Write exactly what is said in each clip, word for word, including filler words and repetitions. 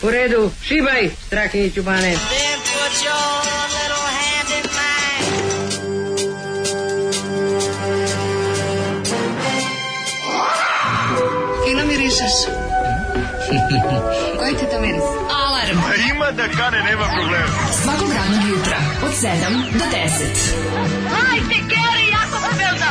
U redu, šibaj, Strahinjiću Bane. Then put your little hand in mine. Fino mirišeš. Koji ti to miris? Alarm. A ima da kane, nema problema. Svakog radnog jutra, od sedam do deset. Hajde, Geri, jako se velda.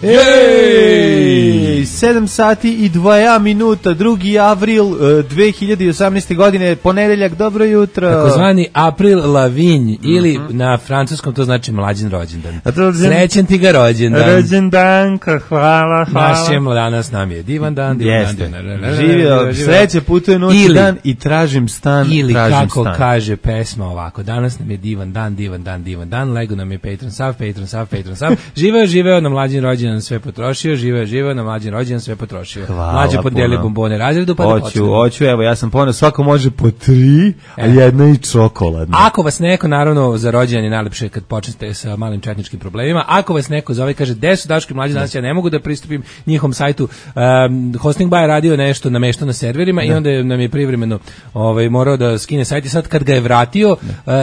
Ej, sedam sati i dva minuta, drugi avril dve hiljade osamnaeste. godine, ponedeljak, dobro jutro. Takozvani April Lavigne, ili mm-hmm. na francuskom to znači mlađin rođendan. Srećen ti ga rođendan. Rođendanka, hvala, hvala. Naš je danas nam je divan dan, divan Jeste. dan. Živio, sreće, putuje noć i dan i tražim stan, ili tražim kako stan. kaže pesma ovako, danas nam je divan dan, divan dan, divan dan, lego nam je Patron sav, Patron sav, Patron sav, živeo, živeo na mlađin rođendan, sve potrošio, živeo, živeo na mlađin rođendan, sve potrošio. Mlađe podijeli bombone razredu, pa da počnemo. Hoću, hoću, evo, ja sam ponos, svako može po tri, a jedna i čokoladna. Ako vas neko, naravno, za rođendan je najlepše kad počnete sa malim četničkim problemima, ako vas neko zove i kaže, gde su Daško i Mlađe, danas ja ne mogu da pristupim njihovom sajtu, um, Hosting Bay je radio nešto namešto na serverima, da. I onda nam je privremeno ovaj, morao da skine sajt i sad kad ga je vratio, uh,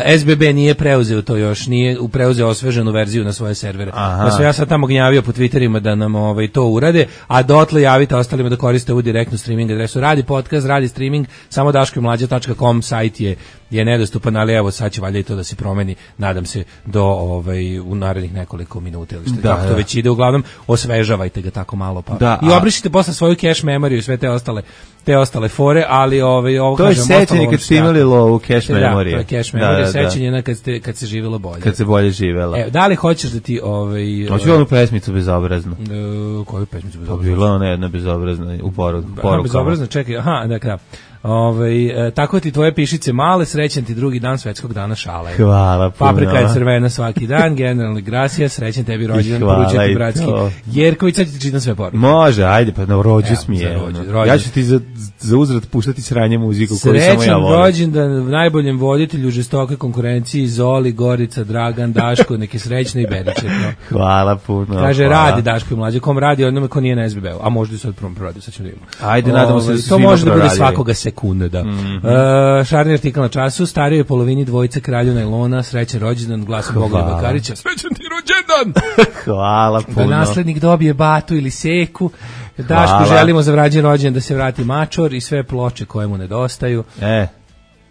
S B B nije preuzeo to još, nije preuzeo osveženu verziju na svoje servere. Pa sam ja sad tamo gnjavio po Twitterima da nam ovaj, to urade, a dotle javite ostalima da koriste ovu direktnu streaming adresu. Radi podcast, radi streaming, samo daško i mlađa tačka com sajt je je nedostupan, ali evo sad će valjda i to da se promeni, nadam se do ovaj u narednih nekoliko minuta ili što da, kako to već ide, uglavnom osvežavajte ga tako malo pa da, i obrišite posle svoju cache memoriju i sve te ostale te ostale fore, ali ovaj ovo to kažem, to je sećanje kad ste imali low cache memorije. Da, to je cache memorija, da, da, da. Sećanje na kad ste kad se živelo bolje. Kad se bolje živelo. Evo, da li hoćeš da ti ovaj hoću onu pesmicu bezobraznu. E, koju pesmicu bezobraznu? To bila ona jedna bezobrazna u poruku. Bezobrazna, čekaj, aha, da krav. Ovaj e, tako ti tvoje pišice male, srećan ti drugi dan svetskog dana šale. Hvala puno. Paprika je crvena svaki dan, generalni grasija, srećan tebi rođendan, poručujem ti bratski. Jerković, sad ti čitam sve poruke. Može, ajde, pa na rođu smije. Ja ću ti za, za uzvrat puštati sranje muziku koju samo ja volim. Srećan rođendan najboljem voditelju žestoke konkurenciji, Zoli, Gorica, Dragan, Daško, neki srećno i beričetno. Hvala puno. Kaže, hvala. Radi Daško i Mlađe, kom radi onome ko nije na S B B-u, a možda i sad prvom proradio, sad ćemo da vidimo. Ajde, nadamo se da to može da bude svakoga sekunde, da. Mm-hmm. Uh, šarni artikal na času, starijoj polovini dvojice kralju najlona, srećan rođendan, glas Bogoljub Bakarića. Srećan ti rođendan! Hvala puno. Da naslednik dobije batu ili seku. Dašku želimo za vrađen rođendan da se vrati mačor i sve ploče koje mu nedostaju. E.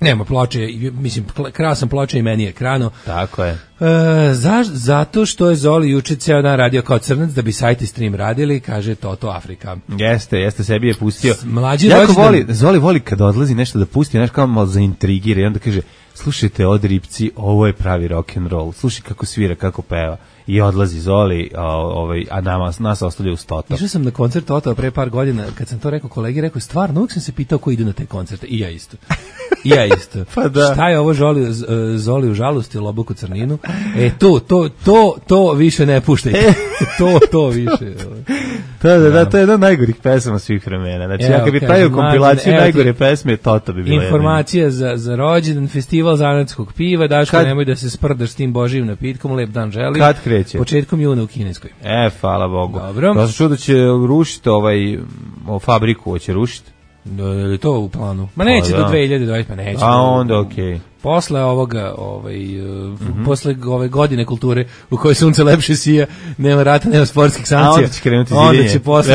Nema ploče, mislim, krao sam ploče i meni je krano. Tako je. E, za, zato što je Zoli juče ceo dan radio kao crnac da bi sajt i stream radili, kaže Toto Afrika. Jeste, jeste, sebi je pustio. Mlađi jako rođendan. voli, Zoli voli kada odlazi nešto da pusti, znaš kao malo zaintrigira i onda kaže, slušajte od Ripci, ovo je pravi rock and roll. Slušaj kako svira, kako peva. I odlazi Zoli, a, ovaj, a nama, nas ostavlja uz Toto. Išao sam na koncert Toto pre par godina, kad sam to rekao kolegi, rekao, stvarno, uvijek sam se pitao ko ide na te koncerte. I ja isto. I ja isto. Pa da. Šta je ovo Zoli, Zoli u žalosti, Loboku crninu? E, to, to, to, to više ne puštajte. to, to više. Da, da, da, to je jedna od najgorih pesama svih vremena. Znači, evo, ja kad bi pravio kompilaciju evo, najgore pesme, Toto bi bilo informacija za, za rođendan, festival zanatskog piva, Daško, kad, nemoj da se sprdaš s tim božijim napitkom, lep dan želim. Kad kreće? Početkom juna u Kineskoj. E, hvala Bogu. Dobro. To se čuo da će rušiti ovaj, o fabriku, hoće rušiti. Je li to u planu? Ma neće pa, do dve hiljade dvadeset, pa neće. A onda okej. Okay. Posle ovoga, ovaj, mm-hmm. posle ove godine kulture u kojoj sunce lepše sija, nema rata, nema sportskih sankcija. A onda će krenuti zidjenje. Onda će posle,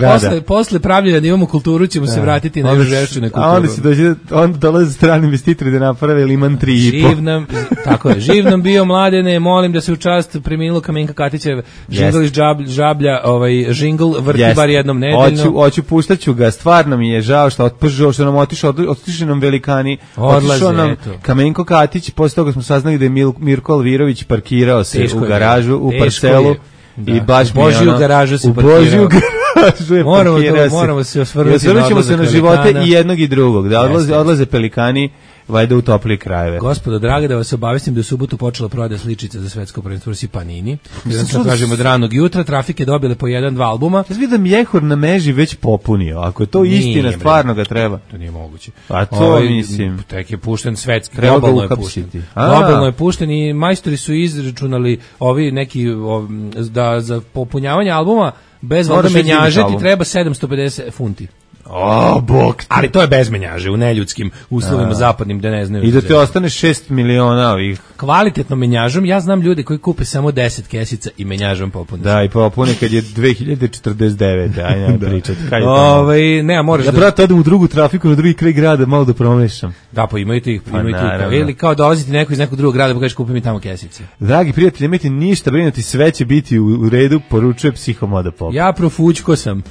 posle, posle pravljenja da imamo kulturu ćemo da. se vratiti na još žešću na kulturu. A onda će dođe, onda dolaze strani investitori da naprave liman tri i po. Živ nam, tako je, živ nam bio Mladene, molim da se u čast preminulo Kamenka Katićev, žingl iz yes. žablja, ovaj, žingl vrti yes. bar jednom nedeljno. Hoću, hoću, puštaću ga, stvarno mi je žao što, otpržao, što nam otišao, otišao nam velikani, odlaze, nam Kamenko Katić, posle toga smo saznali da je Mil, Mirko Alvirović parkirao se teško u garažu, u parcelu da. I baš mi je ono, u garažu se u Božiju garažu je moramo, parkirao to, moramo se osvrnuti. I osvrnut ćemo se na živote pelikana. I jednog i drugog, da odlaze, odlaze pelikani valjda u toplije krajeve. Gospodo, draga, da vas obavestim da je u subotu počela prodaja sličica za svetsko prvenstvo u Panini. Jedan sam kažem od ranog jutra, Trafike dobile po jedan, dva albuma. Ja vidim da Mjehur na Meži već popunio. Ako je to Nije, istina, bre. stvarno ga treba. To nije moguće. A to Ovaj, mislim. Tek je pušten svetski, Treba ga globalno je uhapsiti. pušten. A. Globalno je pušten i majstori su izračunali ovi neki ov, da za popunjavanje albuma bez voda Moraš menjaže izviniti ti album. treba sedamsto pedeset funti. O, bog ti. Ali to je bez menjaže u neljudskim uslovima zapadnim da ne znaju. I da te ostane šest miliona ovih. Kvalitetnom menjažom, ja znam ljude koji kupe samo deset kesica i menjažom popune. Da, i popune kad je dve hiljade četrdeset devete. Ajde, ne pričati. Kaj je to? Ovaj, ne, moraš Ja, da... brate, odem u drugu trafiku, na drugi kraj grada, malo da promešam. Da, pa imaju tih, Pa imaju tih. naravno. Ili kao dolaziti neko iz nekog drugog grada pa kažeš kupi mi tamo kesice. Dragi prijatelji, nemojte ništa brinuti, sve će biti u, u redu, poručuje Psihomoda Pop. Ja profućko sam.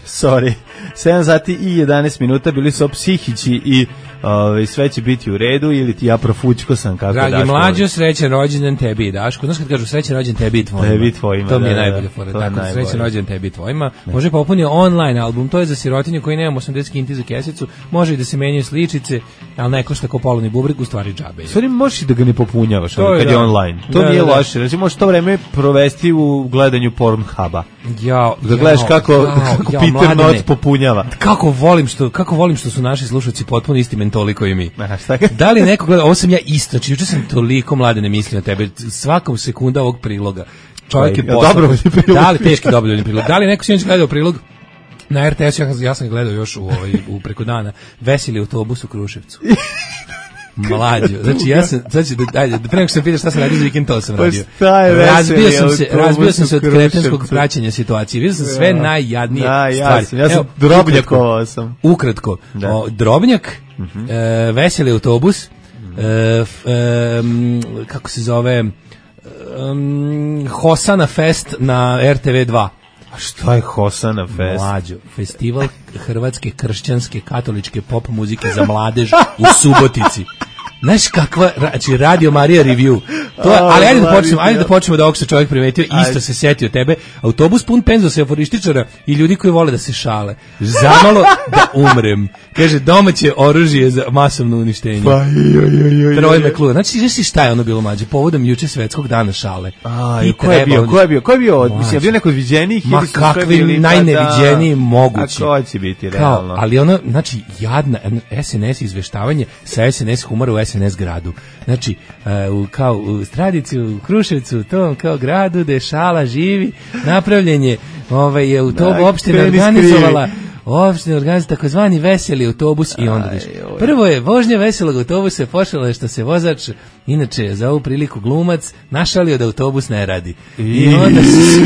Sorry. sedam sati i jedanaest minuta, bili su psihići i ove, sve će biti u redu, ili ti ja profućko sam, kako Dragi Daško mlađo, voli. srećan rođendan tebi i Daško. Znaš kad kažu srećan rođendan tebi i tvojima? Tebi i tvojima, To mi je da, da, najbolje da. fora. To je Tako, najbolje. srećan rođendan tebi i tvojima. Može popuniti online album, to je za sirotinju koji nema osamdeset kinti za kesicu. Može i da se menjaju sličice, ali ne košta ko polovni bubreg, u stvari džabe. U stvari možeš i da ga ne popunjavaš To ono, je, kad da. je online. To Da, nije da, da. loše. Znači možeš to vreme provesti u gledanju Pornhuba. Ja, Da gledaš kako, kako Peter Not popunjava. Kako volim što kako volim što su naši slušalci potpuno isti mentoli kao i mi. Aha, šta ga- Da li neko gleda, ovo sam ja isto, znači juče sam toliko mlade ne mislio na tebe, svakom sekunda ovog priloga. Čovjek je Jel poslao. dobrovoljni prilog? Da li teški dobrovoljni prilog? Da li neko sinoć gledao prilog na R T S, ja, ja sam ga gledao još u ovaj u preko dana, Veseli autobus u Kruševcu. Mlađo, znači ja sam, znači da ajde, da pre nego što sam pitao šta sam radio za vikend, to sam Pa radio. šta je Veseli Razbio sam se, autobus razbio sam se u od kretenskog Kruševcu? praćenja situacije. Vidio sam sve najjadnije Da, ja stvari. sam, ja sam Evo, drobnjakovao sam. Ukratko, Da. o, Drobnjak, e, Veseli autobus, e, f, e, m, kako se zove, um, Hosana Fest na R T V dva. A šta je Hosana Fest? Mlađo, festival hrvatske kršćanske katoličke pop muzike za mladež u Subotici. Znaš kakva, znači Radio Marija Review. To je, ali ajde da počnemo, ajde da počnemo da ovog se čovjek primetio, isto se setio tebe. Autobus pun penzosa, euforističara i ljudi koji vole da se šale. Zamalo da umrem. Kaže, domaće oružje za masovno uništenje. Pa, joj, joj, joj, Troj joj. me kluba. Znači, znaš si šta je ono bilo mlađe? Povodom juče svetskog dana šale. A, Ti ko je treba bio? oni- Ko je bio? Ko je bio? Mlađe. Mislim, je bio neko od viđenijih? Ma ili su sve kakvi bili, pa najneviđeniji da. mogući. A ko će biti, Kao, realno? ali ono, znači, jadna S N S izveštavanje sa S N S humora u S N S gradu. Znači, uh, u, kao u Stradici, u Kruševcu, u tom kao gradu gde šala živi, napravljen je, ovaj, je u to Aj, opština kreni organizovala opština organizovala takozvani veseli autobus i onda viš. Prvo je vožnja veselog autobusa počela je što se vozač, inače za ovu priliku glumac, našalio da autobus ne radi. I onda se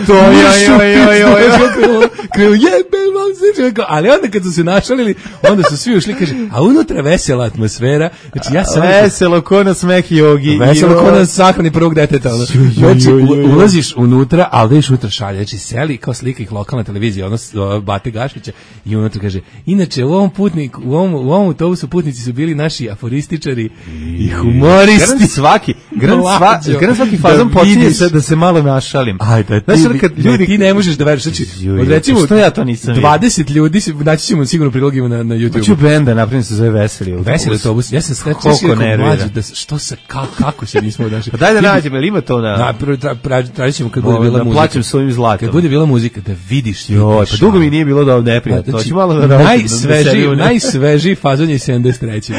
To, joj, joj, joj, joj, joj. krenu jebe vam se čovjek. Ali onda kad su se našalili, onda su svi ušli, kaže, a unutra vesela atmosfera. Znači ja sam Veselo, ko na smeh jogi. veselo Joj. ko na sahrani prvog deteta. ono. Joj, joj, Znači, joj, joj, joj. u- ulaziš unutra, ali da iš unutra šalje. Znači, seli kao slika ih lokalna televizija, ono s- o, Bate Gašića, i unutra kaže, inače, u ovom putniku, u ovom, u ovom autobusu putnici su bili naši aforističari i humoristi. Garant svaki, garant sva, Mlađo. garant svaki fazon Da počinje vidiš. se da se malo našalim. Ajde, Znaš, ti, ono kad ne, ljudi- ti ne možeš da veriš. Znači, Juj, od recimo, što ja to nisam vidio? dvadeset ljudi, se- naći ćemo sigurno prilogima na, na YouTube. Hoću benda, napravim se zove Veseli autobus. Veseli autobus. Ja sam sve Koliko sve nervira. mlađi da s- što se ka, kako se nismo našli. Pa daj da nađemo, ili ima to na... Na prvo tra, tra, tražit ćemo kad bude Ovo, bila da muzika. plaćam svojim zlatom. Kad bude bila muzika da vidiš. Joj, pa dugo mi nije bilo da ovdje neprijatno. Hoću malo da radim, da najsvežiji, sedim u ne- najsvežiji fazon je sedamdeset treći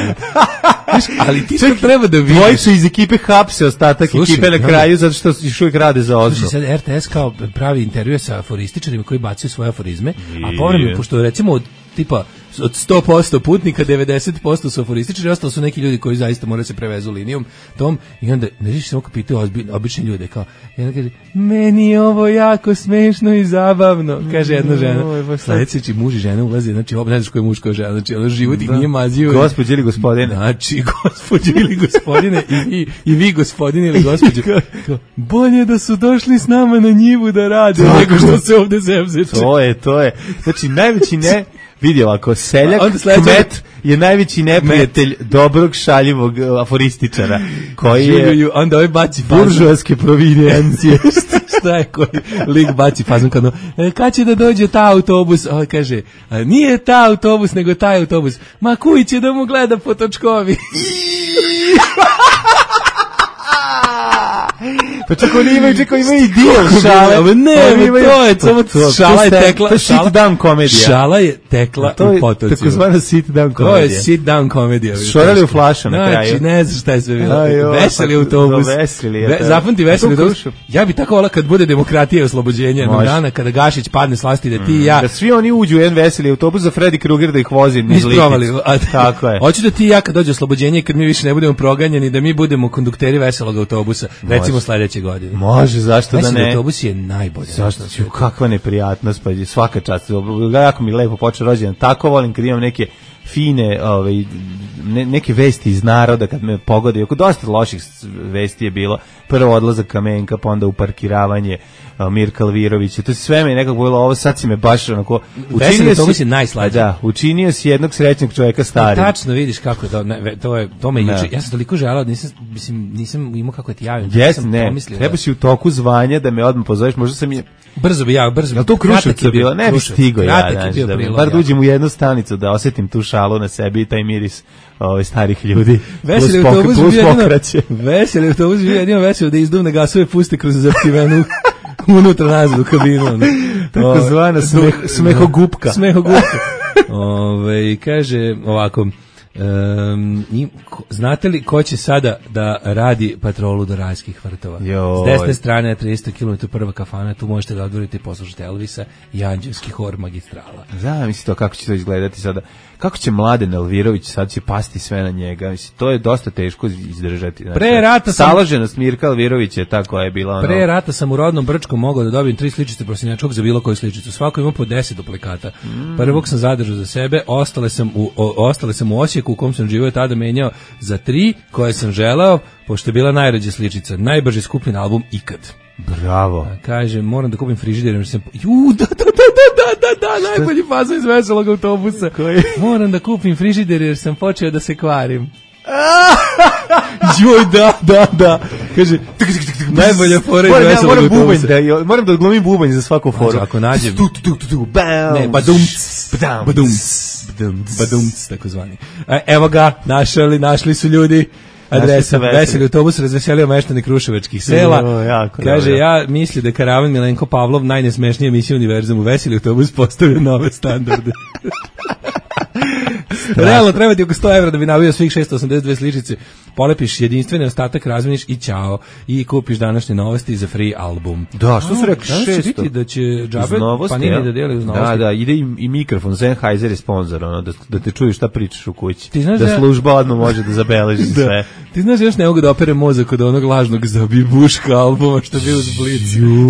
Znaš, ali ti to treba da vidiš. Dvojicu iz ekipe hapse ostatak Slušaj, ekipe na da. kraju zato što još uvijek rade za ozno. Znači sad R T S kao pravi intervjue sa aforističarima koji bacaju svoje aforizme, a povremeno, pošto recimo od tipa od sto posto putnika devedeset posto su aforističari, ostalo su neki ljudi koji zaista moraju se prevezu linijom tom, i onda ne znaš samo kad pitaju ozbi- obični ljude kao, jedna kaže, meni je ovo jako smešno i zabavno, kaže jedna žena. Oj, baš sad. Sledeći muž i žena ulaze, znači ob ne znaš ko je muško žena, znači ono život ih nije mazio. Gospođe ili gospodine. Znači, gospođo ili gospodine, i vi, i vi gospodine ili gospođo, kao, bolje da su došli s nama na njivu da rade, nego što se ovde zemzeče. To je, to je. Znači, najveći ne... Vidi ovako, seljak, A onda sledeće- kmet je najveći neprijatelj dobrog šaljivog uh, aforističara, koji je Ju, ju, onda ovaj baci fazon. buržoaske provinijencije. Šta je koji lik baci fazon kao, e, kad će da dođe ta autobus? Ovo kaže, a nije ta autobus, nego taj autobus. Ma kuj će da mu gleda po točkovi. Pa čekaj, oni imaju, čekaj, imaju i dio šale. Ne, imaju, to je, samo šala je tekla. To je sit down komedija. Šala je tekla u potocima. Tako zvana sit down komedija. To je sit down komedija. Šorali u flaša na kraju. Znači, ne znaš šta je sve bilo. Veseli autobus. Zapamti veseli autobus. Ja bi tako volao kad bude demokratija i oslobođenje jednog dana, kada Gašić padne s vlasti, da ti i ja... Da svi oni uđu u jedan veseli autobus za Freddy Krueger da ih vozi niz Litnicu. Tako je. Hoću da ti i ja kad dođe oslobođenje, kad mi više ne budemo proganjani, da mi budemo kondukteri veselog autobusa. Recimo sledeće godine. Može, zašto da ne? Veseli autobus je najbolje. Zašto? Kakva neprijatnost, pa svaka čast. Jako mi lepo počeo rođendan. Tako volim kad imam neke fine, ovaj, ne, neke vesti iz naroda kad me pogode. Oko dosta loših vesti je bilo. Prvo odlazak Kamenka, pa onda uparkiravanje Mirka Alvirovića. To sve me nekako bilo, ovo sad si me baš onako... Veseli autobus je najslađe. Da, učinio si jednog srećnog čovjeka starim. Tačno vidiš kako je to, ne, to je, to me juče. Ja sam toliko želeo, nisam, mislim, nisam imao kako ti javim. Jes, ne, treba si u toku zvanja da me odmah pozoveš, možda sam je... Brzo bi ja, brzo bi. Jel to u Kruševcu bilo? Ne bi stigo ja, znaš, da bar uđem u jednu stanicu da osjetim tu šalu na sebi i taj miris ove starih ljudi. Veseli autobus bi jedino, veseli autobus bi jedino veseli da izduvne gasove puste kroz zaptivenu unutra nazad u kabinu. Tako zvana smeh, smehogupka. Smehogupka. Ove, kaže ovako, Um, i, ko, znate li ko će sada da radi patrolu do Rajskih vrtova? Joj. S desne strane tristo kilometara prva kafana, tu možete da odvorite i poslušati Elvisa i Anđelski hor magistrala. Da, misli to kako će to izgledati sada. Kako će Mladen Elvirović, sad će pasti sve na njega. Mislim, to je dosta teško izdržati. Znači, pre rata sam... Staloženost Mirka Elvirovića je ta koja je bila... Ono... Pre rata sam u rodnom Brčkom mogao da dobijem tri sličice prosinjačkog za bilo koju sličicu. Svako ima po deset duplikata. Mm. Prvog sam zadržao za sebe, ostale sam u, o, ostale sam u Osijeku u kom sam živio tada menjao za tri koje sam želeo, pošto je bila najrađa sličica. Najbrže skupljeni album ikad. Bravo. A, kaže, moram da kupim frižider, jer sam... Ju, da, da, da, da, da, da, najbolji fazon iz veselog autobusa. Koji? Moram da kupim frižider, jer sam počeo da se kvarim. Joj, da, da, da. Kaže, najbolja fora iz veselog autobusa. Da, moram da odglumim bubanj za svaku foru. Znači, ako nađem... Ne, badumc, badumc, badumc, tako zvani. Evo ga, našli, našli su ljudi. Adresa, veseli autobus razveselio meštane kruševačkih sela. No, jako, kaže, dobro. ja misli da Karavan Milenko Pavlov najnesmešnija emisija univerzumu. Veseli autobus postavio nove standarde. Realno treba ti oko sto evra da bi nabio svih šesto osamdeset dve sličice. Polepiš jedinstveni ostatak, razmeniš i ćao. I kupiš današnje novosti za free album. Da, što su rekli šesto? Danas će biti da će džabe Panini da deli uz novosti. Da, da, ide i, i mikrofon. Sennheiser je sponsor, ono, da, da te čuju šta pričaš u kući. Ti znaš da da služba odmah može da zabeleži da. Sve. Ti znaš, još ne mogu da opere mozak od onog lažnog zabibuška albuma što je bio uz Blic.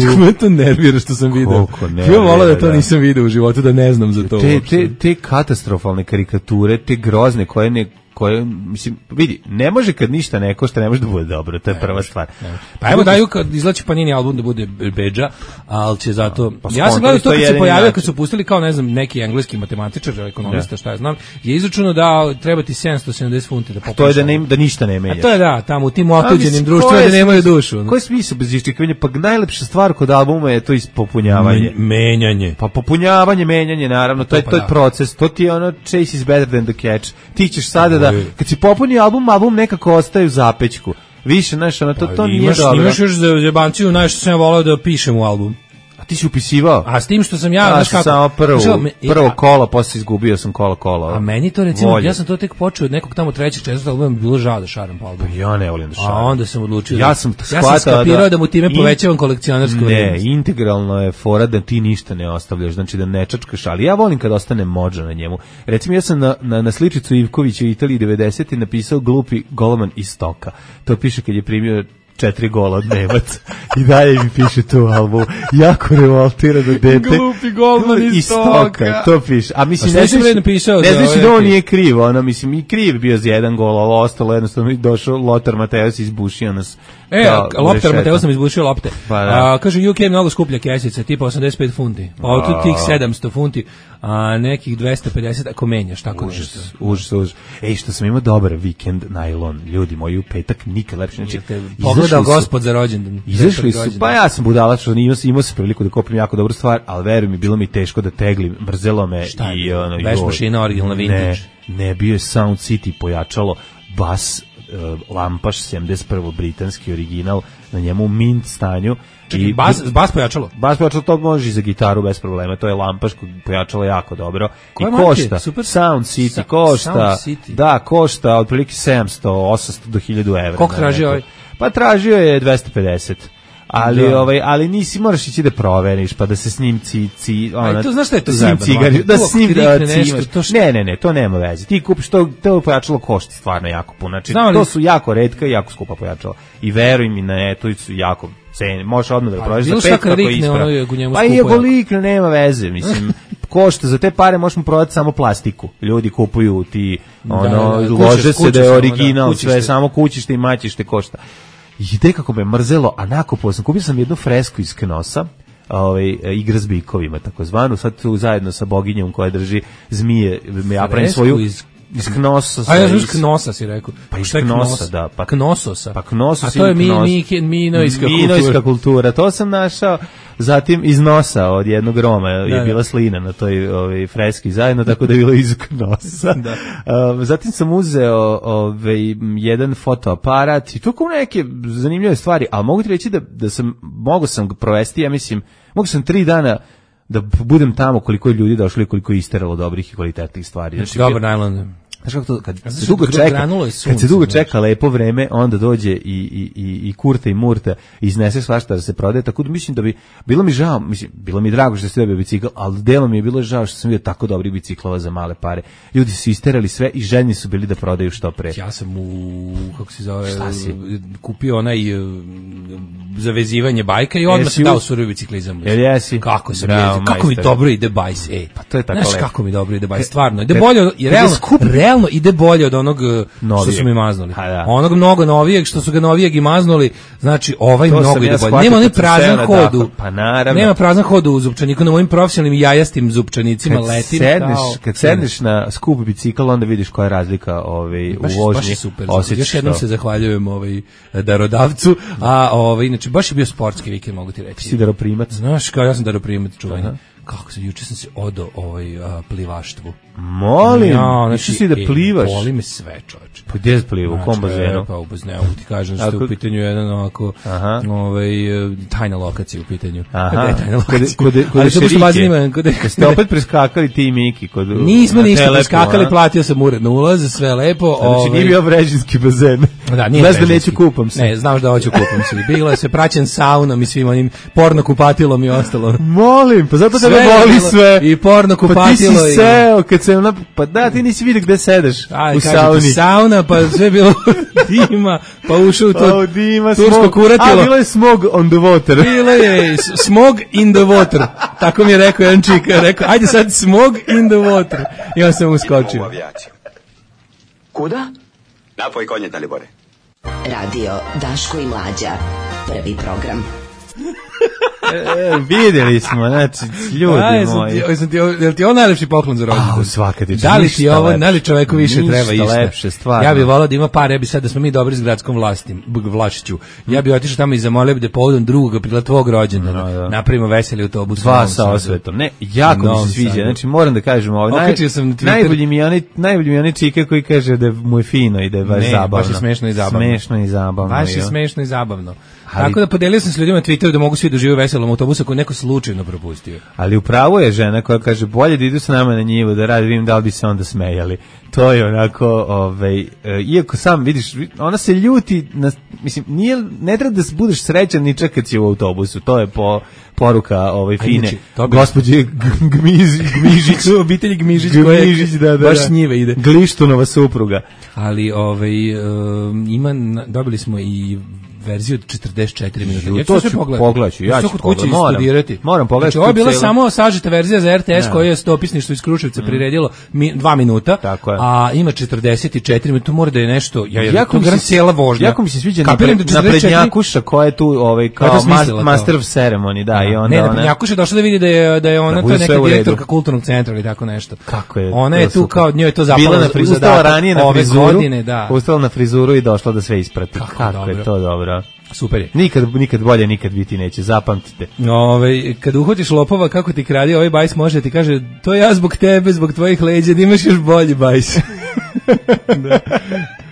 Kako me to nervira što sam video. Koliko nervira, ja volao da to da. nisam video u životu, da ne znam za to. Te, te, te katastrofalne karikature, te grozne koje ne koje, mislim, vidi, ne može kad ništa ne košta, ne može da bude dobro, to je ne prva stvar. Ne. Pa evo daju kad izlači Panini album da bude bedža, ali će zato... Pa ja sam gledao to kad se pojavio, način. Kad su pustili kao, ne znam, neki engleski matematičar, ekonomista, šta je znam, je izračunao da treba ti sedamsto sedamdeset funti da popiš. To je da, ne, da ništa ne menjaš. A to je da, tamo u tim otuđenim društvima da nemaju dušu. Koji je smisao bez iščekivanja? Pa najlepša stvar kod albuma je to ispopunjavanje. Menjanje. Pa popunjavanje, menjanje, naravno, to, to je, pa to je da. Proces, to ti je ono chase is better than the catch. Ti ćeš sada da, kad si popuni album, album nekako ostaje u zapećku. Više, znaš, ono, to, to nije imaš, dobro. Imaš još za jebanciju, znaš što sam ja volao da pišem u album. A ti si upisivao? A s tim što sam ja, znaš kako... Samo prvo, prvo kola, posle izgubio sam kola kola. A meni to recimo, volje. Ja sam to tek počeo od nekog tamo trećeg, četvrtog albuma, bilo žao da šaram po albumu. Ja ne volim da šaram. A onda sam odlučio ja da... Sam ja sam skapirao da, da mu time in, povećavam kolekcionarsku vrednost. Ne, integralno je fora da ti ništa ne ostavljaš, znači da ne čačkaš, ali ja volim kad ostane mođa na njemu. Recimo, ja sam na, na, na sličicu Ivkovića u Italiji devedesete napisao glupi golman iz Stoka. To piše kad je primio četiri gola od Nemaca. I dalje mi piše tu album. Jako revoltirano dete. Glupi golman iz Stoka. To piše. A mislim, a ne znaš napisao ne znaš da on nije kriv. Ono, mislim, i kriv bio za jedan gol, ovo ostalo jednostavno došao Lothar Matthäus izbušio nas. E, Lothar Matthäus nam izbušio lopte. Pa, a, kaže, U K je mnogo skuplja kesica, tipa osamdeset pet funti. Pa od tih sedamsto funti, a nekih dvesta pedeset ako menjaš, tako užas, nešto. Užas, užas. Ej, što sam imao dobar vikend najlon. Ljudi moji, u petak nikad lepše. Znači, prodao gospod za rođendan. Izašli su, pa ja sam budala što imao, imao sam priliku da kupim jako dobru stvar, ali veruj mi, bilo mi teško da teglim, mrzelo me. Šta i je? ono, Veš mašina originalna vintage. Ne, ne, bio je Sound City pojačalo, bas, uh, lampaš sedamdeset prvi britanski original, na njemu u mint stanju. Čekaj, i bas, bas pojačalo? Bas pojačalo, to može i za gitaru bez problema, to je lampaš pojačalo jako dobro. Koje I marke? košta, Super. Sound City Sa- košta, Sound City. da, košta otprilike sedamsto, osamsto do hiljadu evra. Koliko na traži neku- ovaj? Pa tražio je dvesta pedeset. Ali Da. ovaj ali nisi moraš ići da proveriš pa da se s njim ci ci ona. A to znaš šta je to s njim zajebano, cigari, mlađe? da Tu s njim ako da krikne nešto, cimaš. to što- Ne, ne, ne, to nema veze. Ti kupiš to, to pojačalo košta stvarno jako puno. Znači Znam li- to su jako retka i jako skupa pojačala. I veruj mi, na netu su jako cene. Možeš odmah da prodaješ za bilo pet šta kad kako je rikne, ispravno. ono je u njemu Pa i skupo ako jako. likne, nema veze, mislim. Košta za te pare možemo prodati samo plastiku. Ljudi kupuju ti ono da, da, lože kuće- se kuće da je samo, original, da, kućište. sve samo kućište i maćište košta. I te kako me mrzelo, a nakupao sam, kupio sam jednu fresku iz Knosa, ovaj, igra s bikovima, takozvanu, sad tu zajedno sa boginjom koja drži zmije, ja pravim Fresku svoju, iz- iz Knosa. A ja znaš iz- Knosa si rekao. Pa iz Šta je Knosa, Knos? da, pa- Knososa. Pa Knosos A to je ili mi, Knos. mi, minojska kultura. Minojska kultura, to sam našao. Zatim iz nosa od jednog Roma je Da, bila da. slina na toj ovaj, freski zajedno, tako da je bilo iz nosa. Da. Um, zatim sam uzeo ovaj, jedan fotoaparat i to kao neke zanimljive stvari, ali mogu ti reći da, da sam, mogu sam ga provesti, ja mislim, mogu sam tri dana da budem tamo koliko je ljudi došlo i koliko je isteralo dobrih i kvalitetnih stvari. Znači, Dobar najlon. Znaš kako to, kad Znaš se dugo kako čeka, granulo je kad sunce, se dugo znaš. čeka lepo vreme, onda dođe i, i, i, i kurta i murta i iznese svašta da se prodaje, tako da mislim da bi, bilo mi žao, mislim, bilo mi drago što ste dobio bicikl, ali delom mi je bilo žao što sam vidio tako dobrih biciklova za male pare. Ljudi su isterali sve i željni su bili da prodaju što pre. Ja sam u, kako se zove, Šta si? kupio onaj uh, za vezivanje bajka i odmah Jesi se u- dao surovi biciklizam. Jel jesi? Kako se Bravo, mi, kako mi majstore. dobro ide bajs, ej. Pa to je tako Znaš lepo. kako mi dobro ide bajs, stvarno. Ide kad- bolje, od- kad i je realno, skup- realno ide bolje od onog uh, što Novijeg. su mi maznuli. Ha, da. Onog mnogo novijeg što su ga novijeg i maznuli, znači ovaj To mnogo sam ide ja bolje. shvatio Nema onaj kad sam seo prazan na hod u, dahu. Pa naravno. nema prazan hod u zupčaniku, na mojim profesionalnim jajastim zupčanicima Kad letim. sedneš, kao- kad sedneš na skup bicikl, onda vidiš koja je razlika ovaj, Baš, u vožnji. baš je super. Osjećaš Još jednom to. se zahvaljujem ovaj darodavcu, a ovaj inače baš je bio sportski vikend, mogu ti reći. Si daroprimac. Znaš, kao ja sam daroprimac čuveni. Aha. Kako se juče sam se odo ovaj a, plivaštvu. Molim, Ja, išao si da e, plivaš. Boli me sve, čoveče. Pa gdje si pliva, u kom Znači, bazenu? e, Pa u bazenu, ti kažem što je Ako- u pitanju jedan ovako, Aha. ovaj, e, tajna lokacija u pitanju. Aha, Gde je tajna kod, lokacija? kod, kod, Ali to baš Šerike. bazen ima, kod- Kad ste opet preskakali ti i Miki. Kod, Nismo na ništa Telepu, preskakali, a? platio sam uredno ulaz, sve lepo. Znači ovaj, nije bio vrežinski bazen. Da, nije Znaš da Brežinski. neću kupam se. Ne, znaš da hoću kupam se. Bilo je sve praćen saunom i svim onim porno kupatilom i ostalo. Molim, pa zato Sve tebe je boli bilo. sve. I porno Pa ti kupatilo si i- seo, kad sam na... Pa da, ti nisi vidio gde sedeš Aj, u kažete, sauni. sauna, pa sve je bilo dima, pa ušao u to O, dima, tursko smog. kuratilo. A, bilo je smog on the water. Bilo je s- smog in the water. Tako mi je rekao jedan čik. Rekao, ajde sad smog in the water. I on sam uskočio. Avijaciju. Kuda? Napoj konje, Dalibore. Radio Daško i Mlađa. Prvi program. E, vidjeli smo, znači, ljudi Aj, sam moji. ti, oj, sam ti, jel ti ovo najlepši poklon za rođendan? Au, svaka ti čast, Da li ti ništa ovo, lepše. da li čoveku više Ništa treba išta? lepše, stvarno. Ja bih volao da ima par, ja bi sad da smo mi dobri s gradskom vlastim, b- vlašću. Ja bih otišao tamo i zamolio bi da povodom drugog aprila tvog rođendana No, da. napravimo veseli autobus. u Dva Novom sa Sadu. osvetom. Ne, jako U mi Novom se sviđa. Sadu. Znači, moram da kažem ovo. Naj, Okačio sam na Twitter. najbolji mi je onaj, najbolji mi je onaj čika koji kaže da mu je fino i da je baš Ne, zabavno. baš je smešno i zabavno. Smešno i zabavno. Baš je jo. smešno i zabavno. Ali- Tako da podelio sam s ljudima na Twitteru da mogu svi da uživaju u veselom autobusu ako je neko slučajno propustio. Ali upravo je žena koja kaže bolje da idu s nama na njivu da radi, vidim da li bi se onda smejali. To je onako, ovaj, e, iako sam vidiš, ona se ljuti, na, mislim, nije, ne treba da budeš srećan ni čak kad si u autobusu, to je po, poruka ovaj, fine inače, to bi- gospođe G- Gmiz, Gmižić. Obitelji Gmižić koja Gmižić, da, da, baš da. s njive ide. Glištunova supruga. Ali ovaj, um, ima, na- dobili smo i verziju od četrdeset četiri minuta. Ja ću To sve ću pogledati. pogledati, ja ću ću kod kuće pogledati, moram. istudirati. Moram pogledati Znači, ovo je tu bila celu- samo sažeta verzija za R T S Da. koja je dopisništvo iz Kruševca priredilo mi, dva minuta, Tako je. a ima četrdeset četiri minuta, to mora da je nešto, ja, ja, Jako to mi garant se- cijela vožnja. Jako mi se sviđa Kapiram napred, da četrdeset četiri naprednjakuša koja je tu ovaj, Koja je kao to smislila mas- to? master of ceremony, da, i onda ne, ona... naprednjakuša je došla da vidi da je, da je ona, Da to bude je sve neka u redu. direktorka kulturnog centra ili tako nešto. Kako je Ona to je tu super. kao, njoj je to zapalo Bila na u frizuru, zadatak ranije na ove frizuru, godine, da. ustala na frizuru i došla da sve isprati. Kako Kako, dobro. je to dobro. dobro. Super je. Nikad, nikad bolje, nikad biti neće, zapamtite. Ove, kad uhvatiš lopova, kako ti kradi ovaj bajs može ti kaže, to ja zbog tebe, zbog tvojih leđa, da imaš još bolji bajs. Da.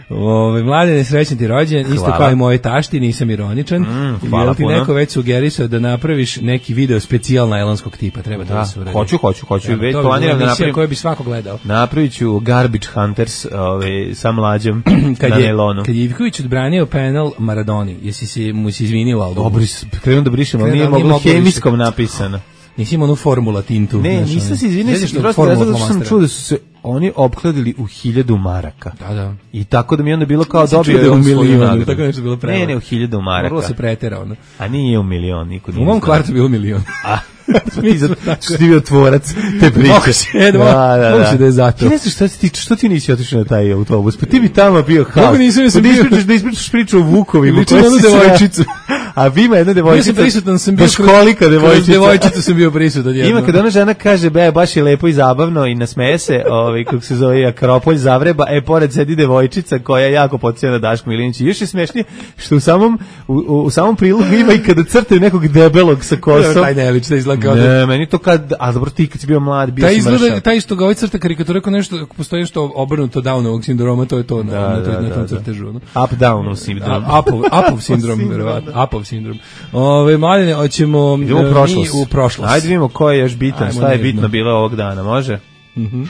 Ove, Mladene, srećan ti rođen, isto hvala. Kao i moje tašti, nisam ironičan. Mm, hvala Jel ti puno. neko već sugerisao da napraviš neki video specijal najlonskog tipa? Treba da, da se uradi. Hoću, hoću, hoću. Treba, već to planiram da napravim. Koje bi svako gledao. Napravit ću Garbage Hunters ove, sa mlađom kad na je, nelonu. Kad je Ivković odbranio penal Maradoni, jesi si, mu si izvinio Aldo? Dobro, krenuo da brišem, ali nije moglo hemijskom napisano. Nisi imao onu formula tintu. Ne, znaš, nisam ono. se izvinio, Sjećaš prosto formula zato što sam flomastera? čuo da su se oni opkladili u hiljadu maraka. Da, da. I tako da mi je onda bilo kao Nisam dobio čuo da je je u on svoju milionu, nagradu. tako nešto bilo prevara. Ne, ne, u hiljadu maraka. Moralo se pretera, ono. A nije u milion, niko nije. U mom znao. kvartu bilo milion. A, ti zato što ti bio tvorac te priče. Moguće je, da, moguće da je zato. Ti ne znaš šta ti, što ti nisi otišao na taj autobus? Pa ti bi tamo bio haos. Kako nisam, ja sam da bio- ispričaš, da ispričaš priču o vukovima. Liči na koje onu si sve- devojčicu. A vi ima jedna Bio devojčica. sam prisutan, sam bio baš kolika devojčica. Kroz devojčicu sam bio prisutan jedno. Ima kada ona žena kaže, be, baš je lepo i zabavno i nasmeje se, ovaj, kako se zove, Akropolj zavreba, e, pored sedi devojčica koja je jako podsjeća na Dašku Milinić. I još je smešnije što u samom, u, u samom prilogu ima i kada crtaju nekog debelog sa kosom. Taj ne liči, da izgleda kao da... Ne, meni to kad, a dobro ti kad si bio mlad, bio Taj si izgleda, mršav. taj isto ga ovaj crta karikatura kao nešto, ako postoji nešto obrnuto Downovog sindroma, to je to na, Da, na, da, na, na da, tom da. crtežu. Ono. Up down sindrom. A, Apov, Apov sindrom, verovatno. Apov sindrom. Ove, Mladene, hoćemo Idemo u e, prošlost. mi u prošlost. Ajde vidimo ko je još bitan, Ajmo šta je nežno. bitno bilo ovog dana, može? Mhm.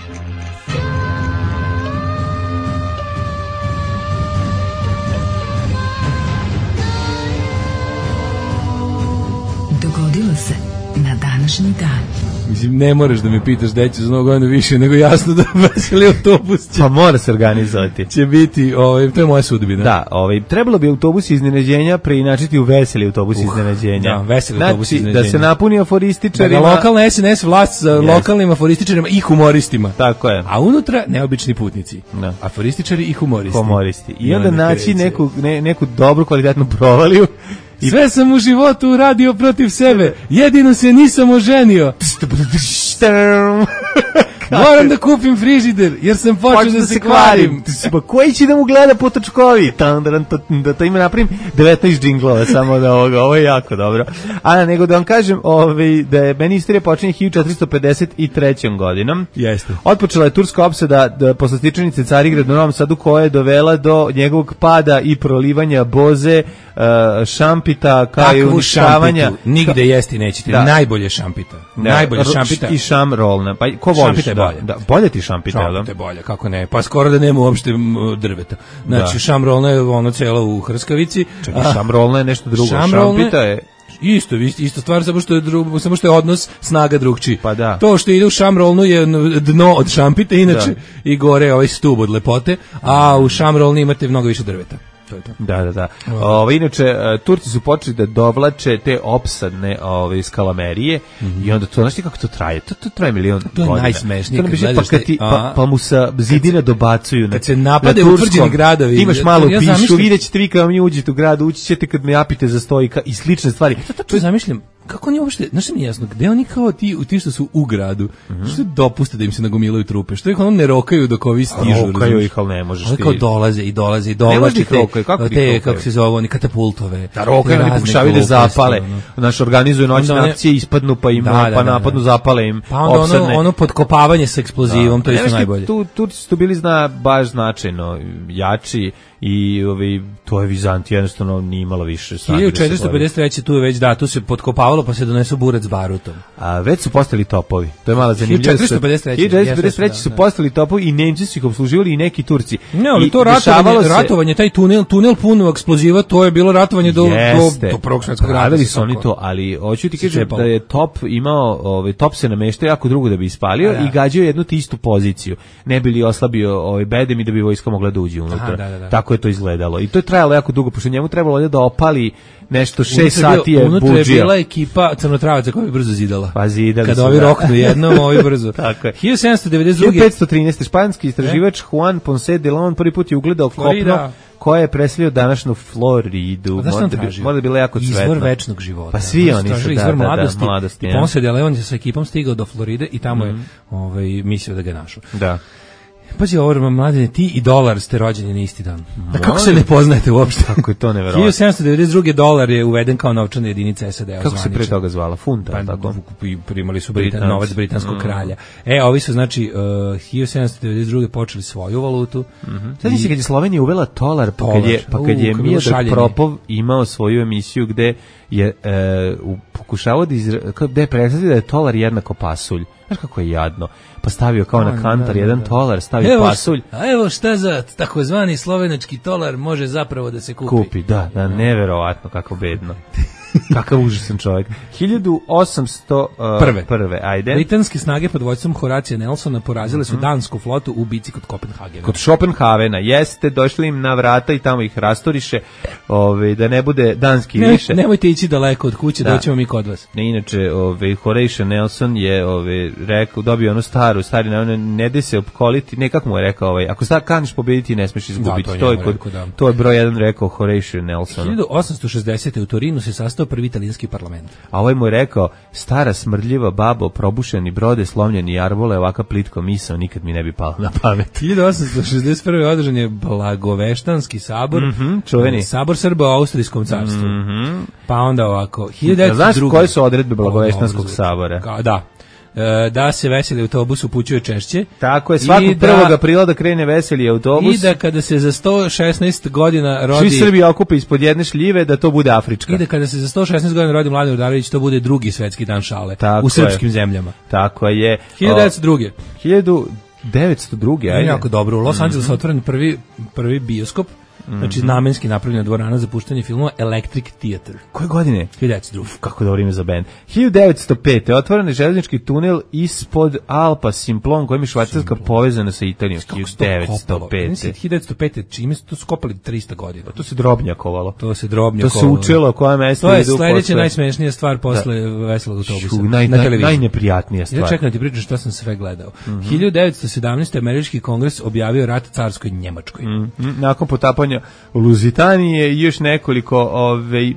Dogodilo se na današnji dan. Mislim, ne moraš da me pitaš da ću za novu godinu više, nego jasno da veseli autobus će, Pa mora se organizovati. će biti, ovaj, to je moja sudbina. Da, ovaj, trebalo bi autobus iznenađenja preinačiti u veseli autobus iznenađenja. da, veseli znači, autobus iznenađenja. Da se napuni Da aforističarima. ga lokalna S N S vlast sa Jest. lokalnim aforističarima i humoristima. Tako je. A unutra neobični putnici. Da. Aforističari i humoristi. Humoristi. I I onda onda naći kreće. neku, ne, neku dobru kvalitetnu provaliju. I Sve sam u životu uradio protiv sebe. Jedino se nisam oženio. Moram da kupim frižider, jer sam počeo Počeo da se kvarim. Pa koji će da mu gleda po točkovi? Tandaran, to- Da to ima napravim devetnaest džinglova samo da ovoga. Ovo je jako dobro. A nego da vam kažem ovaj, da je meni istorija počinje hiljadu četiristo pedeset trećom godinom. Jeste. Otpočela je turska opsada da, posle stičanice Carigrad u Novom Sadu koja je dovela do njegovog pada i prolivanja boze, uh, šampita, kao i Takvu uništavanja. šampitu nigde jesti nećete. Da. Najbolje šampita. Da, Najbolje ro- šampita. I šam rolna. Pa ko voliš? Šampita je da, bolje. Da, bolje ti šampita, jel da? Šampita je bolje, kako ne. Pa skoro da nema uopšte m, drveta. Znači, Da. šamrolna je ono celo u hrskavici. Čekaj, a šam rolna je nešto drugo. šamrolne- Šampita je... Isto, isto, isto stvar, samo što je drugo, samo što je odnos snaga drugčiji. Pa da. To što ide u šamrolnu je dno od šampite, inače Da. i gore ovaj stub od lepote, a u šamrolni imate mnogo više drveta. To je to. Da, da, da. Ove, inače, e, Turci su počeli da dovlače te opsadne ove, skalamerije i onda to, znaš ti kako to traje? To, to traje milion To je godina. najsmešnije To nam kad biše, pa, gledaš kad ti, taj- pa, a- pa mu sa zidina dobacuju. Kad na- se na napade turskom. utvrđeni gradovi, Ti imaš ja- malo ja pišu, zamišljam- vidjet ćete vi kada mi uđete u grad, ući ćete kad me napite za stojka i slične stvari. To zamišljam, kako oni uopšte, znaš što mi je jasno, gde oni kao ti, ti što su u gradu, što dopuste da im se nagomilaju trupe, što ih ono ne rokaju dok ovi stižu. Rokaju razumeš? ih, ali ne možeš Oni ti. kao dolaze i dolaze i Ne možeš dolaze ih rokaju, kako ih te, rokaju? kako se zove, oni katapultove. Da rokaju, te oni razne pokušavaju da gluposti, zapale. ono. Naš organizuju noćne Onda one- akcije, ispadnu pa im Da, da, pa da, napadnu, da. zapale im. Pa onda opsadne. ono, ono podkopavanje sa eksplozivom, to je Ne, isto znaš ti, najbolje. Tu, Turci su tu bili zna, baš značajno jači i ovi, to je Vizantija jednostavno nije imala više snage da se hiljadu četiristo pedeset treće tu je već, da, tu se podkopavalo pa se donesu burac s barutom. A već su postali topovi. To je mala zanimljivost. hiljadu četiristo pedeset treće hiljadu četiristo pedeset treće jeste, su da, da. postali topovi i Nemci su ih obsluživali i neki Turci. Ne, ali I to dešavalo ratovanje, se- ratovanje, taj tunel, tunel pun eksploziva, to je bilo ratovanje do, Jeste. do, do prvog svjetskog rata. Pravili se su oni tako- to, ali hoću ti se kažem cepalo. da je top imao, ovaj top se nameštao jako drugo da bi ispalio A, da. i gađao jednu te istu poziciju. Ne bi li oslabio ovaj bedem i da bi vojska mogla da uđe unutra. Aha, da, da, da. Tako je to izgledalo. I to je trajalo jako dugo, pošto njemu trebalo da opali nešto šest Unutra je bio- sati je unutra je budžija. bila ekipa crnotravaca koja bi brzo zidala. Pa zidali Kada su, ovi da. roknu jednom, ovi brzo. Tako je. hiljadu sedamsto devedeset druge. hiljadu petsto trinaeste španski istraživač Juan Ponce de Leon prvi put je ugledao Florida. kopno koje je preselio današnju Floridu. A znaš šta Možda on bi- tražio? Možda bi bilo jako cvetno. Izvor večnog života. Pa svi oni su, tražili da, izvor da, da, mladosti. mladosti, I ja. Ponce de Leon je sa ekipom stigao do Floride i tamo je ovaj, mislio da ga našao. Da. Pazi, ovo, mladine, ti i dolar ste rođeni na isti dan. Da kako se ne poznajete uopšte? Kako je to neverovatno. hiljadu sedamsto devedeset druge. dolar je uveden kao novčana jedinica S A D. Kako se pre toga zvala? Funta, pa, tako? Primali su Britan, novac britanskog mm. kralja. E, ovi su, znači, uh, hiljadu sedamsto devedeset druge. počeli svoju valutu. Mm-hmm. Sad i... si kad je Slovenija uvela tolar, pa kad je, pa kad je uh, Miodrag Propov imao svoju emisiju gde je uh, pokušavao da, izra... da je predstavio da je tolar jednako pasulj. Znaš kako je jadno. Pa stavio kao na kantar da, jedan da. tolar, stavio evo, pasulj. A evo šta za takozvani slovenački tolar može zapravo da se kupi. Kupi, da, da, neverovatno, kako bedno. Kakav užasan čovjek. hiljadu osamsto prve. Ajde. Britanske snage pod vođstvom Horacija Nelsona porazile su mm-hmm. dansku flotu u bici kod Kopenhagena. Kod Schopenhavena, jeste, došli im na vrata i tamo ih rastoriše, ove, da ne bude danski ne, više. Nemojte ići daleko od kuće, da. doćemo mi kod vas. Ne, inače, ove, Horatio Nelson je ove, rekao, dobio ono staru, stari, ne, ne de se opkoliti, ne, kako mu je rekao, ovaj, ako star kaniš pobediti, ne smiješ izgubiti. Da, to, to, je kod, rekao, da. to je broj jedan rekao Horatio Nelson. hiljadu osamsto šezdesete. u Torinu se sastao prvi italijanski parlament. A ovaj mu je rekao, stara smrdljiva babo, probušeni brode, slomljeni jarbole, ovaka plitko misao, nikad mi ne bi palo na pamet. hiljadu osamsto šezdeset prve. održan je Blagoveštanski sabor, mm-hmm, čuveni. Sabor Srba u Austrijskom carstvu. Mm-hmm. Pa onda ovako, hiljadu devetsto druge. Znaš koje su odredbe Blagoveštanskog sabora? Ka, da. Da se veseli autobus upućuje češće. Tako je, svakog da, prvog aprila da krene veseli autobus. I da kada se za sto šesnaest godina rodi... Svi Srbi okupe ispod jedne šljive, da to bude afrička. I da kada se za sto šesnaest godina rodi Mladen Urdarević, to bude drugi svetski dan šale. Tako u srpskim je. zemljama. Tako je. hiljadu devetsto druge. hiljadu devetsto druge, ajde. Jako dobro. U Los Angelesu mm-hmm. otvoren prvi, prvi bioskop. Znači namenski napravljena dvorana za puštanje filmova Electric Theater. Koje godine? hiljadu devetsto druge. Uf, kako dobro ime za bend. hiljadu devetsto pete. otvoren je železnički tunel ispod Alpa Simplon, kojim je Švajcarska povezana sa Italijom. hiljadu devetsto pete. hiljadu devetsto pete. Čime su to skopali trista godina? To se drobnjakovalo. To se drobnjakovalo. To se učilo koja mesta idu posle. To je sledeća najsmešnija stvar posle da. veselog autobusa. Šu, naj, na televiziji. Najneprijatnija stvar. Ja čekam ti pričam šta sam sve gledao. Mm-hmm. hiljadu devetsto sedamnaeste. američki kongres objavio rat carskoj Njemačkoj. Mm-hmm. Nakon potapanja Luzitanije i još nekoliko ovaj, e,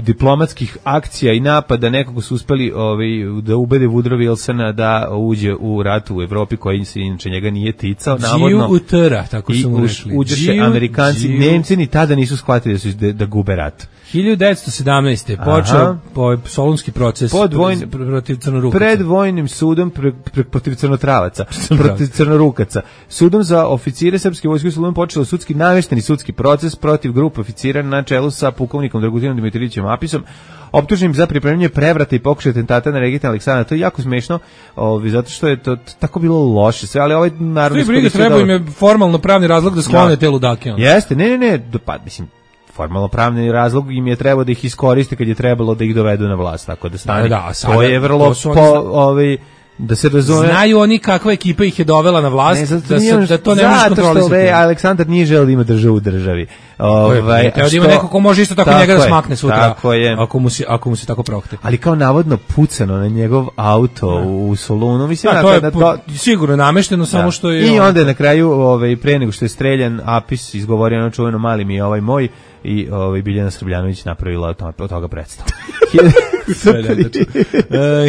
diplomatskih akcija i napada, nekako su uspeli ovaj, da ubede Woodrow Wilsona da uđe u rat u Evropi koji se inače njega nije ticao. Navodno, utera, tako su mu rekli. Uđeše Amerikanci, Giju. Nemci ni tada nisu shvatili da, su, da, da gube rat. hiljadu devetsto sedamnaeste. počeo po solunski proces vojn, protiv crnorukaca. Pred vojnim sudom pre, pre, protiv crnotravaca, protiv crnorukaca. Sudom za oficire srpske vojske u Solunu počeo sudski namešteni sudski proces protiv grupe oficira na čelu sa pukovnikom Dragutinom Dimitrijevićem Apisom, optuženim za pripremanje prevrata i pokušaj atentata na regenta Aleksandra. To je jako smešno, ovi, zato što je to tako bilo loše sve, ali ovaj narodni skupština treba im je formalno pravni razlog da sklone te ludake. Jeste, ne, ne, ne, pa mislim formalno pravni razlog im je trebao da ih iskoriste kad je trebalo da ih dovedu na vlast, tako da stane. Da, da, sada, to je vrlo to po, ovaj da se razume. Znaju oni kakva ekipa ih je dovela na vlast, ne, da, se, da to ne može kontrolisati. Zato što Aleksandar nije želeo da ima državu u državi. Ovaj, Teo da ima neko ko može isto tako, tako njega da smakne sutra, ako mu, se, ako mu se tako prohte. Ali kao navodno pucano na njegov auto da. u Solunu. Mislim, da, to je to, sigurno namešteno, samo da. što je... I onda je na kraju, ovaj, pre nego što je streljan, Apis izgovorio ono čuveno mali mi je ovaj moj, i ovaj Biljana Srbljanović napravila od toga predstavu.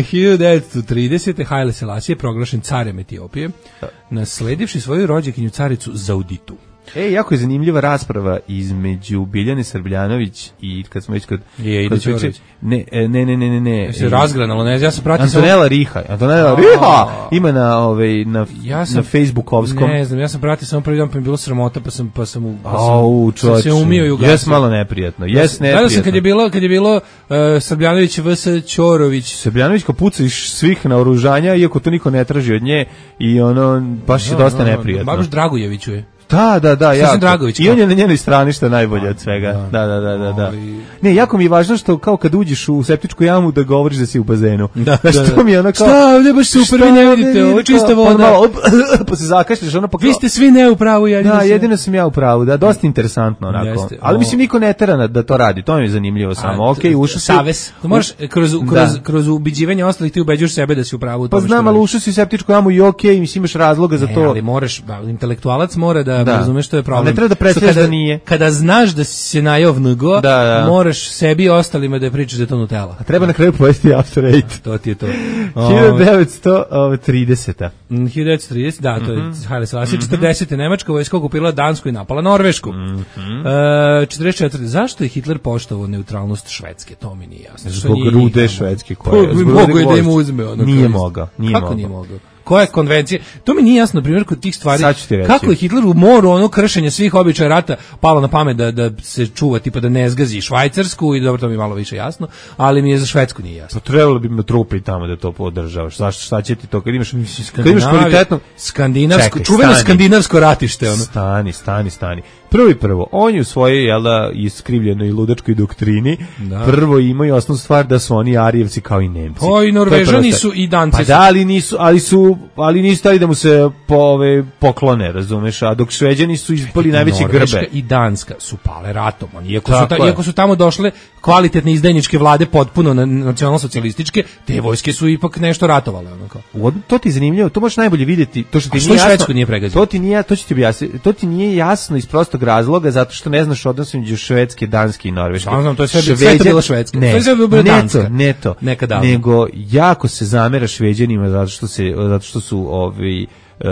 hiljadu devetsto tridesete. Haile Selasije proglašen carem Etiopije, nasledivši svoju rođakinju caricu Zauditu. E, jako je zanimljiva rasprava između Biljane Srbljanović i kad smo već kod... Je, kod Ide ne, ne, ne, ne, ne, ne. Se razgranalo, ne, ja sam pratio... Antonela Riha, Antonela Riha ima na, ovaj, na, ja sam, na Facebookovskom. Ne znam, ja sam pratio samo prvi dan, pa mi je bilo sramota, pa sam, pa sam, pa sam, Au, sam se umio i ugasio. Jes malo neprijatno, jes neprijatno. Gledao sam kad je bilo, kad je bilo uh, Srbljanović vs Ćorović. Srbljanović kao puca iz svih naoružanja, iako to niko ne traži od nje, i ono, baš je no, dosta no, neprijatno. Baš Dragujeviću je. Da, da, da, ja. I on je na njenoj strani što je najbolje od svega. Da, da, da, da, da. Ne, jako mi je važno što kao kad uđeš u septičku jamu da govoriš da si u bazenu. Da, da, da. Mi je ono kao, šta, ovdje baš super, vi ne vidite, ovo je čista voda. Pa, malo, pa se zakašlješ, ono pa kao... Vi ste svi ne u pravu, jedino Da, jedino sam ja u pravu, da, dosta interesantno onako. Jeste, ali mislim niko ne tera da to radi, to mi je zanimljivo samo. Okej, ušao si... Savez. Možeš kroz, kroz, kroz ubeđivanje ostalih ti ubeđuješ sebe da si u pravu. Pa znam, ali ušao si u septičku jamu i okej, mislim imaš razloga za to. Ali moraš, intelektualac mora da da, Da. razumeš, to je problem. Ali ne treba da predstavljaš Kada- da nije. Kada znaš da si se najeo vnugo, Da, da. moraš sebi i ostalima da pričaš da je to Nutella. A treba na kraju pojesti After Eight. To ti je to. hiljadu devetsto trideset. Mm, hiljadu devetsto trideset, da, to je Haile Selassie. Mhm. četrdesete Nemačka vojska okupirala Dansku i napala Norvešku. Mhm. E, četrdeset četvrte Zašto je Hitler poštovao neutralnost Švedske? To mi nije jasno. Što Zbog nije rude njih tamo? švedske Pa, koje. zbog mogu rude je da im gvožđa. uzme. Ono, Nije kao mogao. Nije Kako mogao. nije mogao? Koja je konvencija? To mi nije jasno, na primjer, kod tih stvari. Sad ću ti reći. Kako je Hitler u moru ono kršenje svih običaja rata palo na pamet da, da se čuva, tipa da ne zgazi Švajcarsku, i dobro, to mi je malo više jasno, ali mi je za Švedsku nije jasno. Pa trebalo bi me trupi tamo da to podržavaš. Zašto, šta će ti to kad imaš, kad imaš Skandinavija- kvalitetno... skandinavsko, Čekaj, čuveno stani. skandinavsko ratište, ono. Stani, stani, stani. Prvo i prvo, on je u svojoj, jel da, iskrivljenoj i ludačkoj doktrini, Da. prvo imaju osnovnu stvar da su oni Arijevci kao i Nemci. Pa i To je Norvežani prva stvar. su i Danci Pa su. da, ali nisu, ali su, ali nisu stali da mu se po, ove, poklone, razumeš, a dok Šveđani su ispali najveći Norveška grbe. i Danska su pale ratom. Oni, iako, su Tako ta, je. iako su tamo došle kvalitetne izdajničke vlade potpuno na- nacionalno-socijalističke, te vojske su ipak nešto ratovale. Ono kao. U od- to ti je zanimljivo, to možeš najbolje vidjeti, to što ti A što nije i jasno. Švedsku nije pregazio? To ti nije, to ću ti objasniti. To ti nije jasno iz prostog razloga zato što ne znaš odnos između Švedske, Danske i Norveške. Znam, znam, to je sve- sve Šveđani- to bila Švedska. Ne, To je sve bilo ne Danska. to, ne to. Nekad davno. Nego jako se zamera Šveđanima zato što se zato što su ovi e,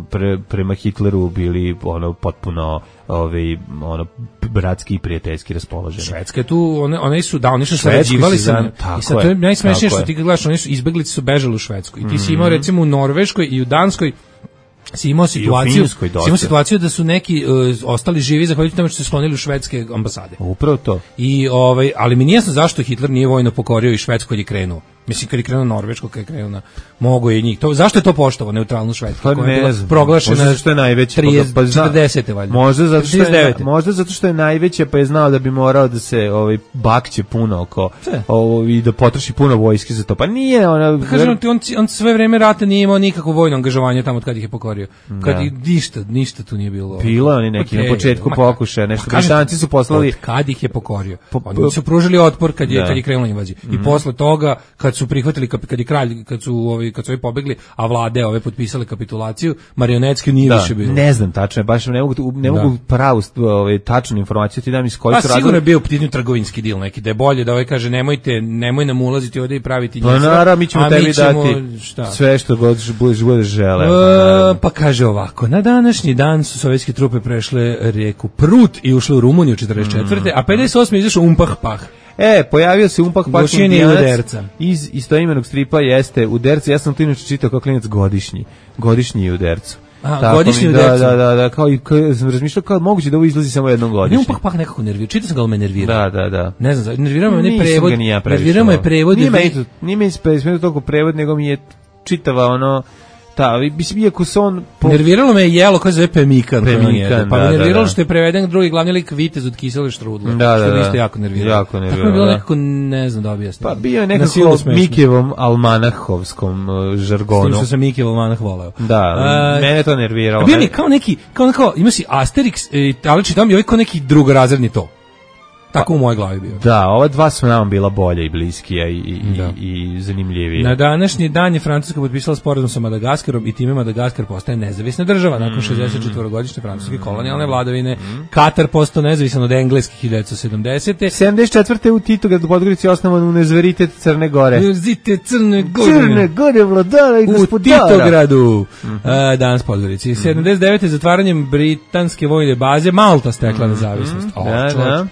pre, prema Hitleru bili ono potpuno ovi ono bratski i prijateljski raspoloženi. Švedska je tu, one, one su, da, oni su Švedsku sarađivali si sa... znam, tako I sad to je je, najsmešnije tako što je. ti kad gledaš, oni su, izbeglice su bežali u Švedsku. I ti si imao recimo u Norveškoj i u Danskoj si imao situaciju, Finskoj si dosta. imao situaciju da su neki uh, ostali živi zahvaljujući tome što se sklonili u švedske ambasade. Upravo to. I ovaj, ali mi nije jasno zašto Hitler nije vojno pokorio i Švedsku kad je krenuo. Mislim kad je krenuo na Norvešku, kad je krenuo na mogo je i njih. To zašto je to poštovao neutralnu Švedsku Pa koja je ne bila znam. proglašena Možda zato što je najveća, trideset, pa zna- četrdesete valjda. Možda zato što je, četrdeset devete. možda zato što je najveća, pa je znao da bi morao da se ovaj bakće puno oko Sve. ovo i da potroši puno vojske za to. Pa nije ona Kažem ti, on, on sve vreme rata nije imao nikakvo vojno angažovanje tamo od kad ih je pokorio. Kad Da. ih, ništa, ništa tu nije bilo. Bilo je oni neki Okej, na početku ma, pokušaja, nešto. ma, kažem ti, Britanci su poslali- od kad ih je pokorio. Po- Oni su pružili otpor kad je Da. kad je krenula invazija. I posle toga kad su prihvatili kap- kad je kralj kad su ovi kad su ovi pobegli, a vlade ove potpisale kapitulaciju, marionetski nije da, više bilo. ne znam tačno, baš ne mogu ne Da. mogu pravu ovaj tačnu informaciju ti dam iz kojeg Pa su sigurno je razloga. bio u pitanju trgovinski dil neki, da je bolje da ovaj kaže nemojte, nemoj nam ulaziti ovde i praviti Pa njih. naravno, mi ćemo a tebi ćemo- dati šta? sve što god budeš budeš želeo. E, pa naravno. pa kaže ovako, na današnji dan su sovjetske trupe prešle rijeku Prut i ušle u Rumuniju četrdeset četvrte a pedeset osme izašao Umpah Pah. E, pojavio se Umpak Pak Gošin i Indijanac Uderca. iz istoimenog stripa jeste Uderca, ja sam to inače čitao kao klinac godišnji, godišnji Udercu. A, Tako godišnji mi- Udercu. Da, da, da, da, kao i kao, sam razmišljao kao moguće da ovo izlazi samo jednom Ne godišnje. Umpah Pah nekako nervira, čitao sam ga, ali me nervira. Da, da, da. Ne znam, nervira me ne Nisam prevod, ga ni ja previše nervira me volao. prevod. Nije jer me, vi- nije me ispe- toliko prevod, nego mi je čitava ono, ta, mislim, iako se on... Po, Nerviralo me je jelo koje se zove Pemikan. koje on Pemikan, jede. Pa da, me da, nerviralo da. što je preveden drugi glavni lik Vitez od kisele štrudle. Da, da, što me da. isto jako nerviralo. Jako Tako mi je nerviralo, bilo da. nekako, ne znam da objasnim. pa bio je Na silu nekako smešno. Mikijevom almanahovskom uh, S tim žargonu. što sam Miki Volmanah voleo. Da, A, mene je to nerviralo. A bio mi je kao neki, kao neko, ima si Asterix, e, ali čitam i ovaj kao neki drugorazredni to. Tako u mojoj glavi bio. Da, ova dva su nam bila bolja i bliskija i, i, Da. i, i zanimljivije. Na današnji dan je Francuska potpisala sporazum sa Madagaskarom i time Madagaskar postaje nezavisna država nakon šezdeset četiri godišnje francuske kolonijalne vladavine. Katar postao nezavisan od Engleske hiljadu devetsto sedamdesete. sedamdeset četvrte u Titogradu u Podgorici osnovan Univerzitet Crne Gore. Univerzitet Crne Gore. Crne Gore, vladara i U gospodara. Titogradu. E, danas Podgorici. sedamdeset devete zatvaranjem britanske vojne baze Malta stekla nezavisnost. O, Da, čovječe. da.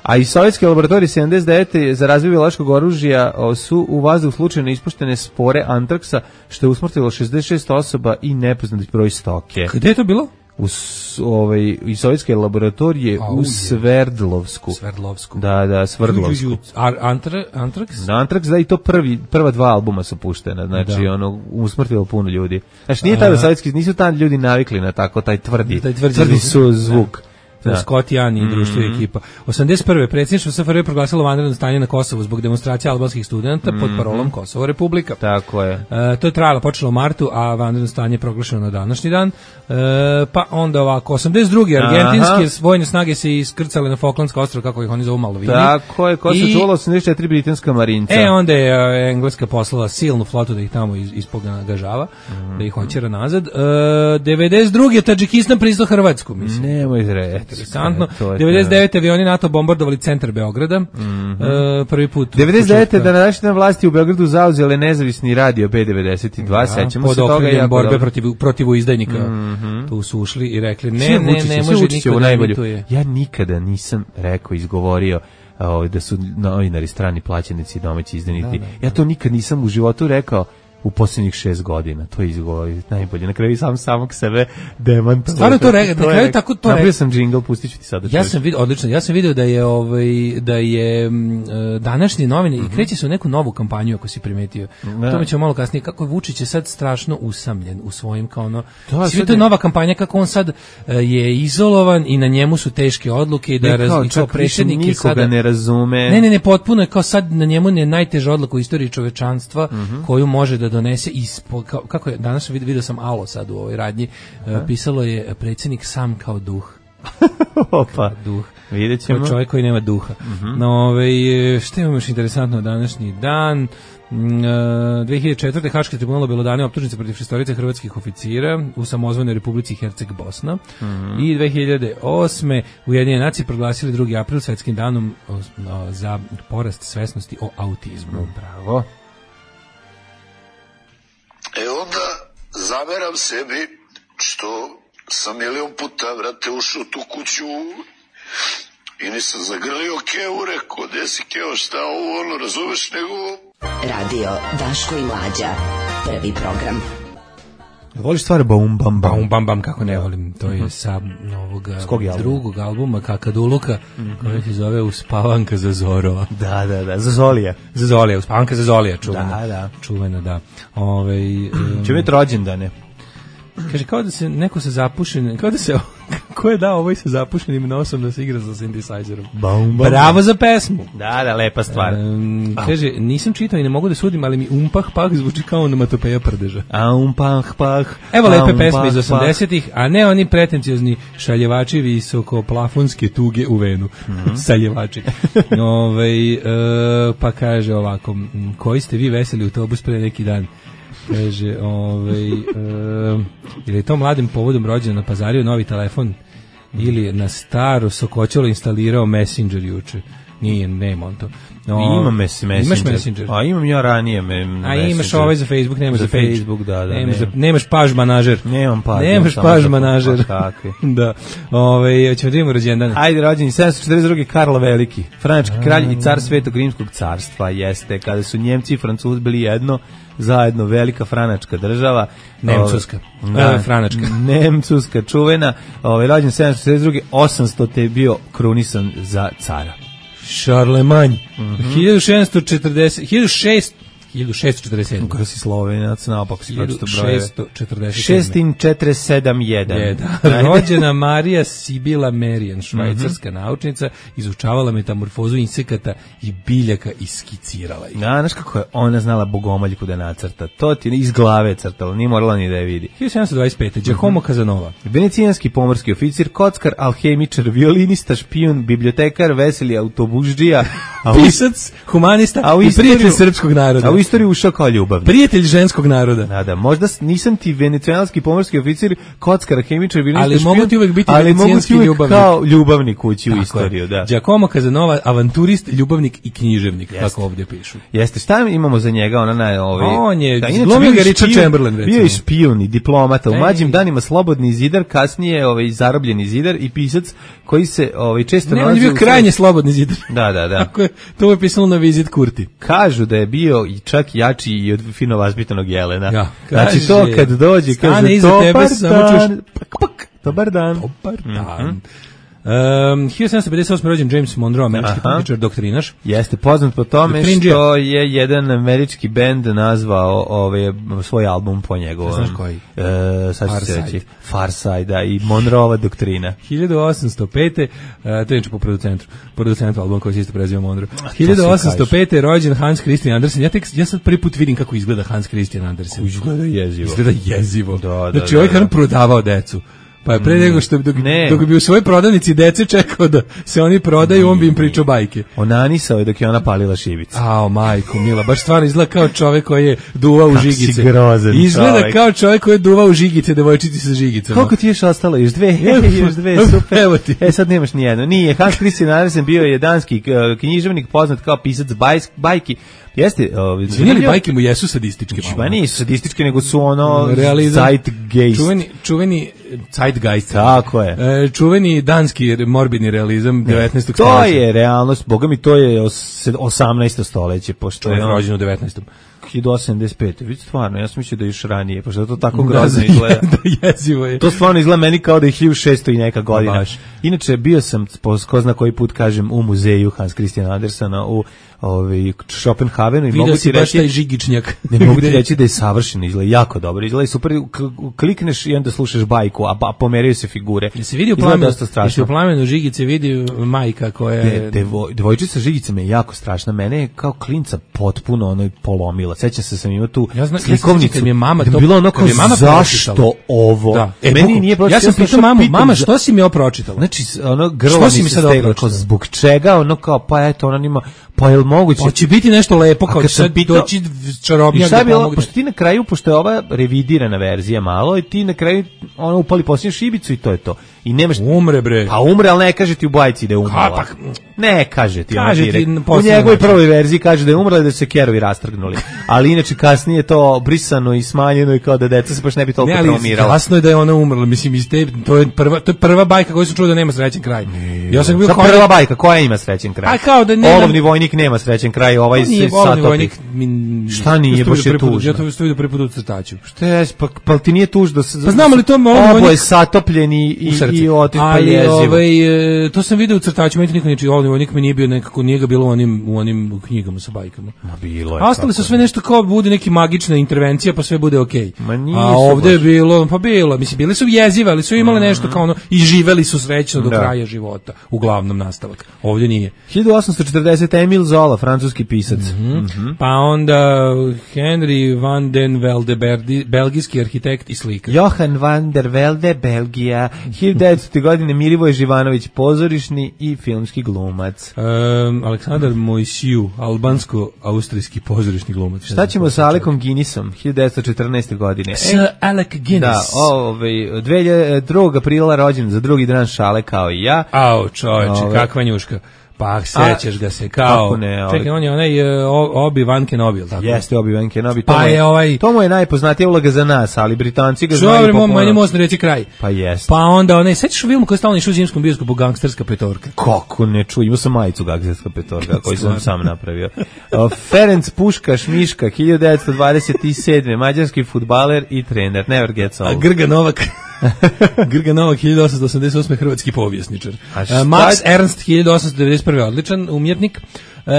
A i sovjetske laboratorije sedamdeset devete za razvoj biološkog oružja o, su u vazduh slučajno ispuštene spore antraksa, što je usmrtilo šezdeset šest osoba i nepoznati broj stoke. Gde je to bilo? U s- ovaj, i sovjetske laboratorije Au u je. Sverdlovsku. Sverdlovsku. Da, da, Sverdlovsku. Ar, antra, antraks? Da, Antrax, da, i to prvi, prva dva albuma su puštena, znači, Da. ono, usmrtilo puno ljudi. Znači, nije tada sovjetski, nisu tada ljudi navikli na tako, taj tvrdi, Taj tvrdi tvrdi zvuk. su zvuk. To je Scott Jan i društvo i ekipa. osamdeset prve predsjedništvo S F R J proglasilo vanredno stanje na Kosovu zbog demonstracija albanskih studenta pod parolom Kosovo Republika. Tako je. E, to je trajalo, počelo u martu, a vanredno stanje je proglašeno na današnji dan. E, pa onda ovako, osamdeset druge argentinske Aha. vojne snage se iskrcale na Falklandska ostrva, kako ih oni zovu Malvini. Tako je, ko se I, čulo osamdeset četiri britanska marinca. E, onda je uh, Engleska poslala silnu flotu da ih tamo iz, ispogagažava, mm. da ih hoćera nazad. E, devedeset druge Tadžikistan priznao Hrvatsku, mislim. Nemoj reći. Interesantno. devedeset devete avioni NATO bombardovali centar Beograda. Mm-hmm. E, prvi put. devedeset devete da današnje vlasti u Beogradu zauzele nezavisni radio B devedeset dva, ja, sećamo pod se toga. Pod borbe protiv, protiv izdajnika. Mm-hmm. Tu su ušli i rekli, ne, sve ne, Vučiće, ne može niko da imituje. Ja nikada nisam rekao, izgovorio o, da su novinari strani plaćenici, domaći izdajnici. Da, da, da. Ja to nikad nisam u životu rekao. U posljednjih šest godina, to je izgovori najbolje. Na kraju sam samog sebe demantovao. Stvarno to rekao, na kraju tako to rekao. Napravio sam džingl, pustit ću ti sada. Ja sam vidio, odlično, ja sam vidio da je ovaj da je m, današnji novine mm-hmm. i kreće se u neku novu kampanju, ako si primetio. Da. To mi ćemo malo kasnije, kako je Vučić je sad strašno usamljen u svojim kao ono. Svi to je nova kampanja, kako on sad je izolovan i na njemu su teške odluke i da ne, kao, i kao predsjednik je sada ne razume. Ne, ne, ne, potpuno je kao sad na njemu je najteža odluka u istoriji čovečanstva mm-hmm. koju može da donese ispo, kao, kako je, danas vidio, vidio sam Alo sad u ovoj radnji, uh, pisalo je predsjednik sam kao duh. Opa, duh. Vidjet ćemo. Čovjek koji nema duha. Uh-huh. No, ovaj, što imamo još interesantno današnji dan? Uh, dve hiljade četvrte Haški tribunal obelodane optužnice protiv šestorice hrvatskih oficira u samozvanoj Republici Herceg Bosna. Mm-hmm. I dve hiljade osme Ujedinjene nacije proglasili drugi april svetskim danom o, o, za porast svesnosti o autizmu. Bravo. E onda zameram sebi što sam milion puta, vrate, ušao tu kuću i nisam zagrlio Keo, rekao, gde si Keo, šta ovo, ono, razumeš, nego... Radio Daško i Mlađa, prvi program. Voliš stvar Baum Bam Bam? Baum Bam Bam, kako ne volim, to je sa novog drugog albuma Kakaduluka, mm-hmm. koji se zove Uspavanka za Zorova. Da, da, da, za Zolija. Za Zolija, Uspavanka za Zolija, čuvena. Da, da. Čuvena, da. Ove, um, će biti rođendane. Kaže, kao da se neko sa zapušenim, kao da se, ko je dao ovoj sa zapušenim nosom da se igra sa synthesizerom? Baum, bam, Bravo za pesmu. Da, da, lepa stvar. Um, kaže, nisam čitao i ne mogu da sudim, ali mi umpah pah zvuči kao onomatopeja prdeža. A umpah pah. Evo lepe pesme iz osamdesetih, a ne oni pretenciozni šaljevači visoko plafonske tuge u venu. Mm-hmm. Saljevači. Ove, e, pa kaže ovako, koji ste vi veseli autobus pre neki dan? Kaže, ovaj, uh, ili je to mladim povodom rođena na Pazario novi telefon ili na staro sokoćelo instalirao Messenger juče. Nije, nema on to. No, imam Messenger. Imaš Messenger? A imam ja ranije me, A Messenger. imaš ovaj za Facebook, nemaš za, za Facebook, da, da. Nemaš, za, nemaš paž manažer. Nemam paž. Nemaš paž manažer. Kakvi. Da. Ove, ćemo da imamo rođendane. Ajde, rođeni sedamsto četrdeset druge Karlo Veliki, frančki kralj i car Svetog Rimskog carstva, jeste, kada su Njemci i Francuzi bili jedno, zajedno velika franačka država. Nemcuska. Da, e, franačka. Nemcuska, čuvena. Ovaj, rođen sedamsto četrdeset druge osamsto te je bio krunisan za cara. Charlemagne. Mm-hmm. hiljadu šeststo četrdeset, hiljadu šest, hiljadu šeststo četrdeset sedam. Kako si Slovenac, naopak si pročito brojeve. hiljadu šeststo četrdeset sedam. šest četiri sedam jedan. Je, da. Rođena Marija Sibila Merian, švajcarska mm-hmm. naučnica, izučavala metamorfozu insekata i biljaka i skicirala ih. Da, znaš kako je ona znala bogomoljku da nacrta. To ti iz glave crtala, nije morala ni da je vidi. hiljadu sedamsto dvadeset pete. Giacomo Casanova. Venecijanski pomorski oficir, kockar, alhemičar, violinista, špijun, bibliotekar, veseli autobuždžija, pisac, humanista a i prijatelj srpskog naroda. A u istoriju ušao kao ljubavnik. Prijatelj ženskog naroda. Da, da, možda nisam ti venecijanski pomorski oficir, kockar, hemičar, violinista, ali špijun, mogu ti uvek biti venecijanski ljubavnik. Kao ljubavnik ući u istoriju, da. Giacomo Casanova, avanturist, ljubavnik i književnik, Jeste. Kako ovdje pišu. Jeste, šta imamo za njega? Ona na ovaj. On je da, glumio ga Richard Chamberlain, recimo. Bio je špijun i diplomata. U mlađim danima slobodni zidar, kasnije ovaj zarobljeni zidar i pisac koji se ovaj često ne, on je bio krajnje slobodni zidar. Da, da, da. Tako je, to je pisalo na vizit Kurti. Kažu da je bio i čak jači i od fino vaspitanog jelena. Ja, znači to kad dođe, kaže to dobar tebe, dan, pak, pak, dobar dan. Dobar dan. Mm-hmm. Um, hiljadu sedamsto pedeset osme rođen James Monroe, američki političar, doktrinaš. Jeste poznat po tome što je jedan američki bend nazvao ovaj svoj album po njegovom. Znaš koji? E, sad ću se reći. Far Side, da, i Monroeova doktrina. hiljadu osamsto pete. Uh, to je po producentu. Producentu album koji se isto preziva Monroe. hiljadu osamsto pete. rođen Hans Christian Andersen. Ja tek ja sad prvi put vidim kako izgleda Hans Christian Andersen. Izgleda jezivo. Izgleda jezivo. Da, da, znači, da, ovaj da. kan prodavao decu. Pa je pre mm. nego što dok, dok bi u svojoj prodavnici dece čekao da se oni prodaju, mm. on bi im pričao bajke. Onanisao je dok je ona palila šibicu. Ao, majko mila, baš stvarno izgleda kao čovek koji je duvao u žigice. Kako si grozan izgleda čovek. Kao čovek koji je duvao u žigice, devojčici sa žigicama. Koliko ti još ostalo? Još dve? još dve, super. Evo ti. E, sad nemaš ni jedno. Nije, Hans Christian Andersen bio je danski uh, književnik, poznat kao pisac bajs, bajki. Jeste, ovaj zanimljivo, bajke mu jesu sadističke. Pa nisu sadističke, nego su ono realizam, zeitgeist. Čuveni, čuveni zeitgeist. Tako je. E, čuveni danski morbidni realizam devetnaestog To stoljeća. je realnost, boga mi, to je osamnaesto stoljeće, pošto je rođen u devetnaestom hiljadu osamsto sedamdeset pete. Vidite, stvarno, ja sam mislio da je još ranije, pošto to tako grozno izgleda. Da, jezivo je. To stvarno izgleda meni kao da je hiljadu šesto i neka godina. Inače, bio sam, ko zna koji put kažem, u muzeju Hans Christian Andersena u ovaj Schopenhavenu i mogu ti reći taj žigičnjak. Ne mogu ti reći da je savršeno, izgleda jako dobro. Izgleda super, klikneš i onda slušaš bajku, a, a pomeraju se figure. Se vidi u plamenu, se u plamenu žigice vidi majka koja je De, devoj, devojčica žigice me je jako strašna. Mene je kao klinca potpuno ono polomila. Sećam se sam imao tu ja znam, slikovnicu. Ja mi je mama to, bilo ono kao je mama zašto pročitala. ovo? Da. E, meni buku, nije pročitala. Ja sam pitao mamu, mama što si mi ovo pročitala? Znači ono grlo mi se steglo, zbog čega ono kao pa eto ona nima pa jel moguće? Hoće biti nešto lepo kao sad doći čarobnjak da pomogne. Pošto ti na kraju, pošto je ova revidirana verzija malo, i ti na kraju ono upali posljednju šibicu i to je to. I nemaš umre bre. Pa umre, al ne kaže ti u bajci da je umrla. Pa, ne kaže ti, kaže ti u njegovoj prvoj verziji kaže da je umrla i da su se kerovi rastrgnuli. Ali inače kasnije to brisano i smanjeno i kao da deca se baš ne bi toliko traumirala. Jasno je da je ona umrla, mislim iz te, to je prva to je prva bajka koju sam čuo da nema srećan kraj. Ne, ja sam bio kao prva bajka koja ima srećan kraj. A kao da ne. Olovni vojnik nema srećan kraj, ovaj se satopi. Šta nije, baš je tužno. Ja to vidio prvi put u crtaču. Šta je, pa, pa ti nije tužno. Pa znam li to oboje satopljeni i i otiš pa jezivo. Ovaj to sam video u crtaču, meni niko neči, olovni vojnik mi nije bio nekako, nije ga bilo u onim u onim knjigama sa bajkama. Ma bilo je. A ostali su sve nešto kao bude neki magična intervencija, pa sve bude okej. Okay. A ovde je bilo, pa bilo, mislim bile su jezive, ali su imale nešto kao ono i živeli su srećno do da. kraja života, uglavnom nastavak. Ovdje nije. hiljadu osamsto četrdeset. Emil Zola, francuski pisac. Mm-hmm. Mm-hmm. Pa onda Henry van den Velde, belgijski arhitekt i slikar. Johan van der Velde, Belgija, hiljadu devetsto. godine Milivoje Živanović, pozorišni i filmski glumac. Um, Aleksandar Mojsiju, albansko-austrijski pozorišni glumac. Šta ćemo sa Alekom Guinnessom, hiljadu devetsto četrnaeste. godine? Sir Alec Guinness. Da, ovaj, drugog aprila rođen za drugi dan šale kao i ja. Au, čoveče, ove, kakva njuška. Pa sećaš ga se kao ne, ali... čekaj, on je onaj uh, Obi-Wan Kenobi, tako? Jeste Obi-Wan Kenobi, pa to, je, ovaj... to mu je najpoznatija uloga za nas, ali Britanci ga znaju popularno. Dobro, meni možda reći kraj. Pa jeste. Pa onda onaj, sećaš film koji je stalno išao u zimskom bioskopu, Gangsterska petorka? Kako ne čuo, imao sam majicu Gangsterska petorka koju sam sam napravio. Uh, Ferenc Puškaš Miška, hiljadu devetsto dvadeset sedme. mađarski fudbaler i trener, never gets old. A Grga Novak... Grga Novak, hiljadu osamsto osamdeset osme. hrvatski povjesničar. Uh, Max Ernst, hiljadu osamsto devedeset prve. odličan umjetnik. Uh,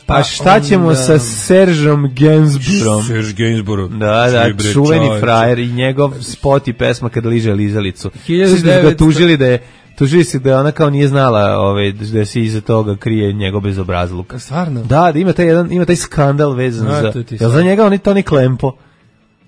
pa a šta ćemo onda... sa Seržom Gainsbourom? Serge Gainsbourg. Da, da, čuveni frajer i njegov spot i pesma kada liže lizalicu. Svi da ga tužili da je Tužili se da ona kao nije znala ovaj, da se iza toga krije njegov bezobrazluk. Stvarno? Da, da ima taj, jedan, ima taj skandal vezan a, za... Jel za njega on je Toni Klempo?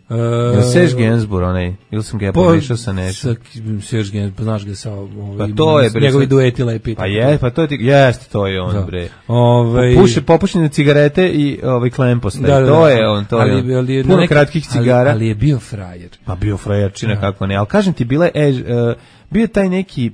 Uh, Jel Serge Gainsbourg onaj, ili sam ga pomešao sa nečim? Serge Gainsbourg, znaš ga sa ovaj, pa to je, bre, njegovi dueti lepi. Pa je, pa to je, jeste, to je on, da. bre. Ove, Puše, popušene cigarete i ovaj klempost, da, da, to je on, to ali, je on. Ali, puno nek, kratkih cigara. Ali, ali je bio frajer. Pa bio frajer, čina da. kako ne, ali kažem ti, bila je, uh, bio je taj neki...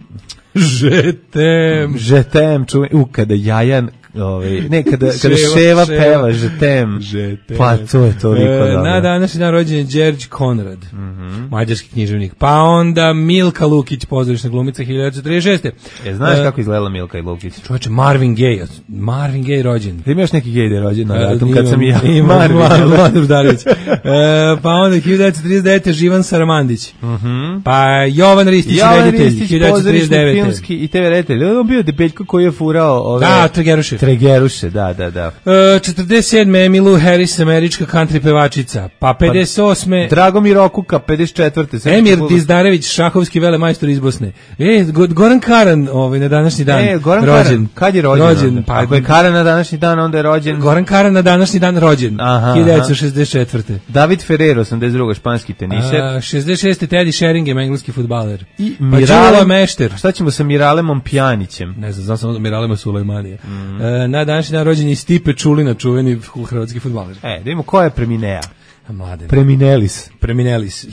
Žetem. Žetem, čuvaj, u, kada Jajan Ovaj ne kada kada Ševa, ševa, ševa peva Žetem. Žetem. Pa to je toliko e, dobro. Na današnji dan rođen je Đerđ Konrad. Mm-hmm. Mađarski književnik. Pa onda Milka Lukić, pozorišna glumica hiljadu devetsto trideset šeste. E znaš e, kako izgledala Milka i Lukić? Čoveče, Marvin Gaye. Marvin Gaye rođen. Ti imaš neki Gaye da je rođen na datum kad sam i ja. Marvin Gaye. e, pa onda hiljadu devetsto trideset devete Živan Saramandić. Mhm. Pa Jovan Ristić, Jovan reditelj, Ristić, hiljadu devetsto trideset devete. Filmski i te ve reditelj. On bio debeljko koji je furao ove Da, Tregeruše. Tregeruše, da, da, da. E, četrdeset sedme Emilu Harris, američka country pevačica. Pa pedeset osme Pa, Dragomir Okuka, pedeset četvrte Emir Dizdarević, šahovski velemajstor iz Bosne. E, Goran Karan, ovaj na današnji dan. E, Goran rođen. Karan. Kad je rođen? rođen Pa ako je Karan na današnji dan, onda je rođen. Goran Karan na današnji dan rođen. Aha, hiljadu devetsto šezdeset četvrte David Ferrer, osamdeset druge španski teniser. A, šezdeset šeste Teddy Sheringham, engleski fudbaler. I Miralem pa Mešter. Šta ćemo sa Miralemom Pjanićem? Ne znam, znam samo da Miralema Sulejmanija. Mm. E, na današnji dan rođen je Stipe Čulina, čuveni hrvatski fudbaler. E, da vidimo ko je preminea. Mladen. Preminelis. Preminelis.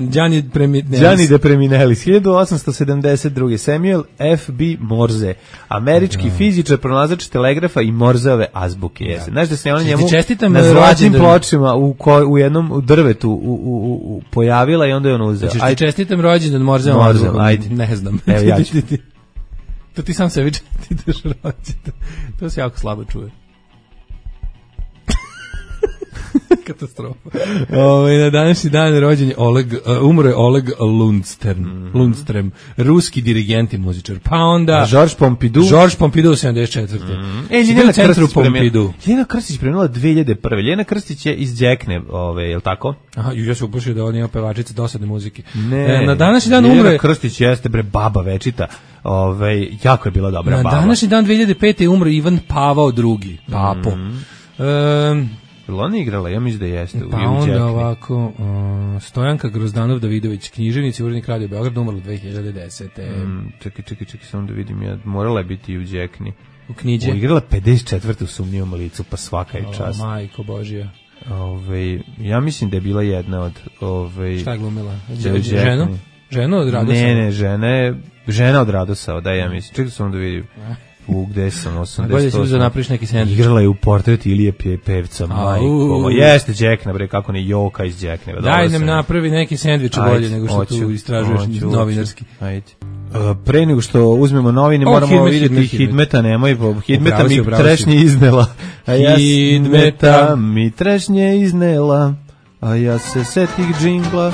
Đani Preminelis. Đani de Preminelis. hiljadu osamsto sedamdeset druge Samuel F B Morse, američki da. fizičar, pronalazač telegrafa i Morzeove azbuke. Jeste. Znaš da se ona njemu na zlatnim pločima u, ko, u jednom u drvetu u, u, u, pojavila i onda je on uzeo. Ajde, čestitam rođendan Morzeovom azbukom. Ajde. Ne znam. Evo ja ću. To ti sam sebi čestitaš rođendan. To se jako slabo čuje. Katastrofa. Ovaj na današnji dan rođen je Oleg, uh, umro je Oleg Lundstern, mm-hmm. Lundstrem, ruski dirigent i muzičar. Pa onda Georges Pompidou, Georges Pompidou sedamdeset četvrte Mm-hmm. E, Ljena Krstić Pompidou. Ljena Krstić preminula dve hiljade prve Ljena Krstić je iz Đekne, ovaj, je l' tako? Aha, ja se upušio da on ima pevačica dosadne muzike. Ne, e, na današnji dan umre Ljena Krstić jeste bre baba večita. Ovaj, jako je bila dobra na baba. Na današnji dan dve hiljade pete umro Ivan Pavao drugi, papo. Mm-hmm. E, Jel ona igrala? Ja mislim da jeste. Pa onda ovako, uh, Stojanka Grozdanov Davidović, književnici, urednik Radio Beograd, umrla dve hiljade desete Mm, čekaj, čekaj, čekaj, samo da vidim, ja morala je biti i u Đekni. U knjiđe. U igrala pedeset četvrte u Sumnjivom licu, pa svaka je čast. O, majko Božija. Ove, ja mislim da je bila jedna od... Ove, šta je glumila? Ženu? Ženu od Radosava? Ne, ne, žene, žena od Radosava, da ja mislim. Čekaj samo da vidim. U gde sam osamdeset osam. Bolje si napriš neki sendvič. Igrala je u Portret Ilije Pevca, majko. Jeste Đekna, bre, kako ne Joka iz Đekne. Daj nam napravi neki sendvič bolje nego što tu istražuješ novinarski. Ajde. Pre nego što uzmemo novine, moramo vidjeti Hidmeta, nemoj, Hidmeta mi trešnje iznela. Hidmeta mi trešnje iznela, a ja se setih džingla.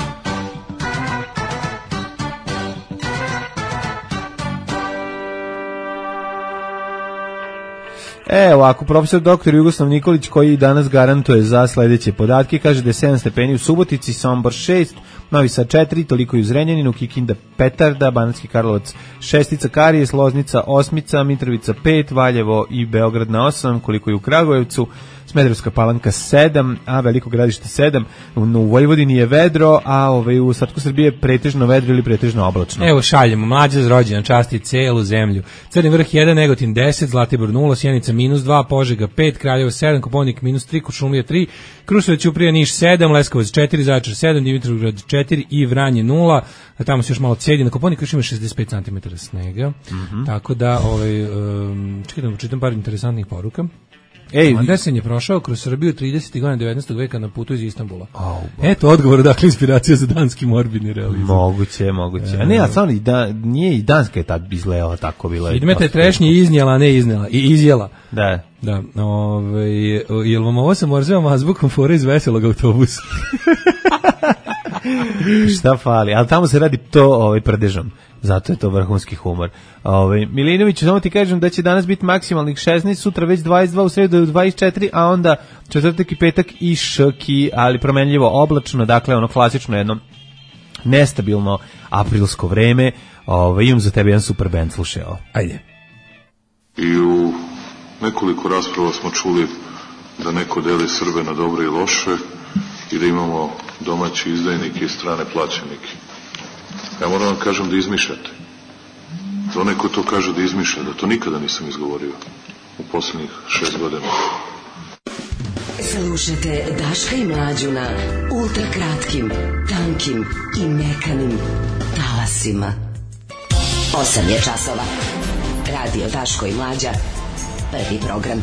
E, ovako, profesor doktor Jugoslav Nikolić, koji danas garantuje za sledeće podatke, kaže da je sedam stepeni u Subotici, Sombor šest, Novi Sad četiri, toliko i u Zrenjaninu, Kikinda Petarda, Banatski Karlovac šestica, Karijes, Loznica osmica, Mitrovica pet, Valjevo i Beograd na osam, koliko i u Kragujevcu, Smederevska Palanka sedam, a Veliko Gradište sedam, u, u Vojvodini je vedro, a ovaj, u ostatku Srbije pretežno vedro ili pretežno oblačno. Evo šaljemo, mlađa z rođendan časti celu zemlju. Crni Vrh jedan, Negotin deset, Zlatibor nula, Sjenica minus dva, Požega pet, Kraljevo sedam, Koponik minus tri, Kuršumlija tri, Kruševac, Ćuprija, Niš sedam, Leskovac četiri, Zaječar sedam, Dimitrovgrad četiri i Vranje nula, a tamo se još malo cedi, na Koponiku još ima šezdeset pet centimetara snega, mm-hmm. tako da, ovaj, um, čekaj da čitam par interesantnih poruka. Ej, Andersen je prošao kroz Srbiju tridesetih godina devetnaestog veka na putu iz Istanbula. Oh, eto odgovor, dakle, inspiracija za danski morbidni realizam. Moguće, moguće. A ne, a samo da, nije i Danska je tad izgledala tako bila. Idmete trešnje iznijela, a ne iznijela. I izjela. Da. Da. Ove, jel vam ovo sa Morzevom azbukom fora iz veselog autobusa? Šta fali? Ali tamo se radi to ovaj prdežom. Zato je to vrhunski humor. Ovaj Milinović, samo ti kažem da će danas biti maksimalnih šesnaest, sutra već dvadeset dva, u sredu dvadeset četiri, a onda četvrtak i petak i ški, ali promenljivo oblačno, dakle ono klasično jedno nestabilno aprilsko vreme. Ovaj imam za tebe jedan super bend, slušaj ovo. Ajde. I u nekoliko rasprava smo čuli da neko deli Srbe na dobre i loše i da imamo domaći izdajnike i strane plaćenike. Ja moram vam kažem da izmišljate. Da onaj ko to kaže da izmišlja, da to nikada nisam izgovorio u posljednjih šest godina. Slušajte Daška i Mlađu na ultra kratkim, tankim i mekanim talasima. Osam je časova. Radio Daško i Mlađa. Prvi program.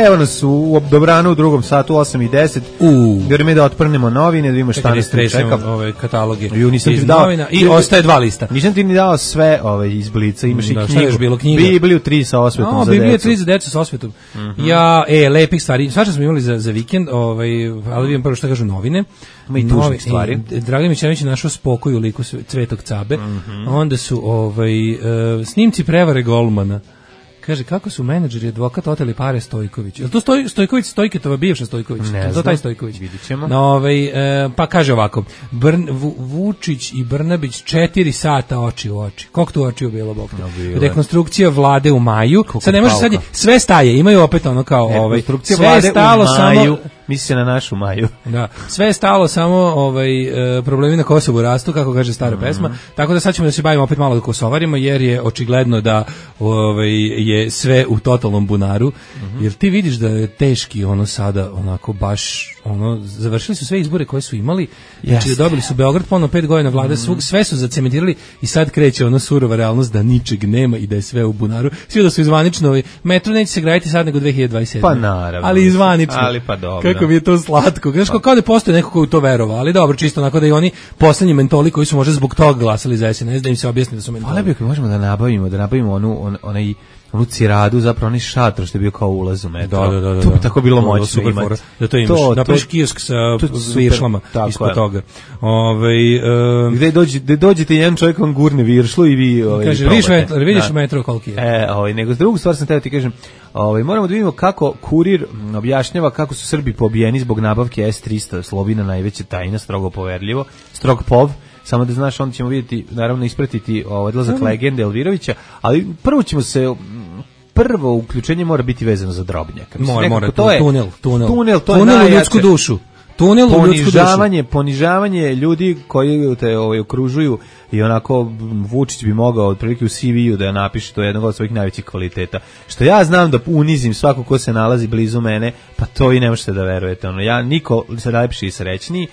Evo nas u dobranu u drugom satu, osam i deset. U. Vreme da otprnemo novine, da vidimo šta nas tu čeka. Ove kataloge Ju, nisam iz ti dao, novina i ostaje dva lista. Nisam ti ni dao sve ove iz Blica, imaš da, i knjigu. Bilo, knjiga. Bibliju tri sa osvetom no, za Biblija decu. tri za decu sa osvetom. Mm -hmm. Ja, e, lepih stvari. Svašta smo imali za, za vikend, ovaj, ali vidim prvo što kažu novine. Ma i tužnih stvari. E, Dragan Mićanović je našao spokoj u liku Cvetog Cabe. Mm -hmm. Onda su ovaj, uh, snimci prevare golmana. Kaže, kako su menadžeri advokat oteli pare Stojković? Je li to Stoj, Stojković, Stojketova bivša Stojković? Ne znam. To taj Stojković? Vidit ćemo. No, ovaj, e, pa kaže ovako, Brn, Vu, Vučić i Brnabić četiri sata oči u oči. Koliko tu oči u bilo, Bog te? No, rekonstrukcija vlade u maju. Koliko sad ne može sad, sve staje, imaju opet ono kao... Ovaj, rekonstrukcija sve vlade je stalo u maju. Samo, misli se na našu Maju. Da, sve je stalo samo ovaj e, problemi na Kosovu rastu, kako kaže stara mm -hmm. pesma. Tako da sad ćemo da se bavimo opet malo Kosovarima, jer je očigledno da ovaj je sve u totalnom bunaru. Mm -hmm. Jer ti vidiš da je teški ono sada onako baš ono završili su sve izbore koje su imali. Znači yes. dobili su Beograd ponovno pet godina vlade, mm -hmm. sve su zacementirali i sad kreće ona surova realnost da ničeg nema i da je sve u bunaru. Svi da su izvanično, ovaj metro neće se graditi sad nego dve hiljade dvadeset sedme. Pa naravno. Ali izvanično. Ali pa dobro. Kako mi je to slatko. Znaš, kao da postoji neko ko u to verovao, ali dobro, čisto onako da i oni poslednji mentoli koji su možda zbog toga glasali za S N S, da im se objasni da su mentoli. Ali bi ako možemo da nabavimo, da nabavimo onu, on, onaj onu ciradu, zapravo onaj šator što je bio kao ulaz u metro. Da, da, da, to bi tako bilo moćno imati. Da to imaš. Napraviš kiosk sa viršlama ispod toga. Ove, um, gde, dođe, gde dođete jedan čovjek vam gurne viršlu i vi ovaj, kaže, vidiš metro, vidiš metro koliki je. E, ovaj, nego drugu stvar sam teo ti kažem, ovaj, moramo da vidimo kako kurir objašnjava kako su Srbi pobijeni zbog nabavke S trista Slovina, najveća tajna, strogo poverljivo, strog pov. Samo da znaš, onda ćemo vidjeti, naravno ispratiti ovaj odlazak legende Elvirovića, ali prvo ćemo se prvo uključenje mora biti vezano za Drobnjaka. Mora, mora, to je tunel, tunel. Tunel, to tunel je u ljudsku dušu. Tunel u ljudsku dušu. Ponižavanje ljudi koji te ovaj okružuju i onako Vučić bi mogao otprilike u C V-u da napiše to jednog od svojih najvećih kvaliteta. Što ja znam da unizim svako ko se nalazi blizu mene, pa to i ne možete da verujete. Ono, ja niko se lepši i srećniji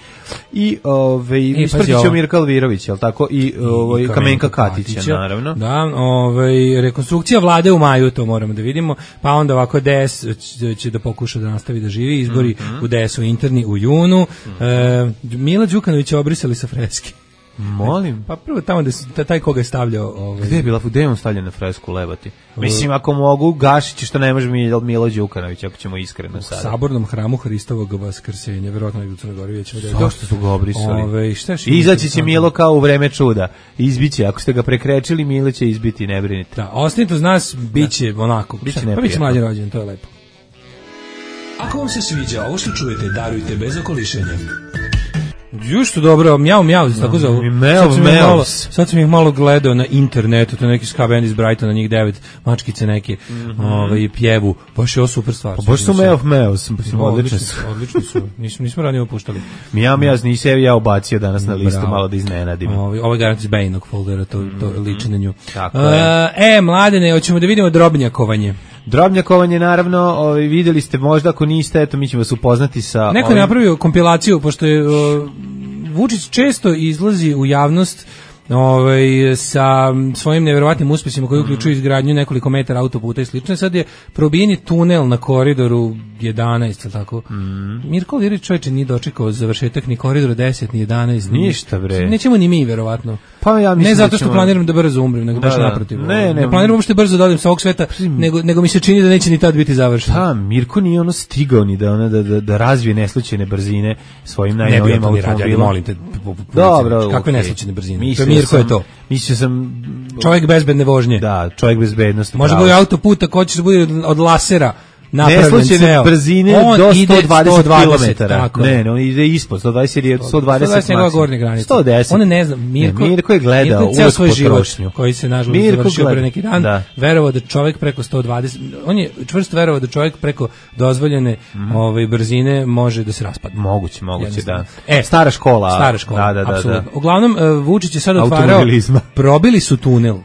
i ovaj ispratićemo Mirka Elvirovića, je l' tako? I, ovaj, I Kamenka Katića, Katića, naravno. Da, ovaj, rekonstrukcija vlade u maju, to moramo da vidimo, pa onda ovako D S će da pokuša da nastavi da živi, izbori mm -hmm. u D S-u interni u junu. Mm -hmm. e, Mila Đukanovića obrisali sa freske. Molim. Pa prvo tamo da taj koga je stavljao, ovaj. Gde je bila Fudemon stavljen na fresku lebati? Mislim ako mogu Gašić što ne može Milo, Milo Đukanović, ako ćemo iskreno sada. U sabornom hramu Hristovog Vaskrsenja, verovatno je u Crnoj Gori već. Zašto su ga obrisali? Ove, šta izaći će Milo kao u vreme čuda. Izbiće, ako ste ga prekrečili, Milo će izbiti, ne brinite. Da, ostanite uz nas, biće da. onako. Biće pa biće mlađi rođen, to je lepo. Ako vam se sviđa ovo što čujete, darujte bez okolišenja. Ju što dobro, mjau mjau, tako zovu. Mjau mjau. Sad sam ih malo gledao na internetu, to neki ska band iz Brightona, njih devet mačkice neke, mm -hmm. ovaj pjevu. Baš je ovo super stvar. Pa baš su mjau mjau, sam odlični su. Odlični su. Nismo nismo ranije puštali. Mjau mjau, nisi ja ubacio danas na listu, malo da iznenadim. Ovaj ovaj garant iz Bejnog foldera, to to liči na nju. Tako je. E, mladene, hoćemo da vidimo drobnjakovanje. Drobnjakovanje, naravno, ovaj, videli ste možda, ako niste, eto, mi ćemo vas upoznati sa... Neko je napravio kompilaciju, pošto je o, Vučić često izlazi u javnost ovaj, sa svojim neverovatnim uspesima koji uključuju izgradnju nekoliko metara autoputa i slično. Sad je probijeni tunel na koridoru jedanaest, tako? Mm. Mirko Elvirović čovječe nije dočekao završetak ni koridora deset, ni jedanaest. Ništa, bre. Nećemo ni mi, verovatno. Pa ja mislim ne zato što ćemo... planiram da brzo umrem, nego da, baš naprotiv. Ne, ne, ne planiram uopšte brzo da odem sa ovog sveta, nego, nego mi se čini da neće ni tad biti završeno. Pa, Mirko nije ono stigao ni da, ona, da, da, da razvije neslučajne brzine svojim najnovijim automobilom. Molim te, dobro, kakve okay. neslučajne brzine? To Mirko je to. Mislio sam... Čovjek bezbedne vožnje. Da, čovjek bezbednosti. Može bude autoputa ko će se bude od lasera. Neslučajne brzine on do sto dvadeset kilometara. Ne, ne, on ide ispod sto dvadeset jer sto dvadeset maksimum. sto deset. On ne znam, Mirko, ne, Mirko je gledao Mirko je svoj život koji se nažalost završio pre neki dan, da. Verovao da čovjek preko sto dvadeset, on je čvrsto verovao da čovjek preko dozvoljene mm. ove brzine može da se raspadne. Moguće, moguće, da. E, stara škola. Stara škola, da, da, da, apsolutno. Uglavnom, Vučić je sad otvarao, probili su tunel.